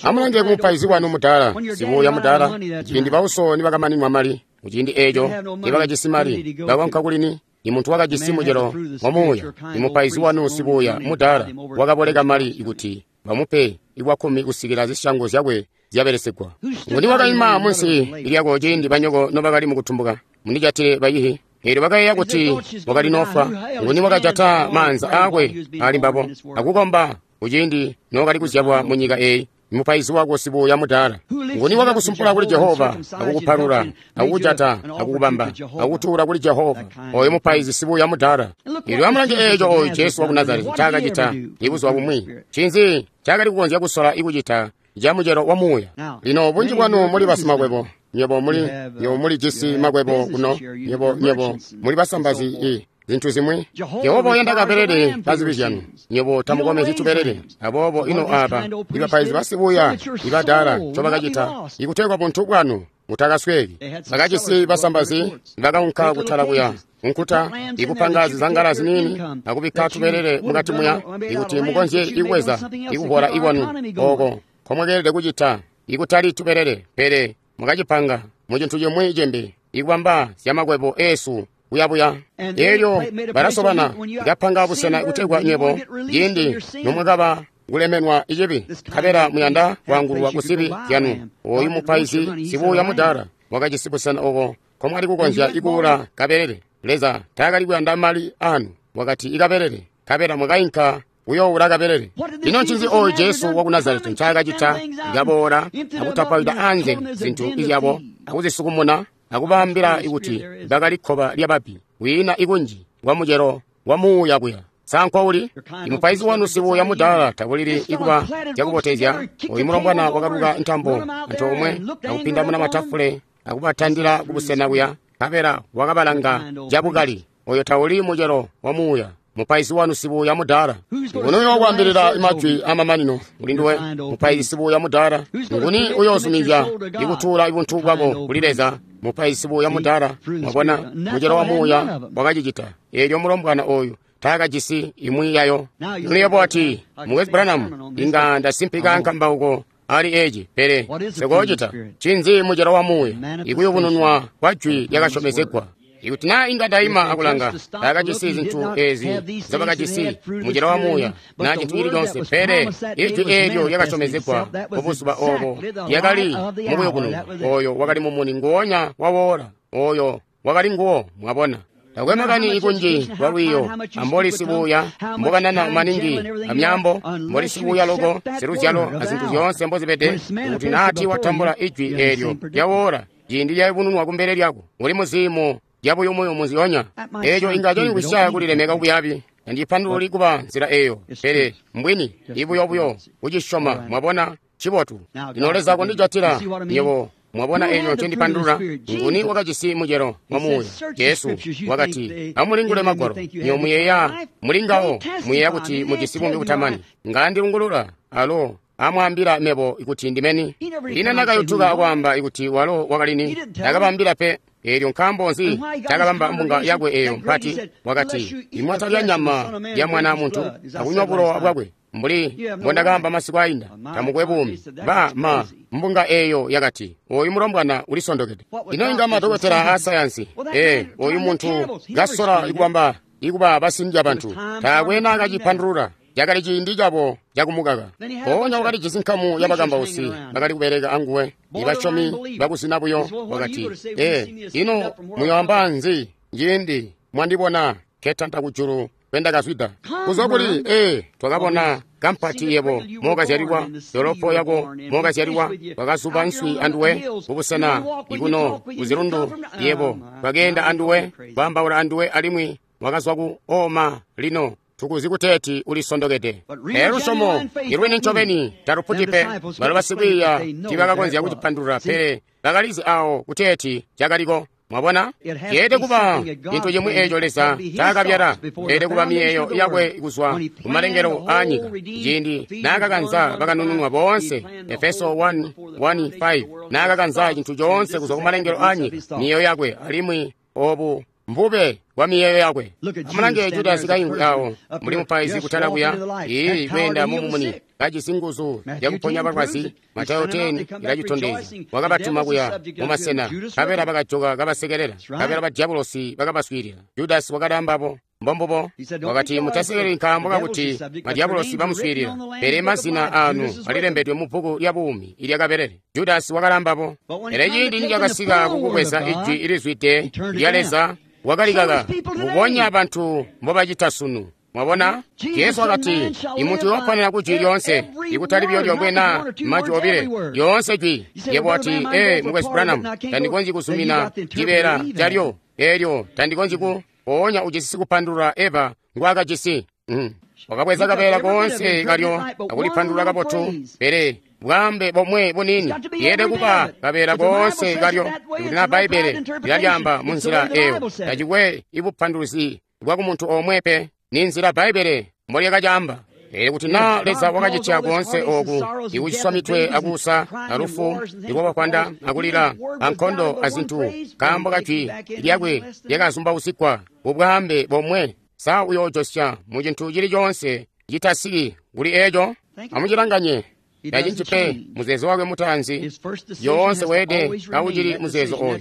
Amulange kumupaizi wanu mudaala, sibuuya mudaala, ciindi bauso nibakamaninwa mali. Muciindi eeco nibakajisi mali, bakonka kulini? Imuntu wakajisi mucelo wa muuya, imupaizi wanu sibuuya mudaala wakaboleka mali ikuti bamupe ikwakkumi kusikila zisyango zyakwe zyabelesegwa. Nguni wakaima munsi lyako ciindi banyoko nobakali mukutumbuka? Mundijatile bayihi. Eelyo bakayeeya kuti wakali nofwa. Nguni wakajata maanza aakwe ali mbabo akukomba kuciindi nookali kuzyalwa munyika eeyi? Mupaizi wako sibuuya mudaala. Nguni wakakusumpula kuli Jehova akukupalula akukujata akukubamba akukutuula kuli Jehova? Oyo mupaizi sibuuya mudaala. Eelyo amulange eeco oyu Jesu waku Nazareti ncaakacita ibuzuba bumwi. Ncinzi ncaakali kukonzya kusola ikucita ca mucelo wa muuya? Lino bunji bwanu muli basimakwebo. Nywebo muli, nywebo mulijisi makwebo kuno. Nywebo, nywebo muli basambazi i zintu zimwi. Jehova uyanda kabelele ka zibi zyanu. Nywebo tamukomezyi tubelele. Aboobo ino aaba ibapaizi basibuuya ibadaala ncobakacita ikutegwa buntu bwanu mutakasweeki. Bakajisi basambazi bakaunka kutala kuya nkuta ikupanga zizangala ziniini akubikka tubelele mukati muya ikuti mukonzye ikuweza ikuvola ikwanu oko nkomwakeelede kucita ikutali tubelele, pele mukacipanga mucintu cimwi cimbi ikubamba zyamakwebo eesu kuyabuya. Eelyo balasobana ikapanga busena kutegwa nywebo ciindi nomwakaba kulemenwa icibi, nkabela muyanda kwaangulwa kuzibi zyanu. Oyu mupaizi sibuuya mudaala wakajisi busena oko nkomwali kukonzya ikuula kabelele. Leza taakali kuyanda mali anu, wakati ikabelele, nkabela mwakainka kuyoowula kabelele. Ino ncinzi oyu Jesu waku Nazareti ncaakacita? Ikaboola akutapawida anze zintu izyabo akuzisukumuna akubaambila kuti bakali kkoba lyababbi. Kwiina ikunji kwa mucelo wa muuya kuya. Sa nkwauli? Imupaizi wanu sibuya mudaala tabulili ikuba cakubotezya. Oyu mulombwana wakaluka ntambo antoomwe akupindamuna matafule akubatandila kubusena kuya, nkabela wakabalanga cabukali. Oyo tauli mucelo wa muuya. Mupaizi wanu sibuya mudaala. Nguni uyookwaambilila majwi amamanino mulinduwe? Mupaizi sibuya mudaala. Nguni uyoozumizya ikutuula buntu bwako kuli Leza? Mupaizi sibuya mudaala. Mwabona, mucelo wa muuya wakacicita. Eelyo mulombwana oyu taakajisi imwi yayo. Lino ati, Mukwesu Branham, inga ndasimpika nkambauko ali eci, pele sikoocita. Ncinzi mucelo wa muuya? Ikuyubununwa kwa jwi lyakasyomezegwa. Ikuti naa inga ndaima akulanga, taakajisi zintu ezi nzobakajisi mucelo wa muuya naa cintu cili coonse, pele ijwi eelyo lyakasyomezegwa mubuzuba obo lyakali mukuyubununwa. Oyo wakali mumuni nguonya wawoola. Oyo wakali nguwo. Mwabona, takwe makani ikunji lwa lwiyo amboli sibuya mbokanana maningi amyambo, mboli sibuya loko siluzyalo azintu zyoonse mbozibede, kuti naati watambula ijwi eelyo lyawoola ciindi lyayubununwa kumbele lyako, uli muziimo lyabuyumuyumu nzyonya. Eeco inga canyungwisya kulilemeka kubuyabi. Tandipandululi kuba nzila eyo, pele mbwini ibuyobuyo kucisyoma. Mwabona, cibotu. Lino Leza kondijatila nywebo. Mwabona eeco ncendipandulula? Nguni wakajisi mucelo wa muuya? Jesu wakati, amulingule magwalo, nywebo muyeeya mulingawo, muyeeya kuti mujisi buumi butamani. Ngandilungulula alo amwaambila mebo kuti ndimeni. Ina nakayutuka akwaamba kuti walo wakalini, takabambila pe. Eelyo nkaambo nzi takabamba mbunga yakwe eyo mpati? Wakati, imwatalya nyama ya mwana muntu akunywa bulowa bwakwe, mbuli mbondakaamba masiku ainda, tamukwe buumi. Ba ma mbunga eyo yakati, oyu mulombwana ulisondokede. Ino inga madokotela a sayansi, ee, oyu muntu kasola ikubamba ikuba basindya bantu, taakwe naakacipandulula. Cakali ciindi cabo cakumukaka. Mpoonya wakalijisi nkamu yabakambausi bakali kubeleka anguwe, ibasyomi bakusina buyo. Wakati, ee, ino muyoamba nzi ciindi mwandibona ketanta kujulu kwendakazwida? Kuzwa kuli, ee, twakabona kampati yebo mokazyalilwa, dolopo yako mokazyalilwa, twakazuba nswi anduwe kubusena ikuno kuzilundu yebo, twakeenda anduwe, kwaambaula anduwe, alimwi wakazwa ku oma. Lino tukuzi kuteeti ulisondokede. Pele lusyomo ilwini ncobeni taluputi pe. Balo basikwiiya tiibakakonzya kucipandulula, pele bakalizi awo kuteeti cakaliko. Mwabona, yeelede kuba cintu cimwi eeco Leza ncaakabyala. Yeelede kuba miyeeyo yakwe kuzwa kumalengelo aanyika, ciindi naakakanza bakanununwa boonse. Efeso one one five, naakakanza cintu coonse kuzwa kumalengelo aanyika, miyeeyo yakwe, alimwi obu mbube bwa miyeeyo yakwe. Amulange Judasi kaingwi awo mbuli mupaizi kutala kuya, ii kweenda mumumuni, kajisi nguzu zyakuponya balwazi. Matayo ten ilacitondezya. Wakabatuma kuya mumasena, nkabela bakajoka kabasekelela, nkabela badyabulosi bakabaswiilila. Judasi wakali ambabo. Mbombubo. Wakati, mutasekeleli nkaambo kakuti madyabulosi bamuswiilila, pele mazina aanu alilembedwe mu bbuku lya buumi ilyakabelele. Judasi wakali ambabo. Pele ciindi nicakasika kukubweza ijwi ilizwide lya Leza, wakalikaka, mbubonya bantu mbobacita sunu. Mwabona, Jesu wakati, imuntu uyoponera kujwi lyoonse, ikutali buyo lyomwe naa majwi obile, lyoonse jwi. Yebo wati, ee, Mukwesu Branham, tandikonzyi kuzumina cibeela calyo eelyo, tandikonzyi ku. Mpoonya ujisi sikupandulula Eva ngwaakajisi. Mm. Wakabweza kabeela koonse kalyo akulipandulula kabotu, pele bwaambe bomwe bunini yeelede kuba kabeela koonse kalyo. Ikuti naa Bbaibbele lilalyaamba munzila eyo, tacikwe ibupanduluzi bwakumuntu omwe pe, ni nzila Bbaibbele mbolyakacaamba. Pele kuti naa Leza wakacitya koonse oku ikuciswa mitwe akuusa alufu ikwabakwanda akulila ankondo azintu nkaambo kajwi lyakwe lyakazumbausigwa bubwaambe bomwe, sa uyoojosya mu cintu cili coonse citasiki kuli eco? Amucilanganye. Tacinci pe muzeezo wakwe mutaanzi yoonse weede kaucili muzeezo oyu.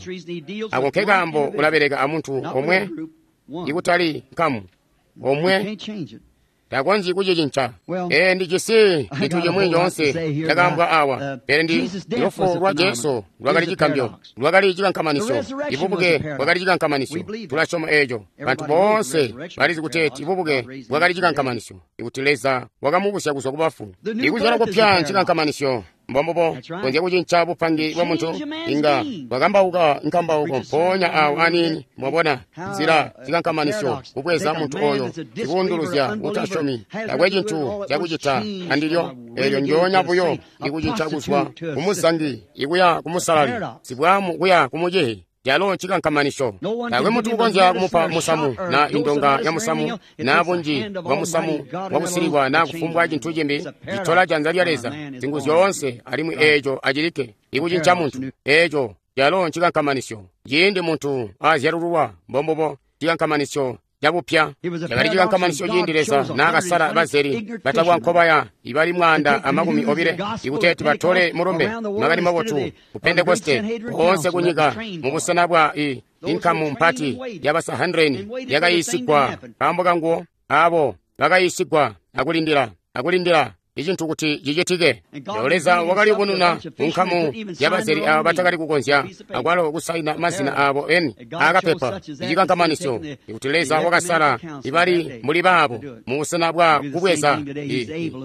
Ako nkekaambo ulabeleka amuntu omwe ikutali nkamu omwe, takonzyi kucicinca. Ee, ndijisi cintu cimwi coonse cakaambwa awa, pele ndi lufu lwa Jesu lwakali cigambyo, lwakali cikankamanisyo. Ibubuke bwakali cikankamanisyo. Tulasyoma eeco. Bantu boonse balizi kuteeti ibubuke bwakali cikankamanisyo, ikuti Leza wakamubusya kuzwa kubafu. Ikuzyalwa kupya ncikankamanisyo. Mbombubo konzya kucinca bupangi bwa muntu inga bwakambauka nkambauko mpoonya awo aniini. Mwabona nzila zikankamanisyo kubweza muntu oyo ikuunduluzya utasyomi takwe cintu cakucita andilyo eelyo njoonya buyo ikucinca kuzwa kumuzangi ikuya kumusalali sibwamu kuya kumucihi calo ncikankamanisyo. Taakwe muntu ukonzya kumupa musamu na indonga ya musamu na bunji bwa musamu wakusilikwa na kufumbwa cintu cimbi. Citola janza lya Leza zingu zyoonse alimwi eeco acilikke ikucinca muntu. Eeco calo ncikankamanisyo. Ciindi muntu azyalululwa, mbombubo cikankamanisyo cabupya. Cakali cikankamanisyo ciindi Leza naakasala bazeli batakwa nkobaya ibali mwaanda amakumi obile ikuteeti batole mulumbe makani mabotu ku Pentekoste koonse kunyika mubusena bwa i inkamu mpati ya basahandreni yakayiisigwa kaambo kanguwo. Abo bakayiisigwa akulindila akulindila icintu kuti cicitike. Leo Leza wakaliyubununa munkamu yabazeli abo batakali kukonzya akwalo kusaina mazina abo eni akapepa. Icikankamanisyo ikuti Leza wakasala ibali muli baabo mubusena bwa kubweza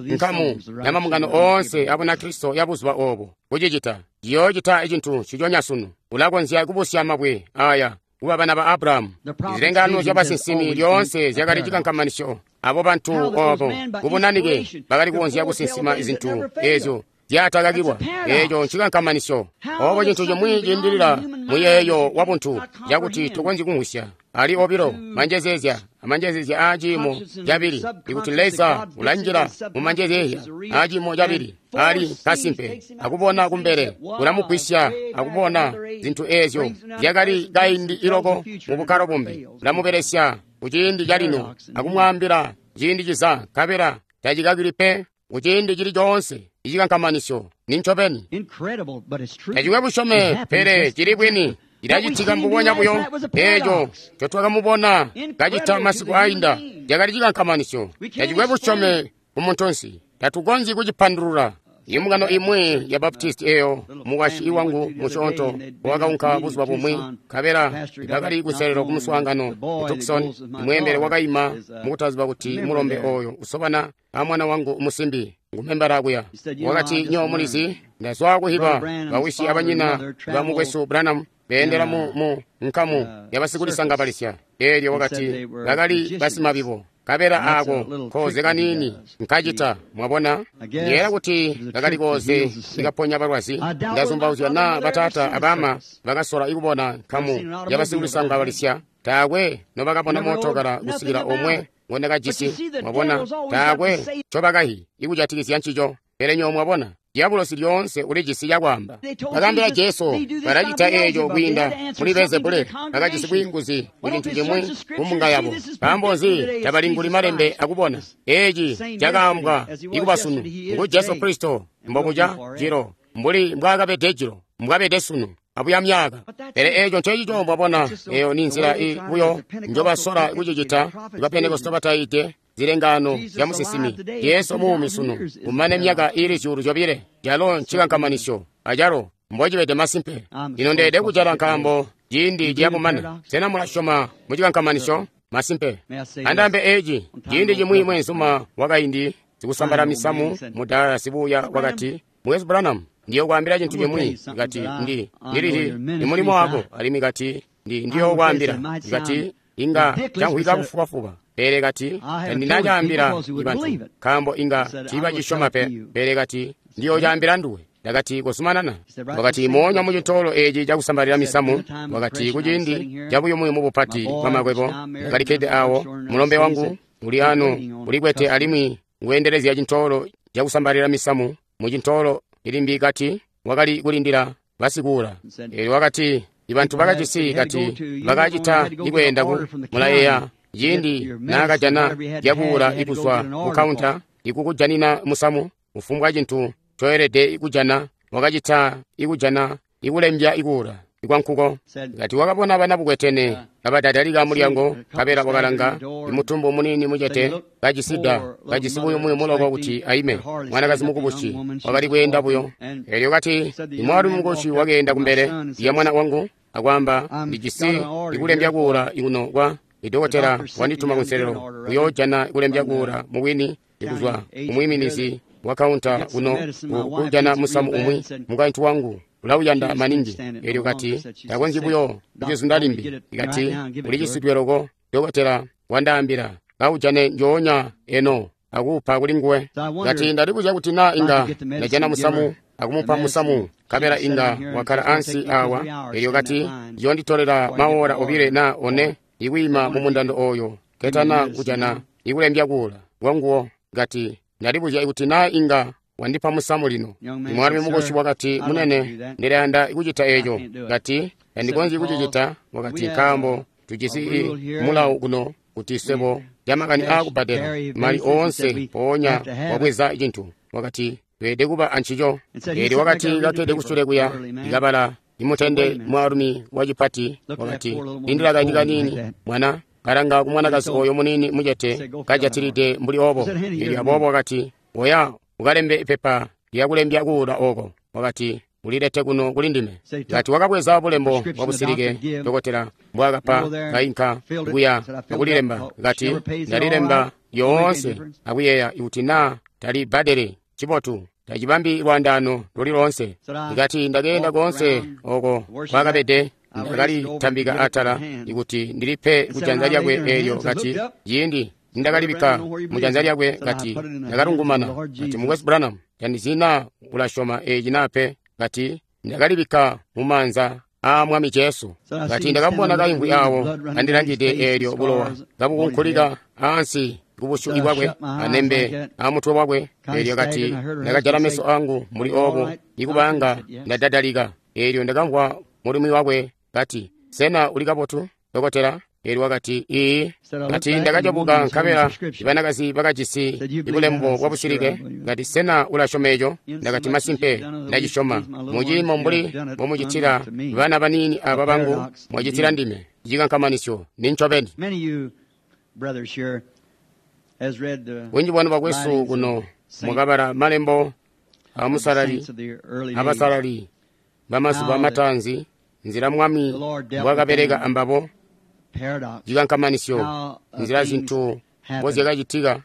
nkamu yamamungano oonse abunakristo ya buzuba obo kucicita. Ciyoocita icintu ciconya sunu. Ulakonzya kubusya mabwe aya kuba bana ba Abrahamu. Zilengano zya basinsimi lyoonse zyakali cikankamanisyo. Abo bantu obo kubunanike bakali kukonzya kusinsima izintu ezyo zyatakakilwa. Eeco ncikankamanisyo. Obo cintu cimwi ciindilila muyeeyo wa buntu cakuti tukonzyi kumvwisya. Ali obilo manjezezya amanjezezya aa ciimo cabili ikuti Leza ulanjila mu manjezezya aa ciimo cabili ali kasimpe akubona kumbele ulamugwisya akubona zintu ezyo zyakali kaindi iloko mu bukkalo bumbi. Ulamubelesya kuciindi calino akumwaambila ciindi ciza nkabela tacikakili pe kuciindi cili coonse. Icikankamanisyo nincobeni. Tacikwe busyome pele cili bwini. Cilacitika mbubonya buyo eeco ncotwakamubona kacita masiku ainda. Cakali cikankamanisyo. Tacikwe busyome ku muntunsi. Tatukonzyi kucipandulula. Imbungano imwi ya Baptisti eyo mukwasyi wangu musyoonto wakaunka buzuba bumwi nkabela bakali kuselelo kumuswaangano ku Tucson. Mweembele wakaima mukutaziba kuti mulombe oyo usobana amwana wangu musimbi ngumembala kuya. Wakati, nyo mulizi ndazwa kuhiba bawisi abanyina ba mukwesu Branham beendela mu, mu nkamu yabasikulisangabalisya. Eelyo wakati bakali basimabibo. Kabela ako koze kanini nkacita. Mwabona nyeela kuti kakali koze ikaponya balwazi. Ndazumbauzya na batata abama bakasola ikubona nkamu yabasikulisangabalisya. Taakwe nobakabona mootokala kusikila omwe ngondakajisi. Mwabona taakwe ncobakahi ikujatikizya ncico. Pele nyo mwabona diabulosi lyoonse ulijisi cakwaamba. Bakaambila Jesu balacita eeco kwiinda muli Beelzebule. Bakajisi bwiinguzi ku cintu cimwi kumbunga yabo. Nkaambo nzi tabalinguli malembe akubona eeci cakaambwa ikuba sunu? Ngu Jesu Kristo mbobuca jilo mbuli mbwaakabede jilo mbwabede sunu abuya myaka. Pele eeco ncecico mwabona. Eyo ni nzila buyo njobasola kucicita ba Pentekoste bataite zilengano zya musinsimi. Jesu muumi sunu kumane myaka iili zyuulu zyobile. Calo ncikankamanisyo acalo mbocibede masimpe. Ino ndeede kucala nkaambo ciindi ciyakumana. Sena mulasyoma mu cikankamanisyo? Masimpe. Andaambe eeci ciindi cimwi mweenzuma wakaindi sikusambala misamu mudaala sibuya wakati, Mukwesu Branham, ndiyokwaambila cintu cimwi. Kati ndi ndilihi ni mulimo wako. Alimwi kati ndi ndiyokwaambila. Kati inga canhwika bufubafuba. Pele kati tandinacaambila bantu nkaambo inga tiibacisyoma pe. Pele kati ndiyocaambila nduwe. Ndakati kozumanana. Wakati moonya mucintoolo eeci cakusambalila misamu. Wakati kuciindi cabuyumuyumu bupati bwamakwebo ndakalikkede awo mulombe wangu uli ano ulikwete alimwi nguendelezya cintoolo cakusambalila misamu mucintoolo ilimbi. Kati wakali kulindila basikuula. Eelyo wakati ibantu bakajisi kati bakacita ikweenda ku mulayeya ciindi naakajana zyakuula ikuzwa ku kaunta ikukujanina musamu kufumbwa cintu coelede kujana wakacita ikujana ikulembya ikuula ikwankuko. Kati wakabona bana bukwetene kabadadalika mulyango kabela wakalanga imutumbu munini mucete kajisida kajisi buyumuyumu loko kuti aime. Mwanakazi mukubusi wakali kweenda buyo. Eelyo kati imwaalumi mukubusi wakeenda kumbele ya mwana wangu akwaamba, ndijisi ikulembya kuula ikuno kwa idokotela wandituma kunselelo kuyoojana kulembya kuula mubwini ikuzwa kumwiiminizi wakaunta kuno kujana musamu umwi mukaintu wangu ulauyanda maningi. Elyo kati takonzyi buyo kucizunda limbi. Kati ulicisitwe loko, dokotela wandaambila kaujane njoonya eno akuupa kuli nguwe. Kati ndalibuzya kuti naa inga ndajana musamu akumupa musamu, nkabela inga wakkala ansi awa. Elyo kati yonditolela maora obile na one ikwiima mu mundando oyo ketana kujana ikulembya kuula kwanguwo. Kati ndalibuzya ikuti naa inga wandipa musamu lino. Mwaalumi mukoshi wakati, munene, ndilayanda kucita eco. Kati tandikonzyi kucicita. Wakati nkaambo tujisi mulawu kuno kuti swebo lyamakani aakubbadela mali oonse mpoonya wabweza cintu. Wakati tweede kuba ancico. Eelyo wakati katwede kusule kuya ikabala imutende mwaalumi wacipati. Wakati lindila kaindi kaniini mwana, kalanga kumwanakazi oyo muniini mucete kajatilide mbuli obo. Eelyo aboobo wakati oya ukalembe ipepa lyakulembya kuula oko. Wakati ulilete kuno kuli ndime. Kati wakabweza bulembo bwa busilike dokotela mbwaakapa, kainka kuya akulilemba. Kati ndalilemba yoonse akuyeeya ikuti naa talibbadele cibotu tacibambi lwaandaano luli loonse. Kati ndakeenda koonse oko kwakabede, ndakalitambika atala ikuti ndilipe kujanza lyakwe. Eelyo kati ciindi nindakalibikka mujanza lyakwe, kati ndakalungumana. Kati mukwesu Branham, tandizi naa ulasyoma eci naa pe. Kati ndakalibikka mumaanza aa Mwami Jesu. Kati ndakabona kaimvwi awo kandilangide, eelyo bulowa kabukunkulika ansi kubusyu bwakwe anembe amutwe wakwe. Eelyo kati ndakajala meso angu mbuli obo ikubanga ndadadalika. Eelyo ndakamvwa mulumi wakwe kati, sena uli kabotu dokotela? Eelyo wakati ii. Kati ndakajabuka nkabela banakazi bakajisi ibulembo bwa busilike. Kati sena ulasyoma eco? Ndakati masimpe ndacisyoma. Muciimo mbuli mbomucitila bana baniini aba bangu, mwacitila ndime. Cikankamanisyo ni ncobeni. Bunji bwanu bakwesu kuno mukabala malembo amusalali abasalali bamazuba matanzi, nzila Mwami mbwakabeleka ambabo, cikankamanisyo, nzila zintu mbozyakacitika.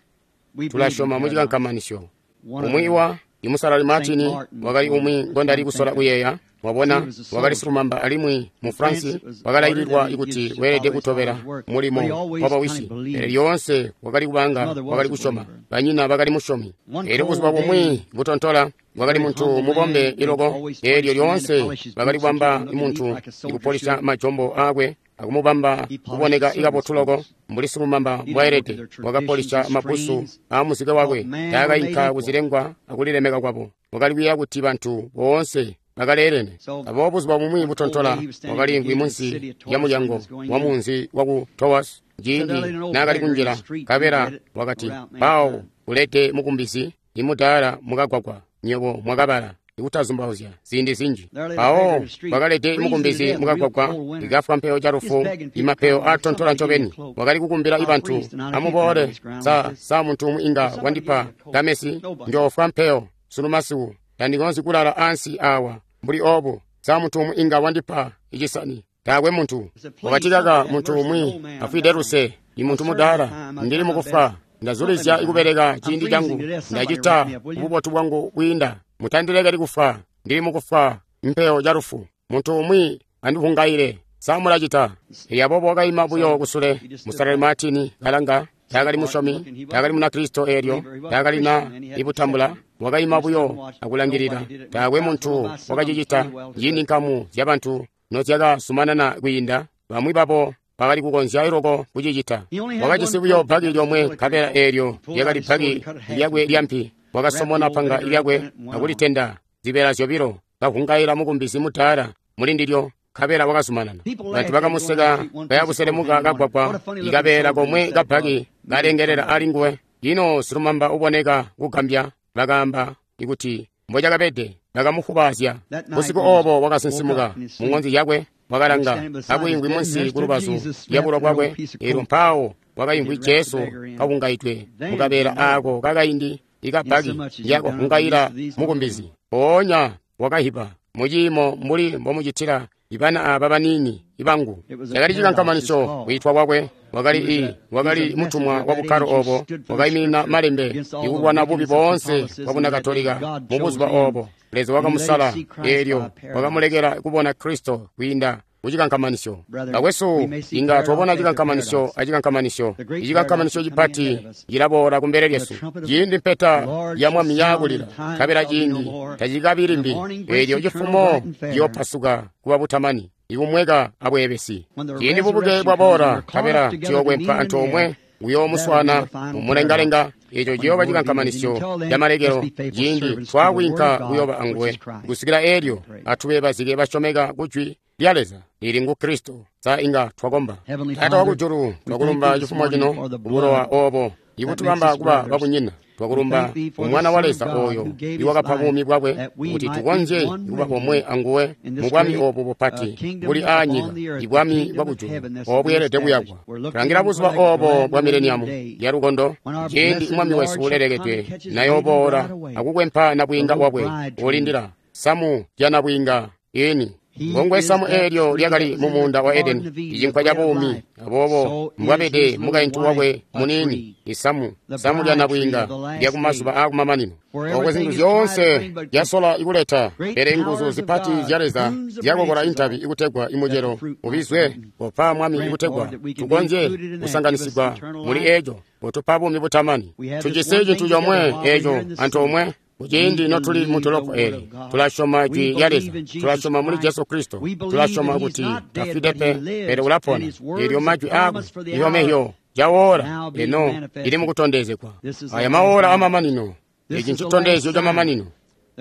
Tulasyoma mu cikankamanisyo. Umwi wa imusalali Martin wakali umwi ngondali kusola kuyeeya. Wabona, wakali silumamba alimwi mu France wakalaililwa ikuti weelede kutobela mulimo wabawisi. Pele lyoonse wakali kubanga wakali kusyoma, banyina bakali musyomi. Eelyo buzuba bumwi butontola wakali muntu mubombe iloko. Eelyo lyoonse bakali kubamba muntu ikupolisha majombo aakwe akumubamba kuboneka ikabotu loko mbuli silumamba mbwaelede. Wakapolisha mabusu aamuzike wakwe, taakainka kuzilengwa akulilemeka kwabo. Wakali kuyeeya kuti bantu boonse bakaleelene. Aboobo buzuba bumwi butontola wakaliimvwi munsi lya mulyango wa munzi waku Towas ciindi naakali kunjila, nkabela wakati, mpawo ulete mukumbizi imudaala mukagwagwa. Nywebo mwakabala ikutazumbauzya ziindi zinji. Mpawo wakalete mukumbizi mukagwagwa ikafwa mpeyo ca lufu, imapeyo atontola ncobeni. Wakali kukumbila ibantu, amuboole, sa sa muntu umwi inga wandipa kamesi, njoofwa mpeyo sunu masiku, tandikonzyi kulala ansi awa mbuli obu. Sa muntu umwi inga wandipa icisani? Taakwe muntu. Wakati kaka muntu umwi afwide luse, imuntu mudaala, ndili mukufa, ndazulizya ikubeleka ciindi cangu, ndacita bubotu bwangu bwiinda, mutandilekeli kufa, ndili mukufa mpeyo ca lufu. Muntu umwi andivungaile, sa mulacita? Elyo aboobo wakaima buyo kusule. Musalali Martin kalanga, taakali musyomi, taakali Munakristo, eelyo taakali na ibutambula. Wakaima buyo akulangilila. Taakwe muntu wakacicita. Ciindi nkamu zyabantu nozyakasumanana kwiinda, bamwi babo bakali kukonzya loko kucicita. Wakajisi buyo bbaki lyomwe, nkabela eelyo lyakali bbaki lyakwe lyampi. Wakasomona panga lyakwe akulitenda zibeela zyobilo, kavungaila mukumbizi mudaala mulindilyo, nkabela wakazumanana. Bantu bakamuseka kayabuselemuka kagwagwa, ikabeela komwe kabbaki kalengelela alinguwe. Ino silumamba uboneka kugambya, bakaamba ikuti mbocakabede, bakamufubaazya. Busiku obo wakasinsimuka muŋonzi yakwe, wakalanga akwiimvwi munsi kulubazu lyabulo bwakwe. Eelyo mpawo wakaimvwi Jesu kavungaidwe mukabeela aako kakaindi ikabbaki lyakavungaila mukumbizi. Mpoonya wakahiba muciimo mbuli mbomucitila ibana aba baniini ibangu. Cakali cikankamanisyo kwiitwa kwakwe. Wakali i wakali mutumwa wa bukkalo obo, wakaiminina malembe ikulwana bubi boonse bwa Bunakatolika mu buzuba obo. Leza wakamusala, eelyo wakamulekela kubona Kristo kwiinda kucikankamanisyo. Bakwesu, inga twabona cikankamanisyo acikankamanisyo. Icikankamanisyo cipati cilaboola kumbele lyesu. Ciindi mpeta ya Mwami yaakulila, nkabela ciindi tacikabi limbi. Eelyo cifumo ciyoopasuka kuba butamani, ikumweka abweebesi. Ciindi bubuke bwaboola, nkabela ciyookwempa antoomwe kuyoomuswana mumulengalenga. Eco ciyooba cikankamanisyo camalekelo ciindi twaakwiinka kuyooba anguwe. Kusikila eelyo, atube bazike basyomeka kujwi lya Leza lili ngu Kristo. Sa inga twakomba. Taata wakujulu, twakulumba cifumo cino kubulowa obo ibutubamba kuba babunyina. Twakulumba umwana wa Leza oyo iwakapa buumi bwakwe kuti tukonzye kuba bomwe anguwe mu bwami obu bupati buli aanyika, ibwami bwakujulu obweelede kuyakwa. Tulangila buzuba obo bwa mileniamu ya lukondo, ciindi Mwami wesu ulelekedwe nayooboola akukwempa nabwiinga bwakwe ulindila samu lya nabwiinga ini. Ngongwe samu eelyo lyakali mu muunda wa Edeni, icinkwa ca buumi. Aboobo mbwabede mukaintu wakwe muniini, isamu samu lya nabwiinga lya kumazuba aakumamanino. Oko zintu zyoonse zyasola ikuleta, pele nguzu zipati zya Leza zyakokola intabi ikutegwa imucelo ubizwe. Kopa Mwami ikutegwa tukonzye kusanganisigwa muli eco, kutupa buumi butamani. Tujisi cintu comwe eco antoomwe. Kuciindi notuli mu dolopo eli, tulasyoma jwi lya Leza, tulasyoma muli Jesu Kristo, tulasyoma kuti tafwide pe, pele ulapona. Eelyo majwi aakwe ihomehyo jawoora eno ili mukutondezegwa. Aya mawoora amamanino, eci ncitondezyo camamanino.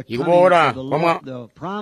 Ikuboola kwa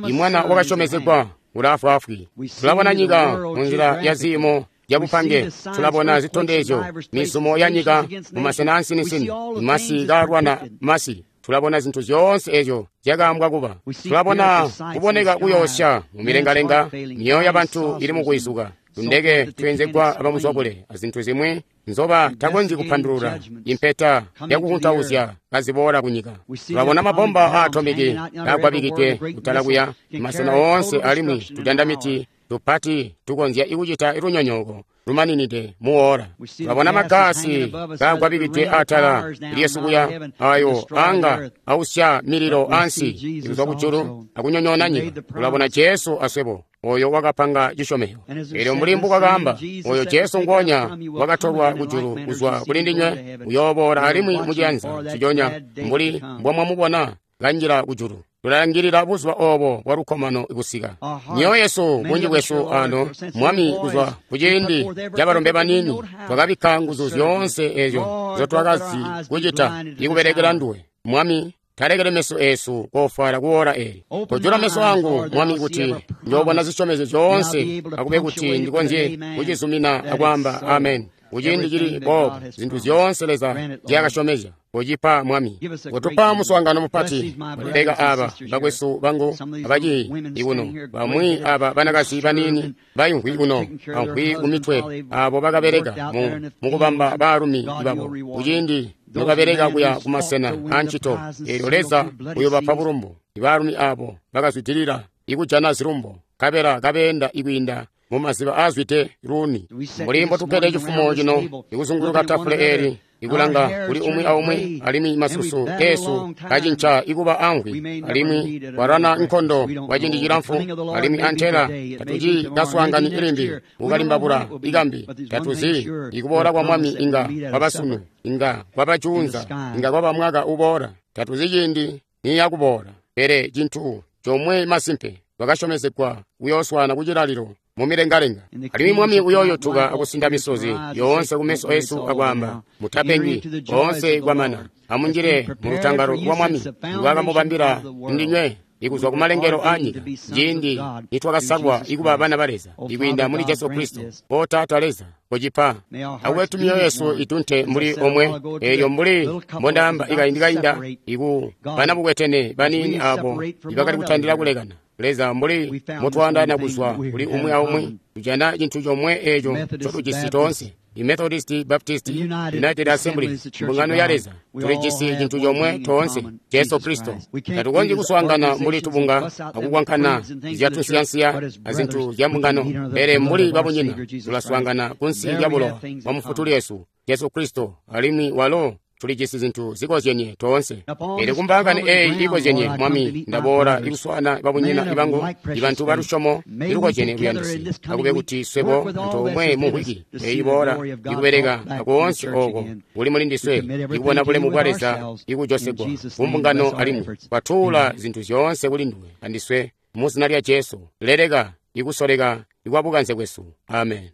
imwana wakasyomezegwa ulaafwaafwi. Tulabona nyika munzila ya ziimo yabupange, tulabona zitondezyo, mizumo ya nyika mumasena ansinisini, masi kaalwana masi. Tulabona zintu zyoonse ezyo zyakaambwa kuba. Tulabona kuboneka kuyoosya mumilengalenga, myoyo yabantu ili mukwizuka, tundeke twenzegwa abamuzwakule azintu zimwi nzoba takonzyi kupandulula, impeta yakukuntauzya kaziboola kunyika. Tulabona mabomba aatomiki kaagwabikidwe kutala kuya masena oonse, alimwi tudandamiti tupati tukonzya ikucita lunyonyooko lumaninide muwola. Tulabona magaasi kaagwabikidwe atala lyesu kuya, ayo anga ausya mililo ansi ikuzwa kujulu akunyonyoona nyika. Tulabona Jesu aswebo, oyo wakapanga cisyomezyo. Eelyo mbuli mbukakaamba, oyo Jesu ngonya wakatolwa kujulu kuzwa kuli ndinywe uyooboola alimwi muciyanza ciconya mbuli mbomwamubona kanjila kujulu. Tulalangilila buzuba obo bwa lukkomano kusika. Myoyo yesu, bunji bwesu ano, Mwami, kuzwa kuciindi cabalombe baniini, twakabikka nguzu zyoonse ezyo nzotwakazi kucita ikubelekela nduwe. Mwami, talekele meso esu kofwala kuwola eli. Kojula meso angu, Mwami, kuti njoobona zisyomezyo zyoonse, akube kuti ndikonzye kucizumina akwaamba amen. Kuciindi cili boobo, zintu zyoonse Leza zyakasyomezya kucipa Mwami. Kutupa muswaangano mupati. Baleka aba bakwesu bangu abaciyi ikuno, bamwi aba banakazi baniini bayimvwi kuno amvwi kumitwe, abo bakabeleka mu mukubamba baalumi babo kuciindi nobabeleka kuya kumasena ancito. Eelyo Leza uyobapa bulumbu ibaalumi abo bakazwidilila ikujana zilumbo, nkabela kabeenda ikwiinda mumaziba aazwide luuni. Mbuli mbotukkede cifumo cino ikuzunguluka tafule eli, ikulanga kuli umwi aumwi, alimwi masusu esu kacinca ikuba amvwi, alimwi kwalwana nkondo kwa ciindi cilamfu, alimwi antela tatuci kaswaangani ilimbi kukalimbabula ikambi. Tatuzi ikuboola kwa Mwami inga kwaba sunu, inga kwaba juunza, inga kwaba mwaka uboola. Tatuzi ciindi niyakuboola, pele cintu comwe masimpe, twakasyomezegwa kuyooswana kucilalilo mumilengalenga. Alimwi Mwami uyooyotuka akusinda misozi yoonse kumeso esu akwaamba, mutapengi, koonse kwamana, amunjile mulutangalo lwa Mwami lwakamubambila ndinywe ikuzwa kumalengelo aanyika, ciindi nitwakasalwa ikuba bana ba Leza ikwiinda muli Jesu Kristo. O Taata Leza, kocipa akube myoyo yesu itunte mbuli omwe. Eelyo mbuli mbondaamba ikaindi kainda, iku bana bukwetene baniini abo ibakali kutandila kulekana, Leza, mbuli mutwaandaana kuzwa kuli umwi aumwi, tujana cintu comwe eco ncotujisi toonse. I Methodist, Baptist, United Assemblies, mbungano ya Leza, tulijisi cintu comwe toonse, Jesu Kristo. Tatukonzyi kuswaangana mbuli tubunga akukwankana zyatunsiyansiya azintu zya mbungano, pele mbuli babunyina tulaswaangana kunsi lya bulowa bwa Mufutuli Yesu, Jesu Kristo, alimwi walo tulijisi zintu zikozyenye toonse. Pele kumbaakani eeyi ikozyenye, Mwami, ndaboola ikuswaana babunyina ibangu, ibantu balusyomo ilukozyene luyandisi. Akube kuti swebo antoomwe mu wiki eeyi iboola ikubeleka akoonse ooko kuli muli ndiswe, ikubona bulemu bwa Leza ikujosegwa kumbungano alimwi kwatuula zintu zyoonse kuli nduwe andiswe mu zina lya Jesu. Leleka ikusoleka ikwabukanze bwesu. Amen.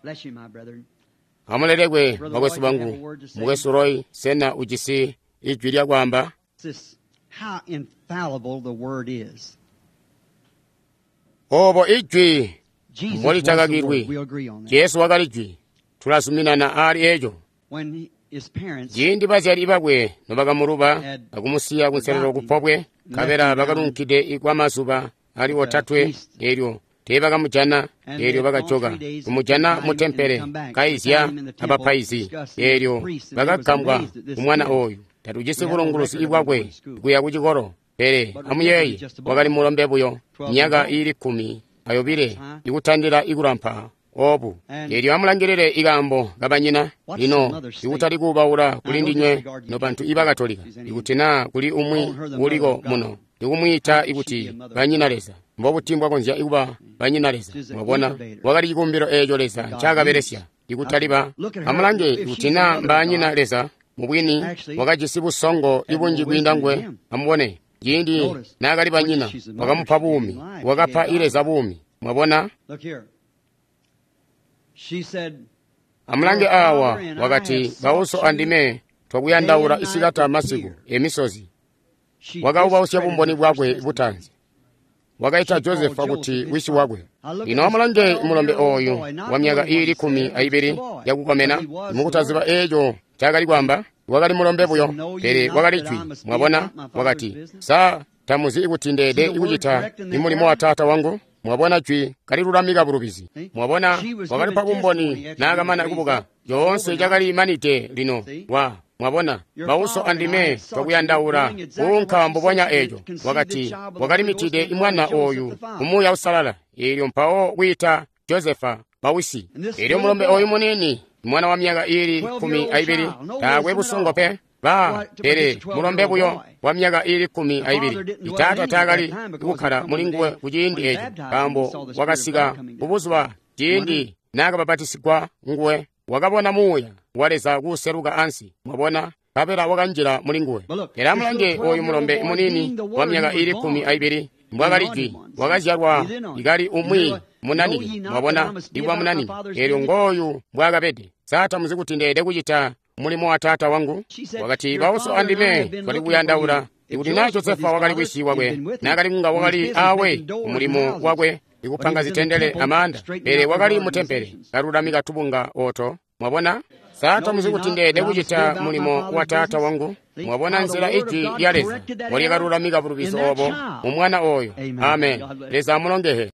Amulelekwe bakwesu bangu. Mukwesu Roy, sena ujisi ijwi lya kwaamba? Obo ijwi mbolitakakilwi. Jesu wakali jwi. Tulazuminana aali eco. Ciindi bazyali bakwe nobakamuluba akumusiya kunselelo kupobwe, nkabela bakalunkide kwamazuba ali otatwe, elyo teebakamujana, eelyo bakajoka kumujana mu tempele kaizya abapaizi, eelyo bakagambwa kumwana ooyu. Tatujisi bulunguluzi bwakwe kuya kucikolo, pele amuyeeye, wakali mulombe buyo, myaka iili kkumi ayobile ikutandila ikulampa obu. Eelyo amulangilile ikaambo kabanyina. Lino ikutali kuubaula kuli ndinywe nobantu ibakatolika, ikuti naa kuli umwi uliko muno ikumwiita ikuti banyina Leza, mbobuti mbwakonzya kuba banyina Leza? Mwabona, wakali cikumbilo eeco Leza ncaakabelesya, ikutali ba. Amulange, ikuti naa mbaanyina Leza, mubwini wakajisi busongo ibunji kwiinda nguwe. Amubone, ciindi naakali banyina, wakamupa buumi, wakapa Leza buumi. Mwabona? Amulange aawa, wakati, bauso andime twakuyandaula isikati masiku emisozi. Wakaubausya bumboni bwakwe butanzi. Wakaita Josefa kuti wisi wakwe. Lino amulange mulombe ooyu wa myaka iili kkumi ayibili yakukomena, mukutaziba eeco ncaakali kwaamba. Wakali mulombe buyo, pele wakali jwi. Mwabona? Wakati, sa tamuzi kuti ndeede kucita imulimo wa taata wangu? Mwabona, jwi kalilulamika bulubizi. Mwabona, wakalipa bumboni naakamana kubuka. Coonse cakali manide lino wa. Mwabona, bauso andime twakuyandaula kuunka mbubonya eeco. Wakati wakalimitide imwana ooyu kumuuya usalala, eelyo mpawo kwiita Josefa bawisi. Eelyo mulombe ooyu muniini, mwana wa myaka iili kkumi ayibili, taakwe busongo pe ba, pele mulombe buyo wa myaka iili kkumi ayibili. Itaata taakali kukkala mulinguwe kuciindi eeco, nkaambo wakasika kubuzuba ciindi naakabapatisigwa nguwe. Wakabona muuya wa Leza kuuseluka ansi, mwabona, nkabela wakanjila mulinguwe. Pele amulange ooyu mulombe muniini wa myaka iili kkumi ayibili, mbwakali jwi, wakazyalwa ikali umwi munanike, mwabona, ikuba munanike. Eelyo ngooyu mbwaakabede. Sa tamuzi kuti ndeede kucita mulimo wa taata wangu? Wakati, bauso andime twali kuyandaula. Ikuti naa Josefa wakali wisi wakwe, naakali kunga wakali aawe kumulimo wakwe ikupanga zitendele amaanda, pele wakali mu tempele kalulamika tubunga oto. Mwabona? Sa tamuzi kuti ndeede kucita mulimo wa taata wangu? Mwabona nzila ijwi lya Leza mbolyakalulamika bulubizi obo mu mwana ooyo. Amen. Leza amulongehe.